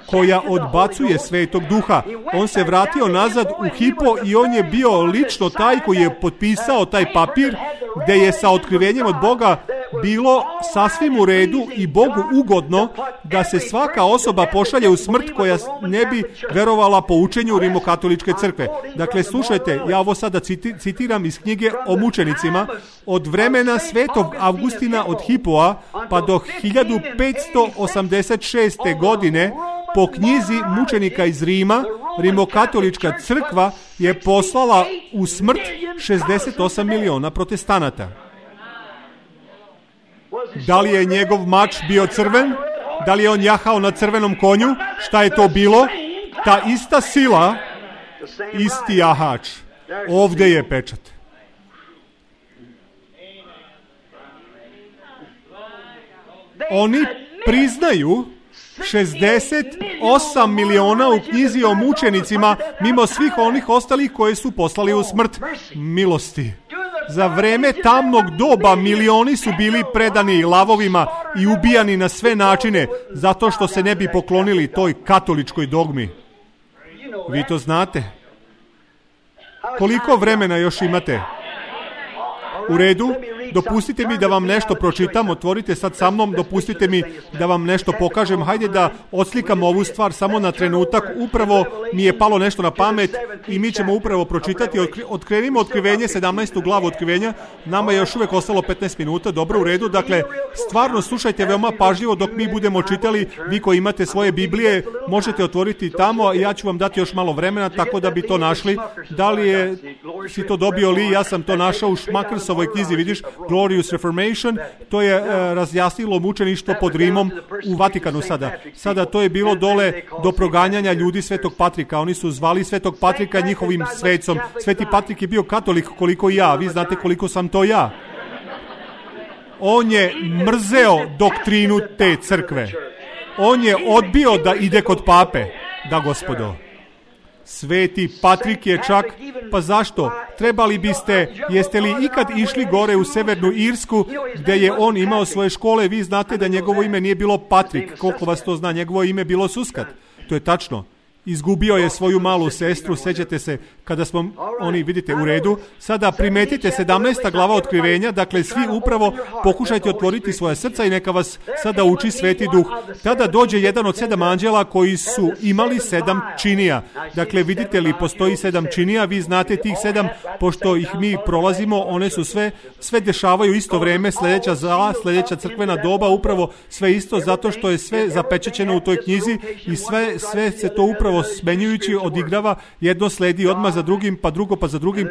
koja odbacuje Svetog Duha. On se vratio nazad u Hippo i on je bio lično taj koji je potpisao taj papir gdje je sa otkrivenjem od Boga bilo sasvim u redu i Bogu ugodno da se svaka osoba pošalje u smrt koja ne bi verovala po učenju Rimokatoličke crkve. Dakle, slušajte, ja ovo sada citiram iz knjige o mučenicima. Od vremena Svetog Avgustina od Hipoa pa do 1586. godine po knjizi mučenika iz Rima, Rimokatolička crkva je poslala u smrt 68 miliona protestanata. Da li je njegov mač bio crven? Da li je on jahao na crvenom konju? Šta je to bilo? Ta ista sila, isti jahač. Ovdje je pečat. Oni priznaju 68 miliona u knjizi o mučenicima, mimo svih onih ostalih koje su poslali u smrt. Milosti. Za vreme tamnog doba milioni su bili predani lavovima i ubijani na sve načine, zato što se ne bi poklonili toj katoličkoj dogmi. Vi to znate. Koliko vremena još imate? U redu, dopustite mi da vam nešto pročitam, otvorite sad sa mnom, dopustite mi da vam nešto pokažem. Hajde da odslikam ovu stvar samo na trenutak. Upravo mi je palo nešto na pamet i mi ćemo upravo pročitati. Otkrenimo Otkrivenje, 17. glavu Otkrivenja. Nama je još uvijek ostalo 15 minuta, dobro, u redu. Dakle, stvarno slušajte veoma pažljivo dok mi budemo čitali. Vi koji imate svoje Biblije, možete otvoriti tamo, a ja ću vam dati još malo vremena, tako da bi to našli. Da li si to dobio li? Ja sam to našao u Šmakersovoj knjizi, vidiš, Glorious Reformation, to je razjasnilo mučeništvo pod Rimom u Vatikanu sada. Sada to je bilo dole do proganjanja ljudi Svetog Patrika. Oni su zvali Svetog Patrika njihovim svecom. Sveti Patrik je bio katolik koliko i ja. Vi znate koliko sam to ja. On je mrzeo doktrinu te crkve. On je odbio da ide kod pape. Da, gospodo. Sveti Patrik je čak, pa zašto? Trebali biste, jeste li ikad išli gore u Severnu Irsku, gdje je on imao svoje škole? Vi znate da njegovo ime nije bilo Patrik, koliko vas to zna, njegovo ime bilo Suskat. To je tačno. Izgubio je svoju malu sestru, sećate se kada smo, oni vidite u redu. Sada primetite 17. glava Otkrivenja, dakle svi upravo pokušajte otvoriti svoja srca i neka vas sada uči Sveti Duh. Tada dođe jedan od 7 anđela koji su imali 7 činija. Dakle, vidite li, postoji 7 činija, vi znate tih 7, pošto ih mi prolazimo, one su sve dešavaju isto vreme, sljedeća zala, sljedeća crkvena doba, upravo sve isto, zato što je sve zapečaćeno u toj knjizi i sve se to upravo smenjujući odigrava, jedno sledi odmah za drugim, pa drugo pa za drugim,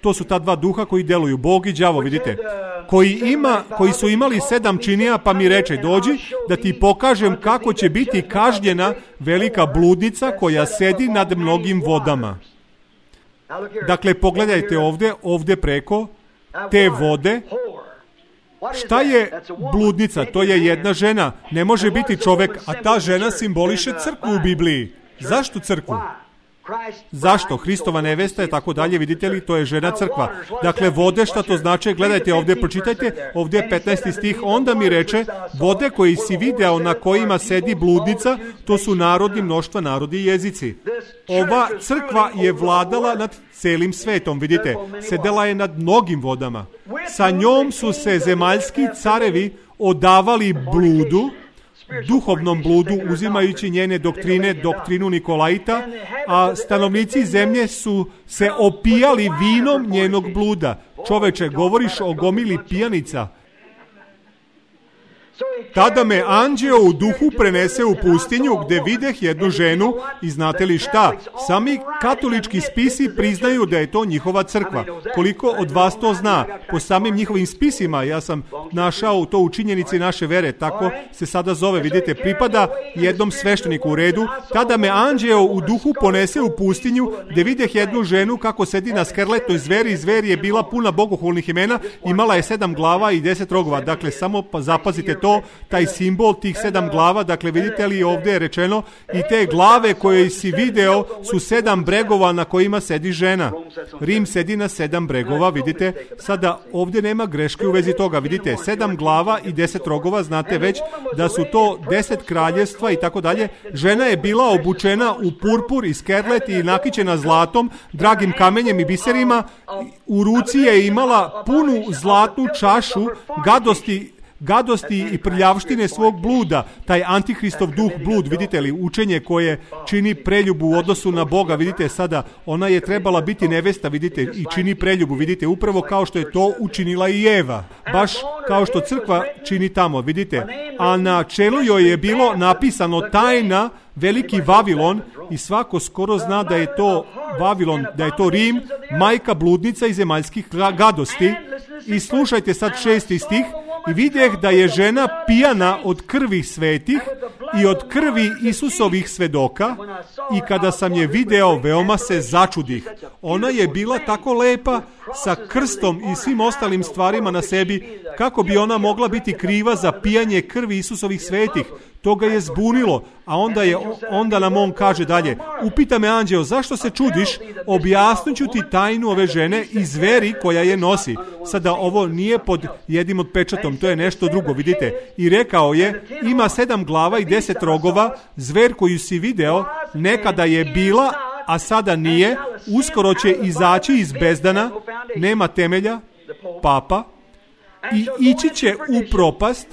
to su ta dva duha koji deluju, Bog i đavo, vidite, koji su imali 7 činija, pa mi reče, dođi da ti pokažem kako će biti kažnjena velika bludnica koja sedi nad mnogim vodama. Dakle, pogledajte ovdje preko te vode. Šta je bludnica? To je jedna žena. Ne može biti čovjek, a ta žena simboliše crkvu u Bibliji. Zašto crkvu? Zašto? Hristova nevesta je tako dalje, vidite li, to je žena crkva. Dakle, vode, šta to znači? Gledajte ovdje, pročitajte, ovdje je 15. stih, onda mi reče, vode koji si video na kojima sedi bludnica, to su narodi, mnoštva, narodi i jezici. Ova crkva je vladala nad celim svetom, vidite, sedela je nad mnogim vodama. Sa njom su se zemaljski carevi odavali bludu, duhovnom bludu, uzimajući njene doktrine, doktrinu Nikolaita, a stanovnici zemlje su se opijali vinom njenog bluda. Čoveče, govoriš o gomili pijanica. Tada me anđeo u duhu prenese u pustinju gdje videh jednu ženu i znate li šta? Sami katolički spisi priznaju da je to njihova crkva. Koliko od vas to zna? Po samim njihovim spisima, ja sam našao to u činjenici naše vere, tako se sada zove, vidite, pripada jednom svešteniku u redu. Tada me anđeo u duhu ponese u pustinju gdje videh jednu ženu kako sedi na skerletnoj zveri. Zver je bila puna bogohulnih imena, imala je 7 glava i 10 rogova. Dakle, samo zapazite to, taj simbol tih 7 glava. Dakle, vidite li ovdje je rečeno i te glave koje si video su 7 bregova na kojima sedi žena. Rim sedi na 7 bregova, vidite. Sada ovdje nema greške u vezi toga. Vidite, 7 glava i 10 rogova, znate već da su to 10 kraljevstva i tako dalje. Žena je bila obučena u purpur i skerlet i nakićena zlatom, dragim kamenjem i biserima. U ruci je imala punu zlatnu čašu gadosti i prljavštine svog bluda, taj antihristov duh blud, vidite li, učenje koje čini preljubu u odnosu na Boga, vidite sada, ona je trebala biti nevesta, vidite, i čini preljubu, vidite, upravo kao što je to učinila i Eva, baš kao što crkva čini tamo, vidite, a na čelu joj je bilo napisano tajna, veliki Vavilon, i svako skoro zna da je to Vavilon, da je to Rim, majka bludnica i zemaljskih gadosti. I slušajte sad 6. stih. I vidjeh da je žena pijana od krvi svetih i od krvi Isusovih svedoka, i kada sam je video, veoma se začudih. Ona je bila tako lepa, sa krstom i svim ostalim stvarima na sebi, kako bi ona mogla biti kriva za pijanje krvi Isusovih svetih. To ga je zbunilo, a onda nam on kaže dalje, upita me anđeo, zašto se čudiš, objasnit ću ti tajnu ove žene i zveri koja je nosi. Sada ovo nije pod jednim od pečatom, to je nešto drugo, vidite. I rekao je, ima 7 glava i 10 rogova, zver koju si video, nekada je bila, a sada nije, uskoro će izaći iz bezdana, nema temelja, papa, i ići će u propast,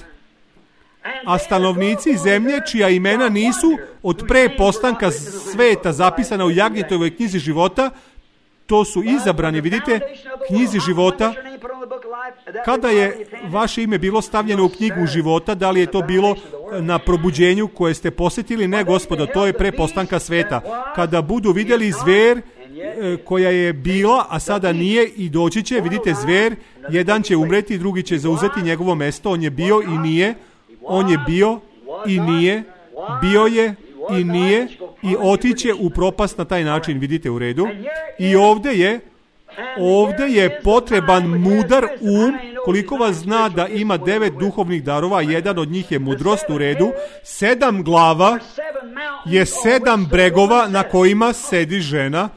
a stanovnici zemlje čija imena nisu od pre postanka sveta zapisana u Jagnjetovoj knjizi života, to su izabrani, vidite, knjizi života. Kada je vaše ime bilo stavljeno u knjigu života, da li je to bilo na probuđenju koje ste posjetili? Ne, gospodo, to je pre postanka sveta. Kada budu vidjeli zver koja je bila, a sada nije i doći će, vidite, zver, jedan će umreti, drugi će zauzeti njegovo mesto, on je bio i nije, on je bio i nije, bio je i nije, i otiće u propast na taj način, vidite, u redu. I ovdje je potreban mudar koliko vas zna da ima 9 duhovnih darova, jedan od njih je mudrost, u redu. 7 glava je 7 bregova na kojima sedi žena.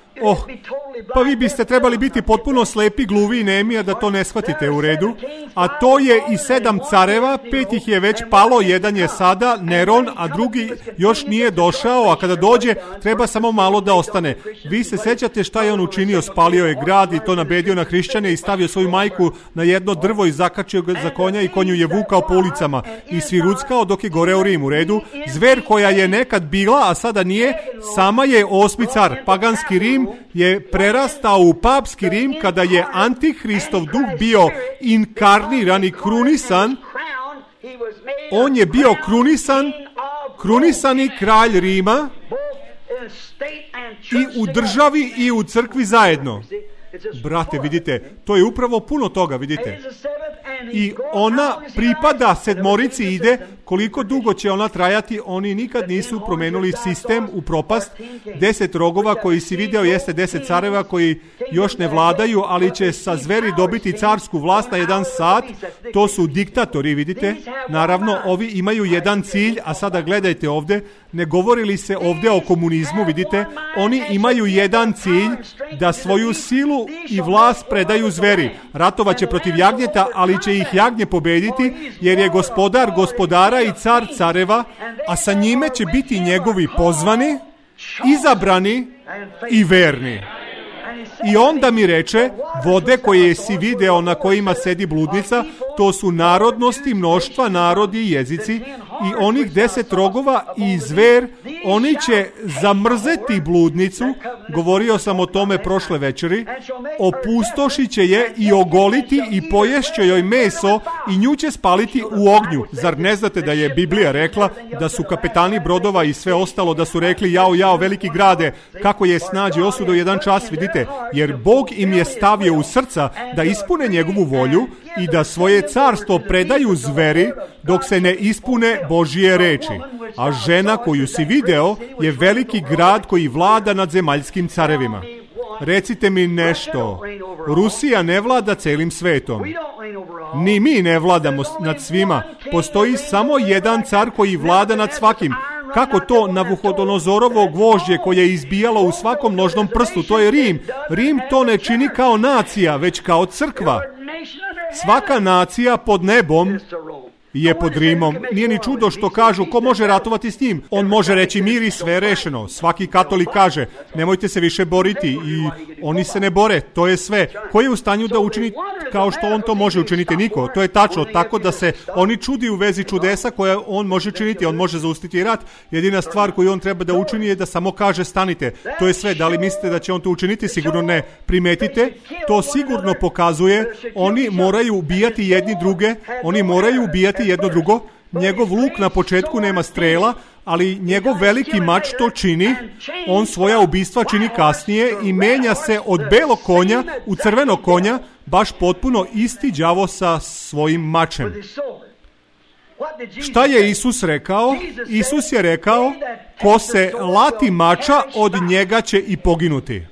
Pa vi biste trebali biti potpuno slepi, gluvi i nemi, a da to ne shvatite, u redu. A to je i 7 careva, 5 ih je već palo, jedan je sada Neron, a drugi još nije došao, a kada dođe treba samo malo da ostane. Vi se sećate šta je on učinio? Spalio je grad i to nabedio na hrišćane i stavio svoju majku na jedno drvo i zakačio ga za konja i konju je vukao po ulicama i sviruckao dok je goreo Rim, u redu. Zver koja je nekad bila, a sada nije, sama je 8. car. Paganski Rim je prerastao u papski Rim kada je antihristov duh bio inkarniran i krunisan. On je bio krunisani kralj Rima i u državi i u crkvi zajedno. Brate, vidite, to je upravo puno toga, vidite. I ona pripada sedmorici, ide, koliko dugo će ona trajati, oni nikad nisu promenuli sistem u propast. 10 rogova koji si video jeste 10 careva koji još ne vladaju, ali će sa zveri dobiti carsku vlast na 1 sat. To su diktatori, vidite. Naravno, ovi imaju jedan cilj, a sada gledajte ovdje, ne govori li se ovdje o komunizmu, vidite, oni imaju jedan cilj, da svoju silu i vlast predaju zveri. Ratovaće protiv jagnjeta, ali će ih jagnje pobediti, jer je gospodar gospodara i car careva, a sa njime će biti njegovi pozvani, izabrani i verni. I onda mi reče, vode koje si video na kojima sedi bludnica, to su narodnosti, mnoštva, narodi i jezici, i onih 10 rogova i zver, oni će zamrzeti bludnicu, govorio sam o tome prošle večeri, opustošit će je i ogoliti i poješće joj meso i nju će spaliti u ognju. Zar ne znate da je Biblija rekla da su kapetani brodova i sve ostalo, da su rekli, jao, veliki grade, kako je snađe osudo jedan čas, vidite, jer Bog im je stavio u srca da ispune njegovu volju i da svoje carstvo predaju zveri dok se ne ispune Božije reči. A žena koju si video je veliki grad koji vlada nad zemaljskim carevima. Recite mi nešto. Rusija ne vlada celim svetom. Ni mi ne vladamo nad svima. Postoji samo jedan car koji vlada nad svakim. Kako to Navuhodonozorovo gvožđe koje je izbijalo u svakom nožnom prstu, to je Rim. Rim to ne čini kao nacija, već kao crkva. Svaka nacija pod nebom je pod Rimom. Nije ni čudo što kažu ko može ratovati s njim. On može reći mir i sve je rešeno. Svaki katolik kaže nemojte se više boriti i oni se ne bore. To je sve. Ko je u stanju da učini kao što on to može učiniti? Niko. To je tačno. Tako da se oni čudi u vezi čudesa koje on može činiti. On može zaustaviti rat. Jedina stvar koju on treba da učini je da samo kaže stanite. To je sve. Da li mislite da će on to učiniti? Sigurno ne. Primetite. To sigurno pokazuje. Oni moraju ubijati jedni druge. Oni moraju ubijati jedno drugo. Njegov luk na početku nema strela, ali njegov veliki mač to čini. On svoja ubistva čini kasnije i menja se od belog konja u crvenog konja, baš potpuno isti đavo sa svojim mačem. Šta je Isus rekao? Isus je rekao, ko se lati mača, od njega će i poginuti.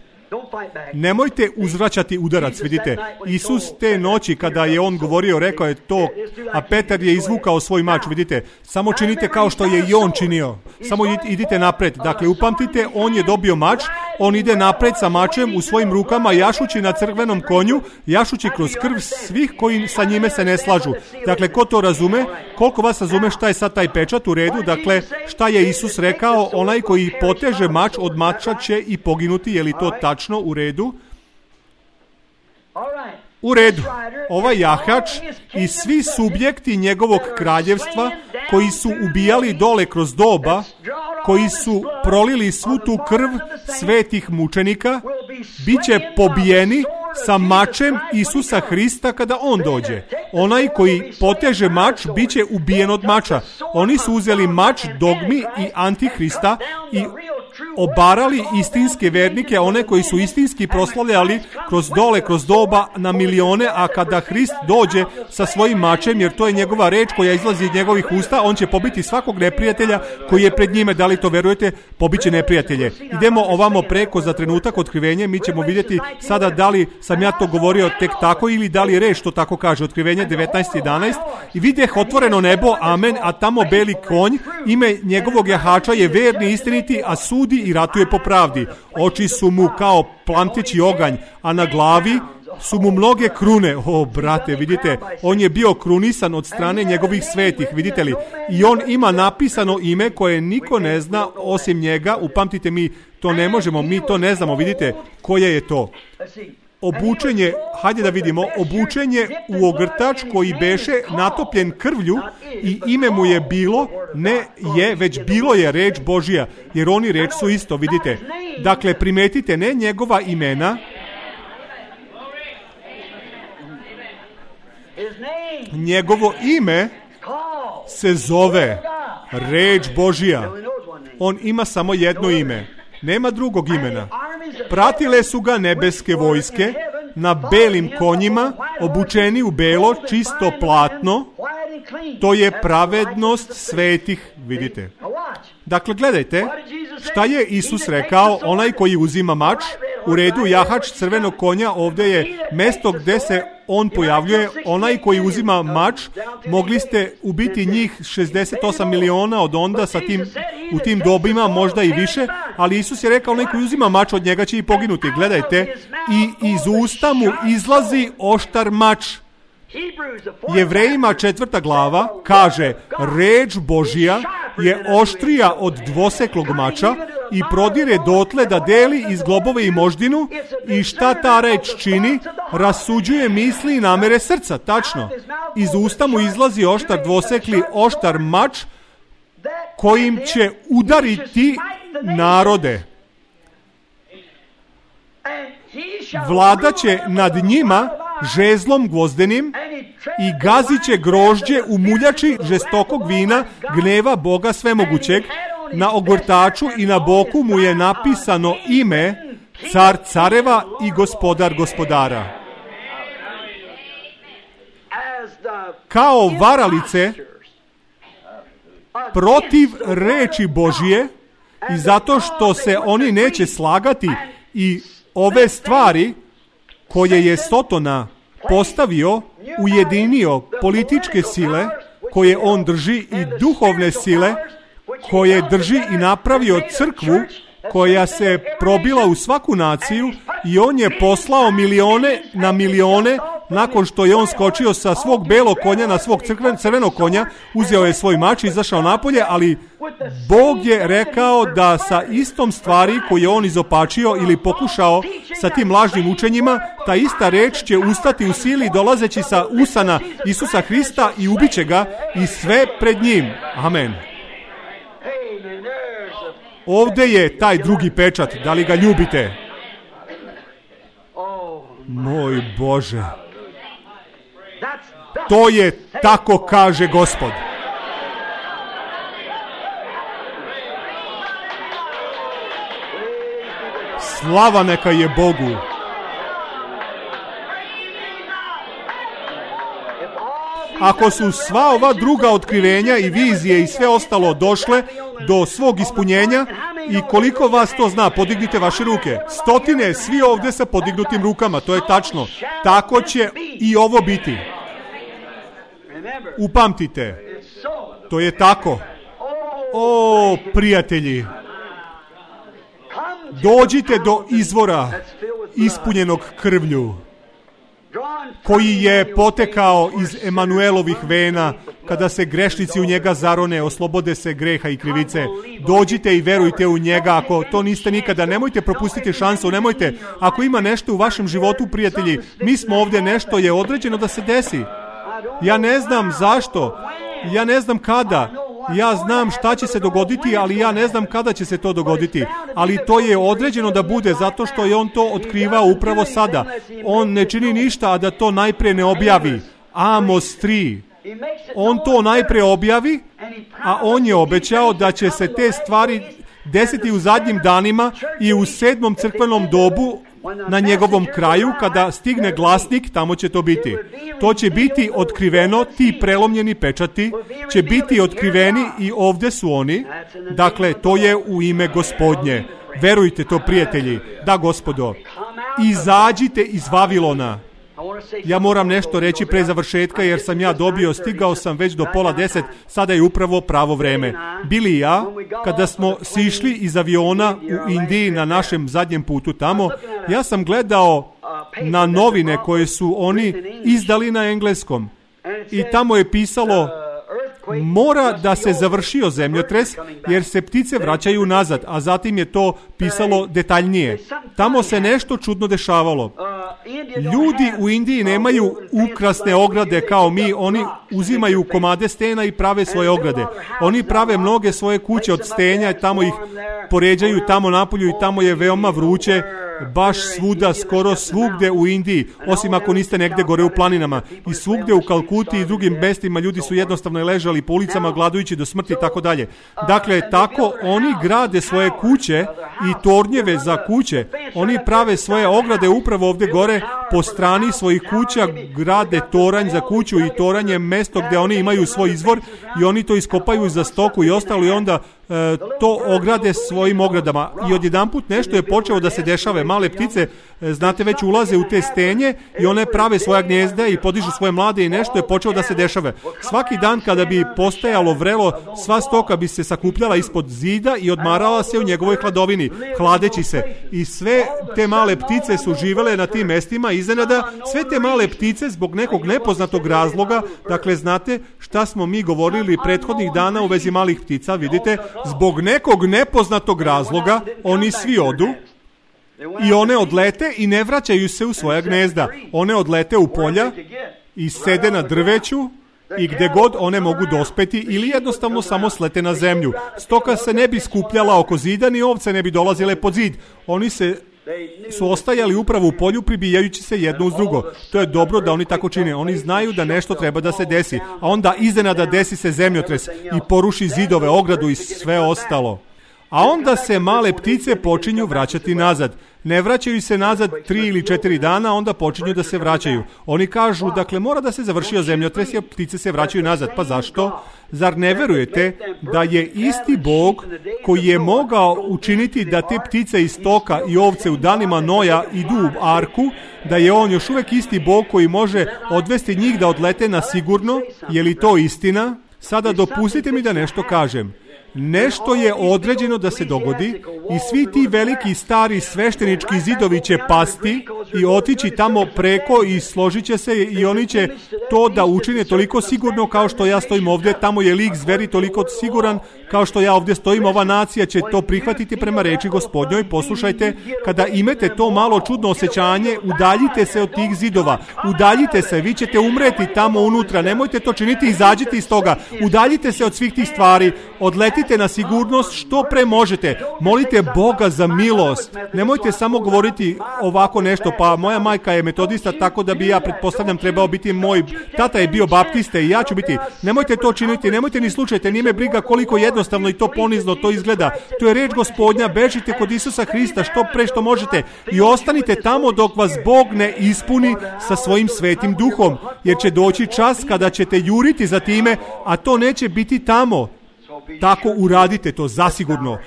Nemojte uzvraćati udarac, vidite. Isus te noći kada je on govorio, rekao je to, a Petar je izvukao svoj mač, vidite. Samo činite kao što je i on činio. Samo idite napred. Dakle, upamtite, on je dobio mač, on ide napred sa mačem u svojim rukama, jašući na crvenom konju, jašući kroz krv svih koji sa njime se ne slažu. Dakle, ko to razume? Koliko vas razume šta je sad taj pečat u redu? Dakle, šta je Isus rekao? Onaj koji poteže mač od mača će i poginuti. Je li to tačno? U redu? U redu. Ovaj jahač i svi subjekti njegovog kraljevstva koji su ubijali dole kroz doba, koji su prolili svu tu krv svetih mučenika, bit će pobijeni sa mačem Isusa Hrista kada on dođe. Onaj koji poteže mač bit će ubijen od mača. Oni su uzeli mač dogmi i antihrista i obarali istinske vernike, one koji su istinski proslavljali kroz doba na milione, a kada Hrist dođe sa svojim mačem, jer to je njegova reč koja izlazi iz njegovih usta, on će pobiti svakog neprijatelja koji je pred njime. Da li to verujete? Pobiće neprijatelje. Idemo ovamo preko za trenutak otkrivenje, mi ćemo vidjeti sada da li sam ja to govorio tek tako ili da li reč to tako kaže. Otkrivenje 19:11 i vidjeh otvoreno nebo, amen, a tamo beli konj, ime njegovog jahača je verni, istiniti, a sudi i ratuje po pravdi. Oči su mu kao plamteći oganj, a na glavi su mu mnoge krune. O, brate, vidite, on je bio krunisan od strane njegovih svetih, vidite li? I on ima napisano ime koje niko ne zna osim njega. Upamtite, mi to ne možemo, mi to ne znamo, vidite koje je to. Obučenje, hajde da vidimo, obučenje u ogrtač koji beše natopljen krvlju i ime mu je bilo, ne je, već bilo je reč Božija, jer oni reč su isto, vidite. Dakle, primetite, ne njegova imena, njegovo ime se zove reč Božija. On ima samo jedno ime. Nema drugog imena. Pratile su ga nebeske vojske na belim konjima, obučeni u belo, čisto platno. To je pravednost svetih, vidite. Dakle, gledajte, šta je Isus rekao, onaj koji uzima mač, u redu, jahač crvenog konja, ovdje je mesto gdje se on pojavljuje, onaj koji uzima mač, mogli ste ubiti njih 68 miliona od onda u tim dobima, možda i više, ali Isus je rekao, onaj koji uzima mač od njega će i poginuti. Gledajte, i iz usta mu izlazi oštar mač. Jevrejima 4. glava kaže, reč Božija je oštrija od dvoseklog mača i prodire dotle da deli iz globove i moždinu. I šta ta reč čini? Rasuđuje misli i namere srca, tačno. Iz usta mu izlazi oštar dvosekli, oštar mač kojim će udariti narode. Vladaće nad njima žezlom gvozdenim i gazit će grožđe u muljači žestokog vina gneva Boga svemogućeg. Na ogrtaču i na boku mu je napisano ime car careva i gospodar gospodara. Kao varalice protiv reči Božije i zato što se oni neće slagati i ove stvari koje je Sotona postavio ujedinio političke sile koje on drži i duhovne sile koje drži i napravio crkvu koja se probila u svaku naciju i on je poslao milione na milione nakon što je on skočio sa svog belog konja na svog crvenog konja, uzeo je svoj mač i izašao napolje, ali Bog je rekao da sa istom stvari koju je on izopačio ili pokušao sa tim lažnim učenjima, ta ista reč će ustati u sili dolazeći sa usana Isusa Hrista i ubiće ga i sve pred njim. Amen. Ovdje je taj drugi pečat, da li ga ljubite? Moj Bože. To je tako kaže Gospod. Slava neka je Bogu. Ako su sva ova druga otkrivenja i vizije i sve ostalo došle do svog ispunjenja, i koliko vas to zna, podignite vaše ruke. Stotine, svi ovdje sa podignutim rukama, to je tačno. Tako će i ovo biti. Upamtite, to je tako. O, prijatelji, dođite do izvora ispunjenog krvlju, koji je potekao iz Emanuelovih vena, kada se grešnici u njega zarone, oslobode se greha i krivice. Dođite i verujte u njega. Ako to niste nikada, nemojte propustiti šansu, nemojte. Ako ima nešto u vašem životu, prijatelji, mi smo ovdje, nešto je određeno da se desi. Ja ne znam zašto, ja ne znam kada, ja znam šta će se dogoditi, ali ja ne znam kada će se to dogoditi. Ali to je određeno da bude, zato što je on to otkrivao upravo sada. On ne čini ništa, a da to najprije ne objavi. Amos 3. On to najprije objavi, a on je obećao da će se te stvari desiti u zadnjim danima i u 7. crkvenom dobu, na njegovom kraju, kada stigne glasnik, tamo će to biti. To će biti otkriveno, ti prelomljeni pečati će biti otkriveni i ovdje su oni. Dakle, to je u ime Gospodnje. Verujte to, prijatelji. Da, Gospodo. Izađite iz Vavilona. Ja moram nešto reći pre završetka, jer sam ja stigao sam već do 9:30, sada je upravo pravo vreme. Bili i ja, kada smo sišli iz aviona u Indiji na našem zadnjem putu tamo, ja sam gledao na novine koje su oni izdali na engleskom. I tamo je pisalo, mora da se završio zemljotres, jer se ptice vraćaju nazad, a zatim je to pisalo detaljnije. Tamo se nešto čudno dešavalo. Ljudi u Indiji nemaju ukrasne ograde kao mi, oni uzimaju komade stena i prave svoje ograde. Oni prave mnoge svoje kuće od stenja i tamo ih poređaju tamo napolju i tamo je veoma vruće, baš svuda, skoro svugde u Indiji, osim ako niste negde gore u planinama. I svugde u Kalkuti i drugim mestima ljudi su jednostavno ležali po ulicama gladujući do smrti i tako dalje. Dakle, tako oni grade svoje kuće i tornjeve za kuće. Oni prave svoje ograde upravo ovdje gore po strani svojih kuća, grade toranj za kuću i toranj je mesto gdje oni imaju svoj izvor i oni to iskopaju za stoku i ostalo i onda to ograde svojim ogradama. I odjedanput nešto je počelo da se dešava. Male ptice, znate, već ulaze u te stenje i one prave svoja gnjezda i podižu svoje mlade i nešto je počelo da se dešava. Svaki dan kada bi postajalo vrelo, sva stoka bi se sakupljala ispod zida i odmarala se u njegovoj hladovini, hladeći se. I sve te male ptice su živele na tim mestima. Iznenada, sve te male ptice zbog nekog nepoznatog razloga, dakle, znate šta smo mi govorili prethodnih dana u vezi malih ptica, vidite, zbog nekog nepoznatog razloga oni svi odu i one odlete i ne vraćaju se u svoja gnezda. One odlete u polja i sede na drveću i gde god one mogu dospeti ili jednostavno samo slete na zemlju. Stoka se ne bi skupljala oko zida, ni ovce ne bi dolazile pod zid. Oni su ostajali upravo u polju pribijajući se jedno uz drugo. To je dobro da oni tako čine. Oni znaju da nešto treba da se desi, a onda iznenada desi se zemljotres i poruši zidove, ogradu i sve ostalo. A onda se male ptice počinju vraćati nazad. Ne vraćaju se nazad 3 ili 4 dana, onda počinju da se vraćaju. Oni kažu, dakle, mora da se završio zemljotres, jer ptice se vraćaju nazad. Pa zašto? Zar ne verujete da je isti Bog koji je mogao učiniti da te ptice iz stoka i ovce u danima Noja idu u arku, da je on još uvijek isti Bog koji može odvesti njih da odlete na sigurno? Je li to istina? Sada dopustite mi da nešto kažem. Nešto je određeno da se dogodi i svi ti veliki stari sveštenički zidovi će pasti i otići tamo preko i složit će se i oni će to da učine toliko sigurno kao što ja stojim ovdje. Tamo je lik zveri toliko siguran kao što ja ovdje stojim. Ova nacija će to prihvatiti prema reči Gospodnjoj. Poslušajte, kada imate to malo čudno osjećanje, udaljite se od tih zidova. Udaljite se, vi ćete umreti tamo unutra. Nemojte to činiti, izađite iz toga. Udaljite se od svih tih stvari. Odletite na sigurnost što pre možete. Molite Boga za milost. Nemojte samo govoriti ovako nešto, pa moja majka je metodista, tako da bi ja, pretpostavljam, trebao biti moj tata je bio baptista i ja ću biti. Nemojte to činiti, nemojte ni slučajte, nije me briga koliko jednostavno i to ponizno to izgleda. To je reč Gospodnja, bežite kod Isusa Hrista što pre što možete i ostanite tamo dok vas Bog ne ispuni sa svojim svetim duhom, jer će doći čas kada ćete juriti za time, a to neće biti tamo. Tako uradite to zasigurno.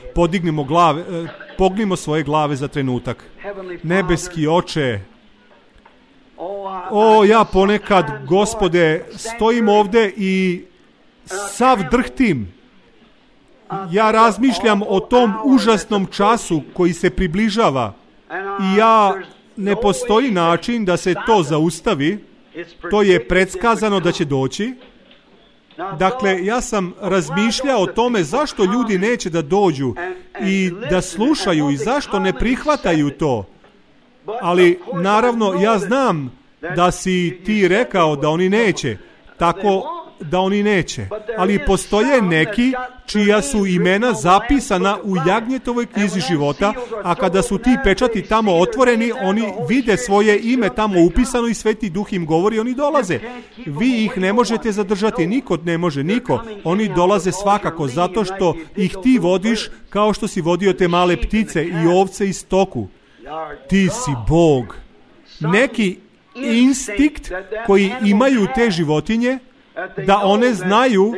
Pognimo svoje glave za trenutak. Nebeski Oče, ja ponekad, Gospode, stojim ovdje i sav drhtim. Ja razmišljam o tom užasnom času koji se približava i ne postoji način da se to zaustavi. To je predskazano da će doći. Dakle, ja sam razmišljao o tome zašto ljudi neće da dođu i da slušaju i zašto ne prihvataju to. Ali, naravno, ja znam da si ti rekao da oni neće. Tako da oni neće. Ali postoje neki čija su imena zapisana u Jagnjetovoj knjizi života, a kada su ti pečati tamo otvoreni, oni vide svoje ime tamo upisano i Sveti Duh im govori, oni dolaze. Vi ih ne možete zadržati, niko ne može, niko. Oni dolaze svakako zato što ih ti vodiš kao što si vodio te male ptice i ovce i stoku. Ti si Bog. Neki instinkt koji imaju te životinje, da one znaju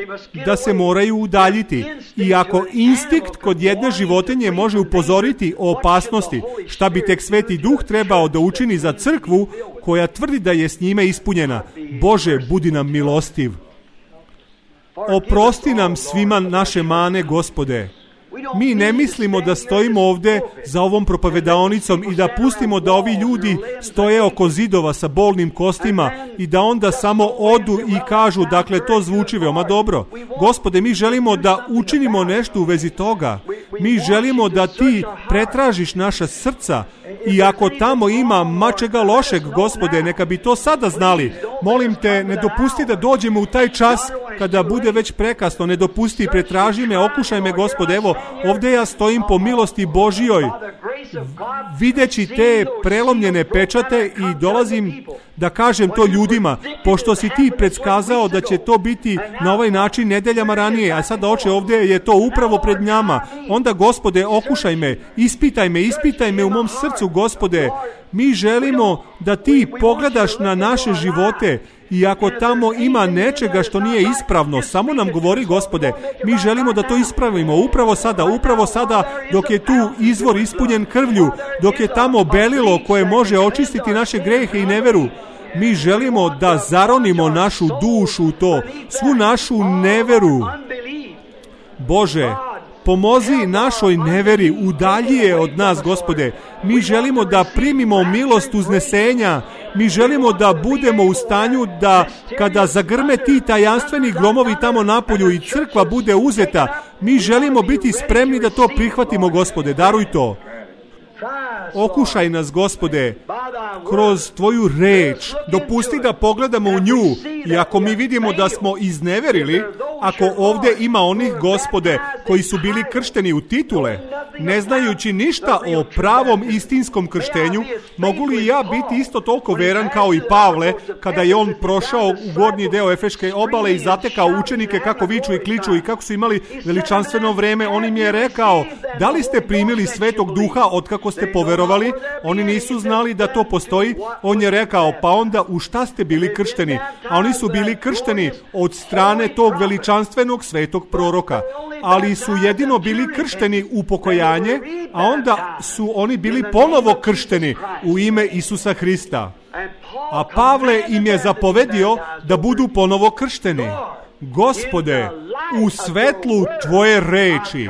da se moraju udaljiti. I ako instinkt kod jedne životinje može upozoriti o opasnosti, šta bi tek Sveti Duh trebao da učini za crkvu koja tvrdi da je s njime ispunjena? Bože, budi nam milostiv. Oprosti nam svima naše mane, Gospode. Mi ne mislimo da stojimo ovdje za ovom propovedaonicom i da pustimo da ovi ljudi stoje oko zidova sa bolnim kostima i da onda samo odu i kažu, dakle, to zvuči veoma dobro. Gospode, mi želimo da učinimo nešto u vezi toga. Mi želimo da ti pretražiš naša srca i ako tamo ima mačega lošeg, Gospode, neka bi to sada znali. Molim te, ne dopusti da dođemo u taj čas kada bude već prekasno. Ne dopusti, pretraži me, okušaj me, Gospode. Evo, ovdje ja stojim po milosti Božjoj, videći te prelomljene pečate i dolazim da kažem to ljudima, pošto si ti predskazao da će to biti na ovaj način nedeljama ranije, a sada, Oče, ovdje je to upravo pred njama. Onda, Gospode, okušaj me, ispitaj me u mom srcu, Gospode. Mi želimo da ti pogledaš na naše živote i ako tamo ima nečega što nije ispravno, samo nam govori, Gospode. Mi želimo da to ispravimo upravo sada dok je tu izvor ispunjen krvlju, dok je tamo belilo koje može očistiti naše grehe i neveru. Mi želimo da zaronimo našu dušu u to, svu našu neveru. Bože, pomozi našoj neveri, udalji je od nas, Gospode. Mi želimo da primimo milost uznesenja. Mi želimo da budemo u stanju da kada zagrme ti tajanstveni gromovi tamo napolju i crkva bude uzeta, mi želimo biti spremni da to prihvatimo, Gospode. Daruj to. Okušaj nas, Gospode, kroz tvoju reč. Dopusti da pogledamo u nju i ako mi vidimo da smo izneverili, ako ovdje ima onih, Gospode, koji su bili kršteni u titule, ne znajući ništa o pravom istinskom krštenju, mogu li ja biti isto toliko veran kao i Pavle kada je on prošao u gornji deo Efeške obale i zatekao učenike kako viču i kliču i kako su imali veličanstveno vreme? On im je rekao, da li ste primili Svetog Duha otkako ste poverovali? Oni nisu znali da to postoji. On je rekao, pa onda u šta ste bili kršteni? A oni su bili kršteni od strane tog veličanstvenog veličanstvenog svetog proroka, ali su jedino bili kršteni u pokajanje, a onda su oni bili ponovo kršteni u ime Isusa Hrista. A Pavle im je zapovedio da budu ponovo kršteni. Gospode, u svetlu tvoje reči,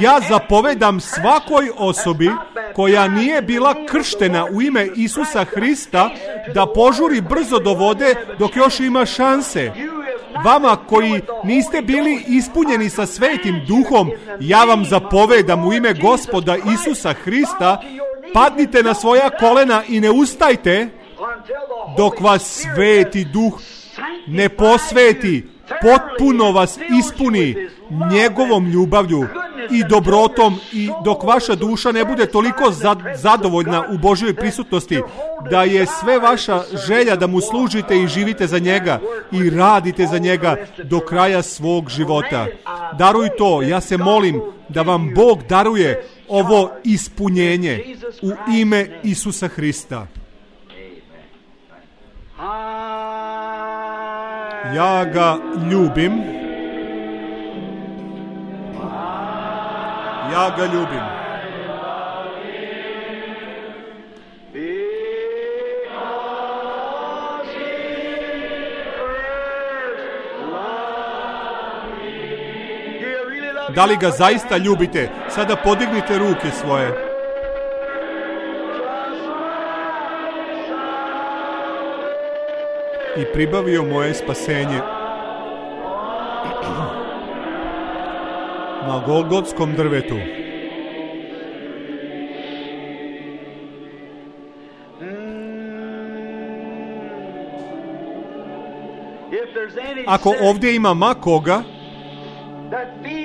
ja zapovedam svakoj osobi koja nije bila krštena u ime Isusa Hrista da požuri brzo do vode dok još ima šanse. Vama koji niste bili ispunjeni sa Svetim Duhom, ja vam zapovedam u ime Gospoda Isusa Hrista, padnite na svoja kolena i ne ustajte dok vas Sveti Duh ne posveti, potpuno vas ispuni njegovom ljubavlju i dobrotom i dok vaša duša ne bude toliko zadovoljna u Božjoj prisutnosti da je sve vaša želja da mu služite i živite za njega i radite za njega do kraja svog života. Daruj to, ja se molim da vam Bog daruje ovo ispunjenje u ime Isusa Hrista. Ja ga ljubim. Ja ga ljubim. Da li ga zaista ljubite? Sada podignite ruke svoje. I pribavio moje spasenje na Golgotskom drvetu. Ako ovdje ima ma koga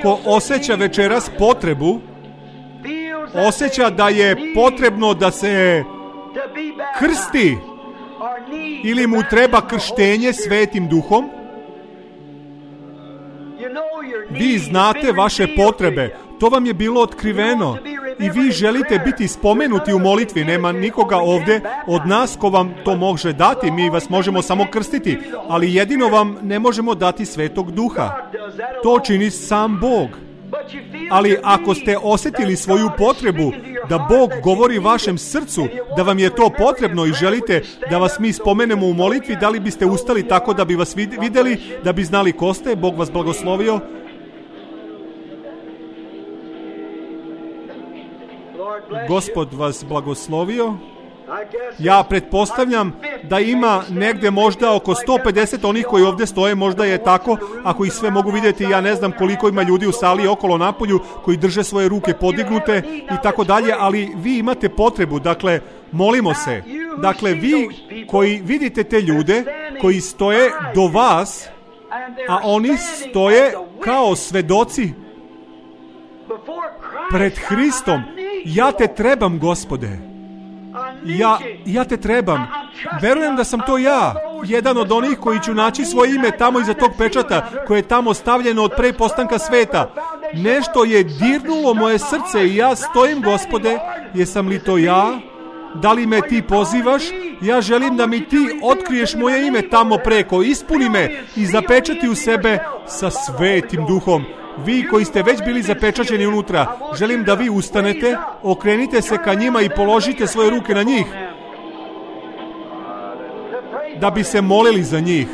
ko osjeća večeras potrebu, osjeća da je potrebno da se krsti ili mu treba krštenje Svetim Duhom, vi znate vaše potrebe, to vam je bilo otkriveno i vi želite biti spomenuti u molitvi. Nema nikoga ovdje od nas ko vam to može dati, mi vas možemo samo krstiti, ali jedino vam ne možemo dati Svetog Duha. To čini sam Bog. Ali ako ste osjetili svoju potrebu da Bog govori vašem srcu da vam je to potrebno i želite da vas mi spomenemo u molitvi, da li biste ustali tako da bi vas vidjeli, da bi znali ko ste? Bog vas blagoslovio. Gospod vas blagoslovio. Ja pretpostavljam da ima negdje možda oko 150 onih koji ovdje stoje, možda je tako, ako ih sve mogu vidjeti. Ja ne znam koliko ima ljudi u sali okolo napolju koji drže svoje ruke podignute i tako dalje, ali vi imate potrebu, dakle, molimo se. Dakle, vi koji vidite te ljude koji stoje do vas, a oni stoje kao svedoci pred Hristom. Ja te trebam, Gospode. Ja te trebam. Verujem da sam to ja, jedan od onih koji ću naći svoje ime tamo iza tog pečata koje je tamo stavljeno od pre postanka sveta. Nešto je dirnulo moje srce i ja stojim, Gospode. Jesam li to ja? Da li me ti pozivaš? Ja želim da mi ti otkriješ moje ime tamo preko. Ispuni me i zapečati u sebe sa Svetim Duhom. Vi koji ste već bili zapečaćeni unutra, želim da vi ustanete, okrenite se ka njima i položite svoje ruke na njih, da bi se molili za njih.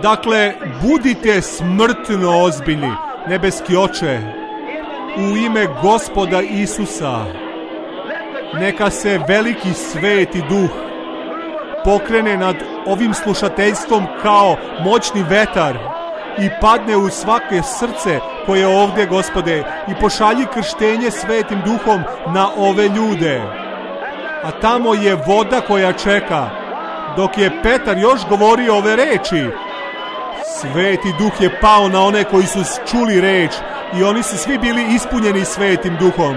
Dakle, budite smrtno ozbiljni, nebeski Oče, u ime Gospoda Isusa. Neka se veliki Sveti Duh pokrene nad ovim slušateljstvom kao moćni vetar i padne u svake srce koje je ovdje, Gospode, i pošalji krštenje Svetim Duhom na ove ljude. A tamo je voda koja čeka. Dok je Petar još govorio ove reči, Sveti Duh je pao na one koji su čuli reč i oni su svi bili ispunjeni Svetim Duhom.